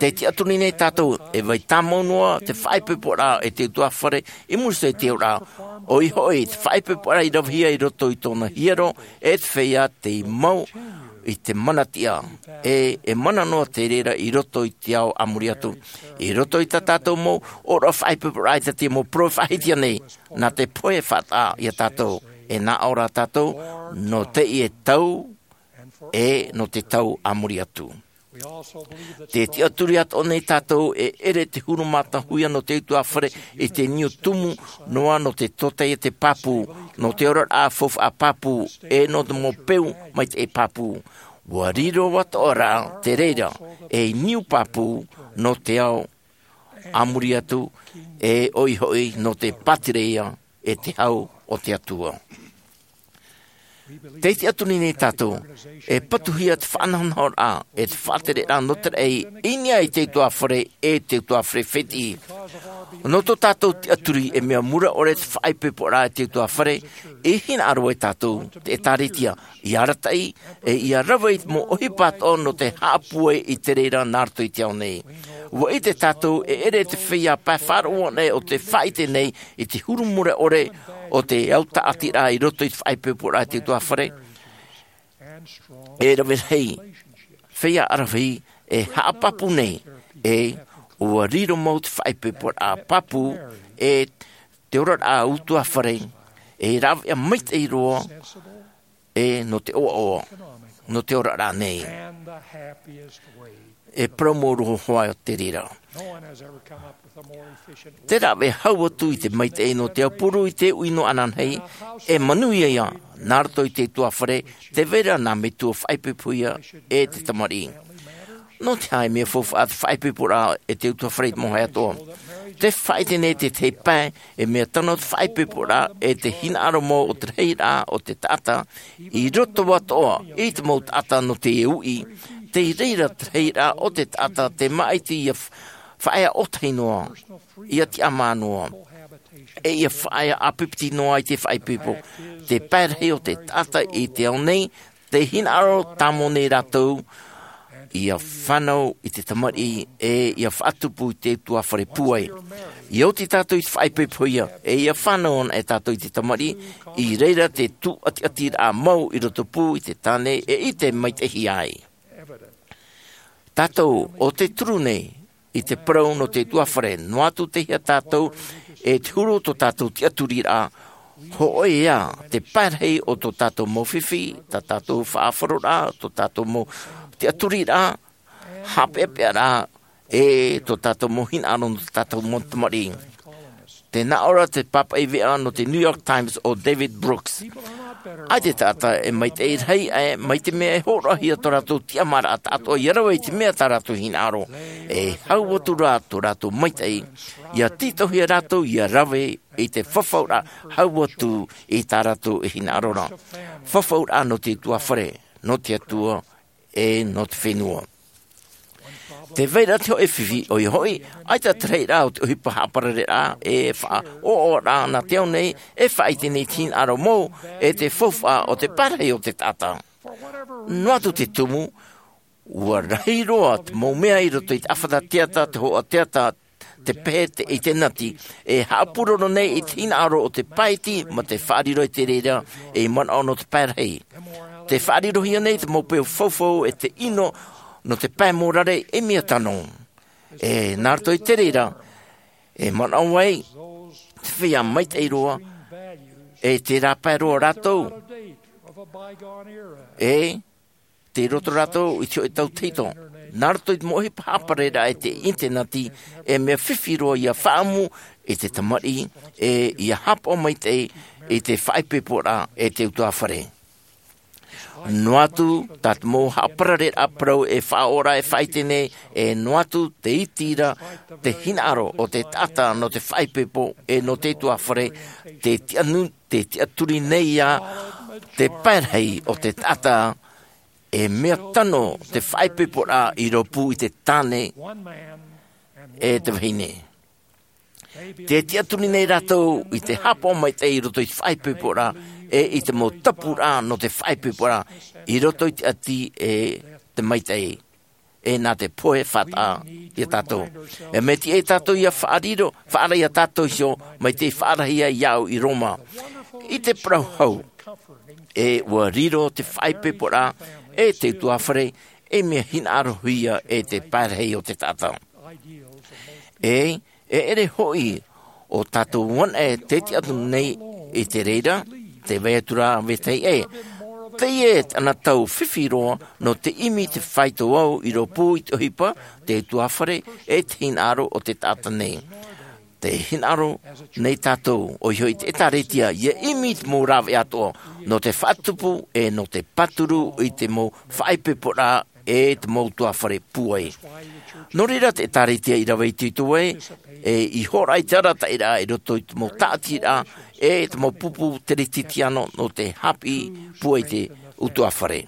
Tē tiʻaturi nei tātou, e vai tāmau noa te faʻaipoiporaʻa e te utuafare i muri iho i te oraraʻa. ʻOia hoʻi, te faʻaipoiporaʻa i ravehia i roto i tōna hiero, e te feiā tei mau i te mana tiʻa, e, e mana noa te reira i roto i te ao a muri atu. I roto i tā tātou mau ʻōroʻa faʻaipoiporaʻa, ʻaita te mau parau e faʻahiahia nei, nā te pohe faʻataʻa ia tātou, e nā ʻō rā tātou, nō teie tau, e nō te tau a muri atu. Tē tiʻaturi atoʻa nei tātou e ʻere te huru mātāhuia nō te utuafare i te niu tumu noa nō te tōtaiete pāpū, nō te oraraʻa faufaʻa pāpū, e nō te mau peu maitaʻi pāpū. Ua riro atoʻa rā te reira ei niu pāpū nō te ao a muri atu, e ʻoia hoʻi nō te pātireia e te hau o te Atua. Tē tiʻaturi nei tātou, e patuhia te faʻanahonahoraʻa, e te faʻatereraʻa nō te raʻi i niʻa i te utuafare, e te utuafare fētiʻi. Nō tō tātou tiʻaturi e mea mure ʻore te faʻaipoiporaʻa e te utuafare, e hinaʻaro ai tātou, te ʻĒtārētia, ia arataʻi, e ia rave i te mau ʻohipa atoʻa nō te haʻapūai i te reira nā roto i te ao nei. Ua ʻite tātou e ʻere te feiā pae faʻaroʻo nei o te faʻaʻite nei i te huru mure ʻore o te au tāʻatiraʻa i roto i te faʻaipoiporaʻa e te utuafare. E rave rahi, feiā ʻaravihi e haʻapāpū nei, e ua riro mau te faʻaipoiporaʻa pāpū, e te oraraʻa utuafare, e rāveʻa maitaʻi roa, e nō te ʻoaʻoa, nō te oraraʻa nei. E parau mau roa hoʻi te reira. Te rave hau atu i te maitaʻi nō te aupuru i te uʻi nō ananahi, e manuia ia, nā roto i te utuafare, tē vai ra nā metua faʻaipoipohia e te tamariʻi. Nō te aha e mea faufaʻa te faʻaipoiporaʻa e te utuafare i te mau haʻapiʻiraʻa? Tē faʻaʻite nei te tahi pae e mea tano te faʻaipoiporaʻa e te hinaʻaro mau o te rahiraʻa o te taʻata i roto atoʻa i te mau taʻata nō te uʻi. Tei reira te rahiraʻa o te taʻata te māʻiti ia faʻaea ʻōtahi noa, ia tiʻamā noa, e ia faʻaea ʻāpipiti noa i te faʻaipoipo. Te pae rahi o te taʻata i te ao nei, te hinaʻaro tāmau nei rātou ia fānau i te tamariʻi e ia faʻatupu i te utuafare pūai. Ia oti tātou i te faʻaipoipohia e ia fānau ana e tātou i te tamariʻi, i reira te tūʻatiʻatiraʻa mau i roto pū i te tāne e i te maitaʻi ai. Tātou o te turu nei i te parau nō te utuafare, noa atu te hia tātou e te huru tō tātou tiʻaturiraʻa. Hoʻi ā te pae rahi o tō tātou mau fifi, tā tātou faʻaroʻoraʻa, tō tātou mau tiʻaturiraʻa, haʻapeʻapeʻaraʻa, e tō tātou mau hinaʻaro nō tō tātou mau tamariʻi. Tē nā ʻō ra te pāpaʻi veʻa nō te New York Times o David Brooks, ʻaita e taʻata e maitaʻi rahi aʻe mai te mea e hōroʻahia tō rātou tiʻamāraʻa taʻatoʻa ia rave i te mea tā rātou hinaʻaro. E hau atu rā tō rātou maitaʻi ia tītauhia rātou ia rave i te fafauraʻa hau atu i tā rātou e hinaʻaro ra. Fafauraʻa nō te utuafare, nō te Atua, e nō te fenua. Tē vai ra te hōʻē fifi, ʻoia hoʻi, ʻaita te rahiraʻa o te ʻohipa haʻaparareraʻa e faʻaʻoaʻoaraʻa nā te ao nei, e faʻaʻite nei te hinaʻaro mau e te faufaʻa o te pae rahi o te taʻata. Noa atu te tumu, ʻua rahi roa te mau mea i roto i te ʻāfata teata, te hōʻē teata, te pehe, te ʻitenati, e haʻapūroro nei i te hinaʻaro o te pae iti mā te faʻariro i te reira ei manaʻo nō te pae rahi. Tē faʻarirohia nei te mau peu faufau e te ʻino nō te pae mōrare ei mea tano. E nā roto i te reira e manaʻo ai te feiā maitaʻi roa, e te rāpae roa rātou, e tei roto rātou i te hōʻē tau tahito. Nā roto i te mau ʻohipa haʻaparareraʻa e te ʻitenati, e mea fifi roa ia faʻaʻamu i te tamariʻi e ia haʻapaʻo maitaʻi i te faʻaipoiporaʻa e te utuafare. Noa atu tā te mau haʻaparareraʻa parau e faʻaʻoaʻoa e faʻaʻite nei, e noa atu te iti ra te hinaʻaro o te taʻata nō te faʻaipoipo e nō te utuafare, te tiʻanu-, te tiʻaturi nei ā te pae rahi o te taʻata. E mea tano te faʻaipoiporaʻa i rōpū i te tāne e te vahine. Tē tiʻaturi nei rātou i te haʻapaʻo maitaʻi i roto i te faʻaipoiporaʻa e i te mau tapuraʻa nō te faʻaipoiporaʻa i roto i te ʻati e te maitaʻi. E nā te pohe faʻataʻa ia tātou. E mea tiʻa ia tātou ia faʻariro, faʻaara ia tātou iho, mai te faʻaarahia iāʻu i Roma. I te parau hau, e ʻua riro te faʻaipoiporaʻa e te utuafare ei mea hinaʻarohia e te pae rahi o te taʻata. E, e ʻere hoʻi ʻo tātou anaʻe tē tiʻaturi nei i te reira, tē vai atu ra vetahi ʻē. Teie te anotau fifi roa nō te ʻimi te faito au i rōpū i te ʻohipa, te utuafare, e te hinaʻaro o te taʻata nei. Tē hinaʻaro nei tātou, ʻoia hoʻi te ʻĒtārētia, ia ʻimi i te mau rāveʻa atoʻa, nō te faʻatupu, e nō te pāturu i te mau faʻaipoiporaʻa, e te mau utuafare pūai. Nō reira te ʻĒtārētia i rave itoito ai, e i hōroʻa i te arataʻiraʻa i roto i te mau tāʻatiraʻa, e te mau pupu teretitiano nō te haʻapiʻi pūai te utuafare.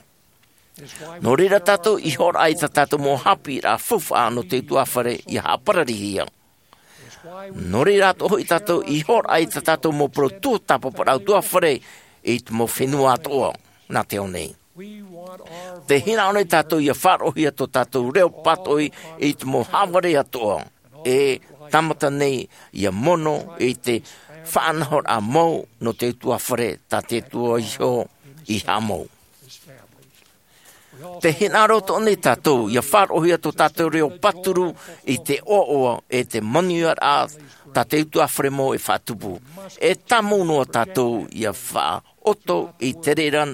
Nō reira tātou i hōroʻa i tā tātou mau haʻapiʻiraʻa faufaʻa nō te utuafare ia haʻapararihia. Nō reira atoʻa hoʻi tātou i hōroʻa i tā tātou mau parau tuatāpaparaʻa utuafare i te mau fenua atoʻa nā te ao nei. Tē hinaʻaro nei tātou ia faʻaroʻohia tō tātou reo pātoʻi i te mau haʻavare atoʻa, e tāmata nei ia mono i te faʻanahoraʻa mau nō te utuafare tā te Atua iho i haʻamau. Tē hinaʻaro atoʻa nei tātou ia faʻaroʻohia tō tātou reo pāturu i te ʻoaʻoa e te manuiaraʻa tā te utuafare mau e faʻatupu. E tāmau noa tātou ia faʻaʻoto i te reira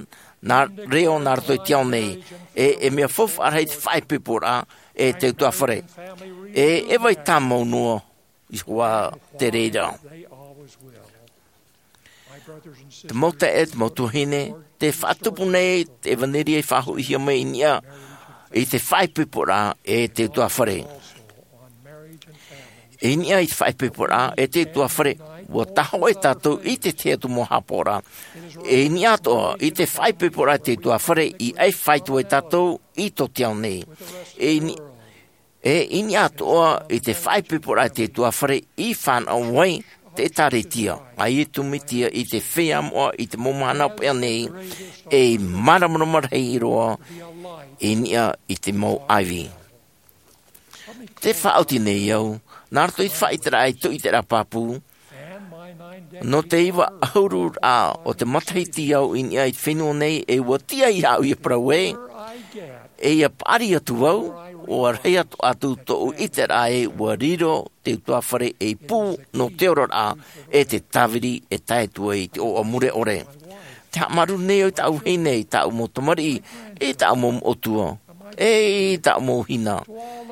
nā reo nā roto i te ao nei, e, e mea faufaʻa rahi te faʻaipoiporaʻa e te utuafare. E, e vai tāmau noa iho ā te reira. Te mau taeaʻe, te mau tuahine, tē faʻatupu nei te ʻevanelia i faʻahoʻihia mai i niʻa i te faʻaipoiporaʻa e te utuāfare. I niʻa i te faʻaipoiporaʻa e te utuāfare, ua tahoʻe tātou i te tahi atu mau haʻapaʻoraʻa. I niʻa atoʻa i te faʻaipoiporaʻa e te utuāfare, i ʻai faito ai tātou i tō te ao nei. I ni-, e i niʻa atoʻa i te faʻaipoiporaʻa e te utuāfare, i fānaʻo ai te ʻĒtārētia a Iesu Mesia i te feiā moʻa i te mau mahana paʻi nei, ei māramarama rahi roa i niʻa i te mau ʻāivi. Te faʻaoti nei au, nā roto i te faʻaʻiteraʻa i tō ʻiteraʻa pāpū, nō te iva ʻahuru o te matahiti au i niʻa i te fenua nei, e ua tiʻa iāʻu ia parau ē, e ia paʻari atu vau, ʻua rahi atu, atu tōʻu ʻiteraʻa ē ua riro te utuāfare ei pū nō te oraraʻa, e te tāviri e tae atu ai i te ʻoaʻoa mure ʻore. Te haʻamāuruuru nei au i tāʻu vahine, i tāʻu mau tamariʻi, i tāʻu mau moʻotua, e i tāʻu mau hina,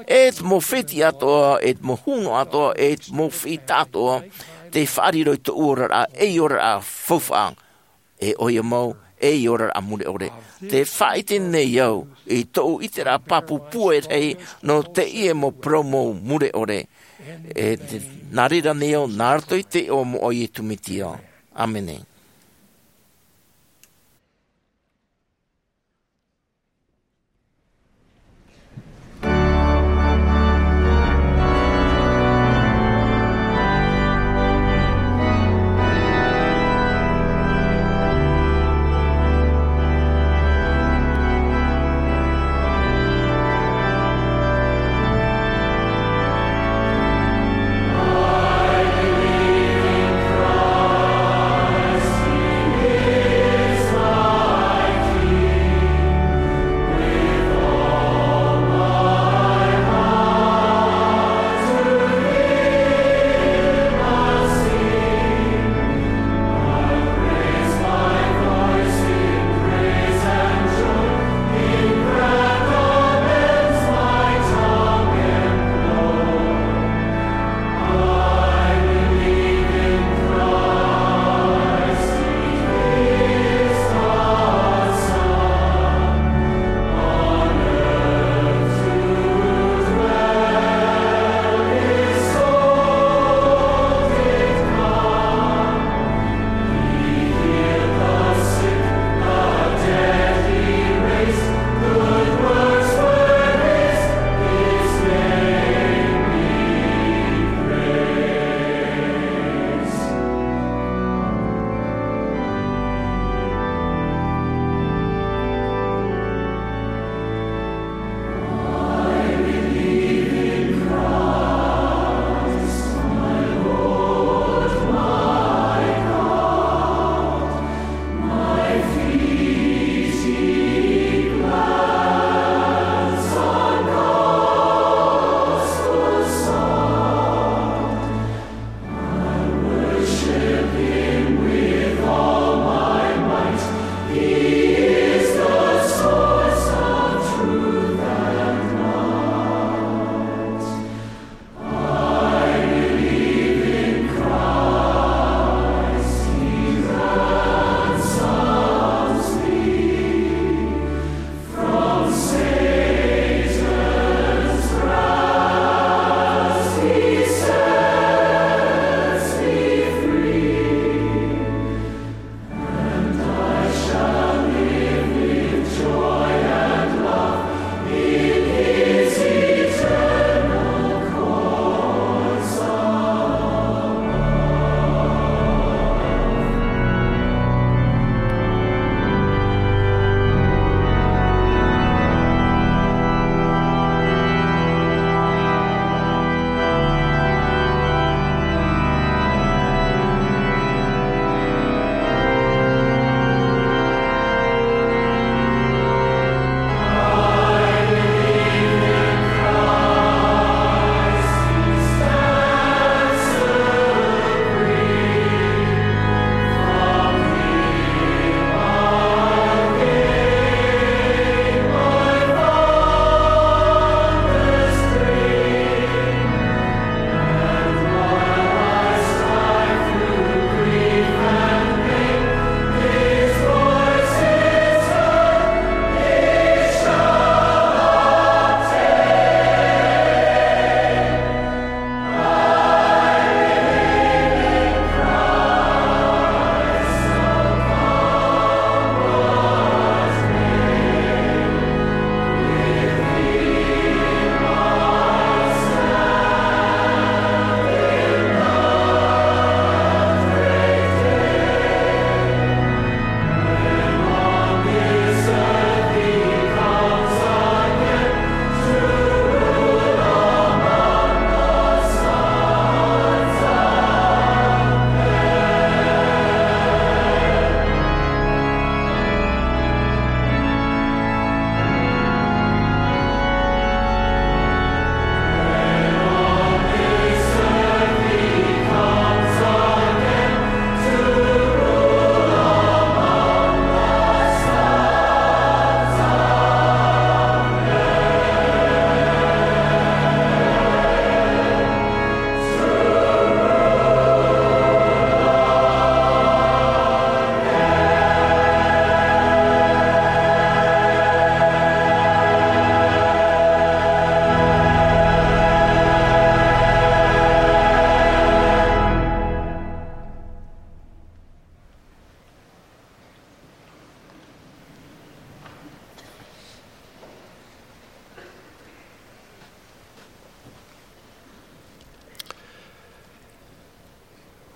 e te mau fētiʻi atoʻa, e te mau hūnoa atoʻa, e te mau fētiʻi atoʻa, tei faʻariro i tōʻu oraraʻa, ei oraraʻa faufaʻa, e ʻoia mau, ei oraraʻa mure ʻore. Te faʻaʻite nei au i tōʻu ʻiteraʻa pāpū pūai rahi nō teie mau parau mau mure ʻore. E te, nā reira nei au, nā roto i te iʻoa moʻa o Iesu Mesia. ʻĀmene.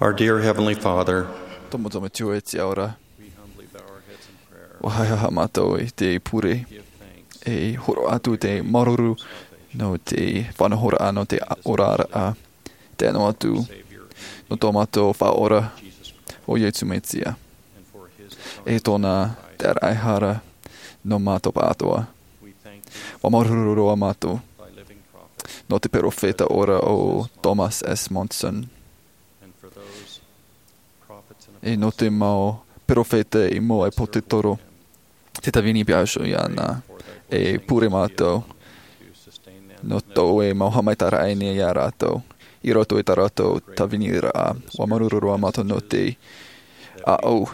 Our dear Heavenly Father, Tō mātou Metua e te ao ra, we humbly bow our heads in prayer. Ua haʻehaʻa mātou i te pure, give thanks, e hōroʻa atu te māuruuru nō te faʻanahoraʻa, nō te oraraʻa, te ʻano atu, nō tō mātou Faʻaora, ʻo Iesu Mesia, and for his e tōna taʻata ʻaore rā nō mātou pāʻatoʻa. We thank you Ua māuruuru roa mātou for thy living prophet, nō te perofeta ora ʻo Thomas S. Monson, and for those prophets and e nō te mau perofeta i mua i Pōtetoro, te tāvini pea iho iāna, e pure mātou nō tō ʻoe mau haʻamaitaʻiraʻa nei iā rātou, i roto i tā rātou tāviniraʻa. Ua māuruuru roa mātou nō te ʻāʻau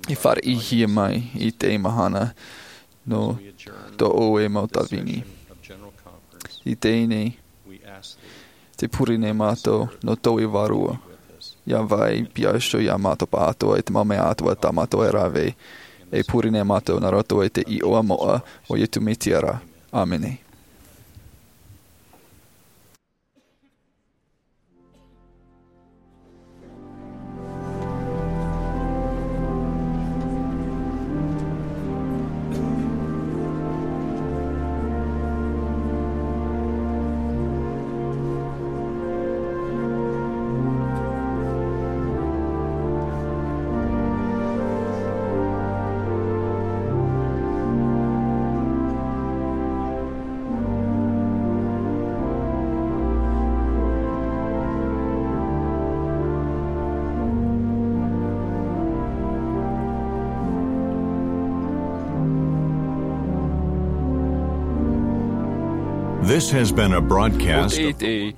i fāriʻihia mai i teie mahana nō tō ʻoe mau tāvini. I teie nei, tē pure nei mātou nō tō ʻoe Vārua, ʻia vai pea iho iā mātou pāʻatoʻa i te mau mea atoʻa tā mātou e rave, e pure nei mātou nā roto i te iʻoa moʻa o Iesu Mesia ra. ʻĀmene. This has been a broadcast. ʻO te, te,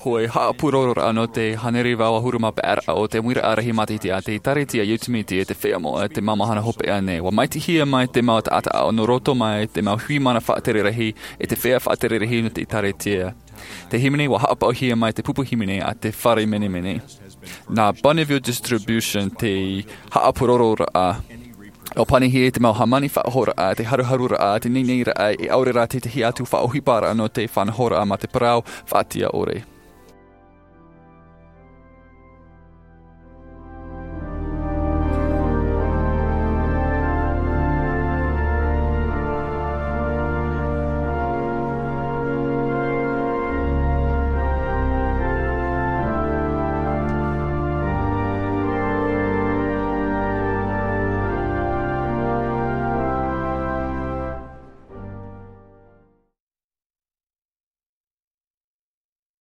hōʻē haʻapūrororaʻa nō te hānere ʻahuru mā pae ra o te ʻāmuiraʻa rahi mātaitai a te ʻĒkālesia Iesu Mesia i te Feiā Moʻa i te mau mahana hopeʻa nei. ʻUa maitaʻihia mai te mau taʻata nō roto mai te mau hui mana faʻatere rahi e te feiā faʻatere rahi nō te ʻĒkālesia. Te hīmene, ʻua haʻapaʻohia mai te pupu hīmene a te fare menemene. Nā Bonneville Distribution te haʻapūrororaʻa. ʻUa pānihia i te mau hāmani faʻahoʻiraʻa, te haruharuraʻa, te neineiraʻa, e ʻaore rā te tahi atu faʻaʻohiparaʻa nō te faʻanahoraʻa mā te parau faʻatiʻa ʻore.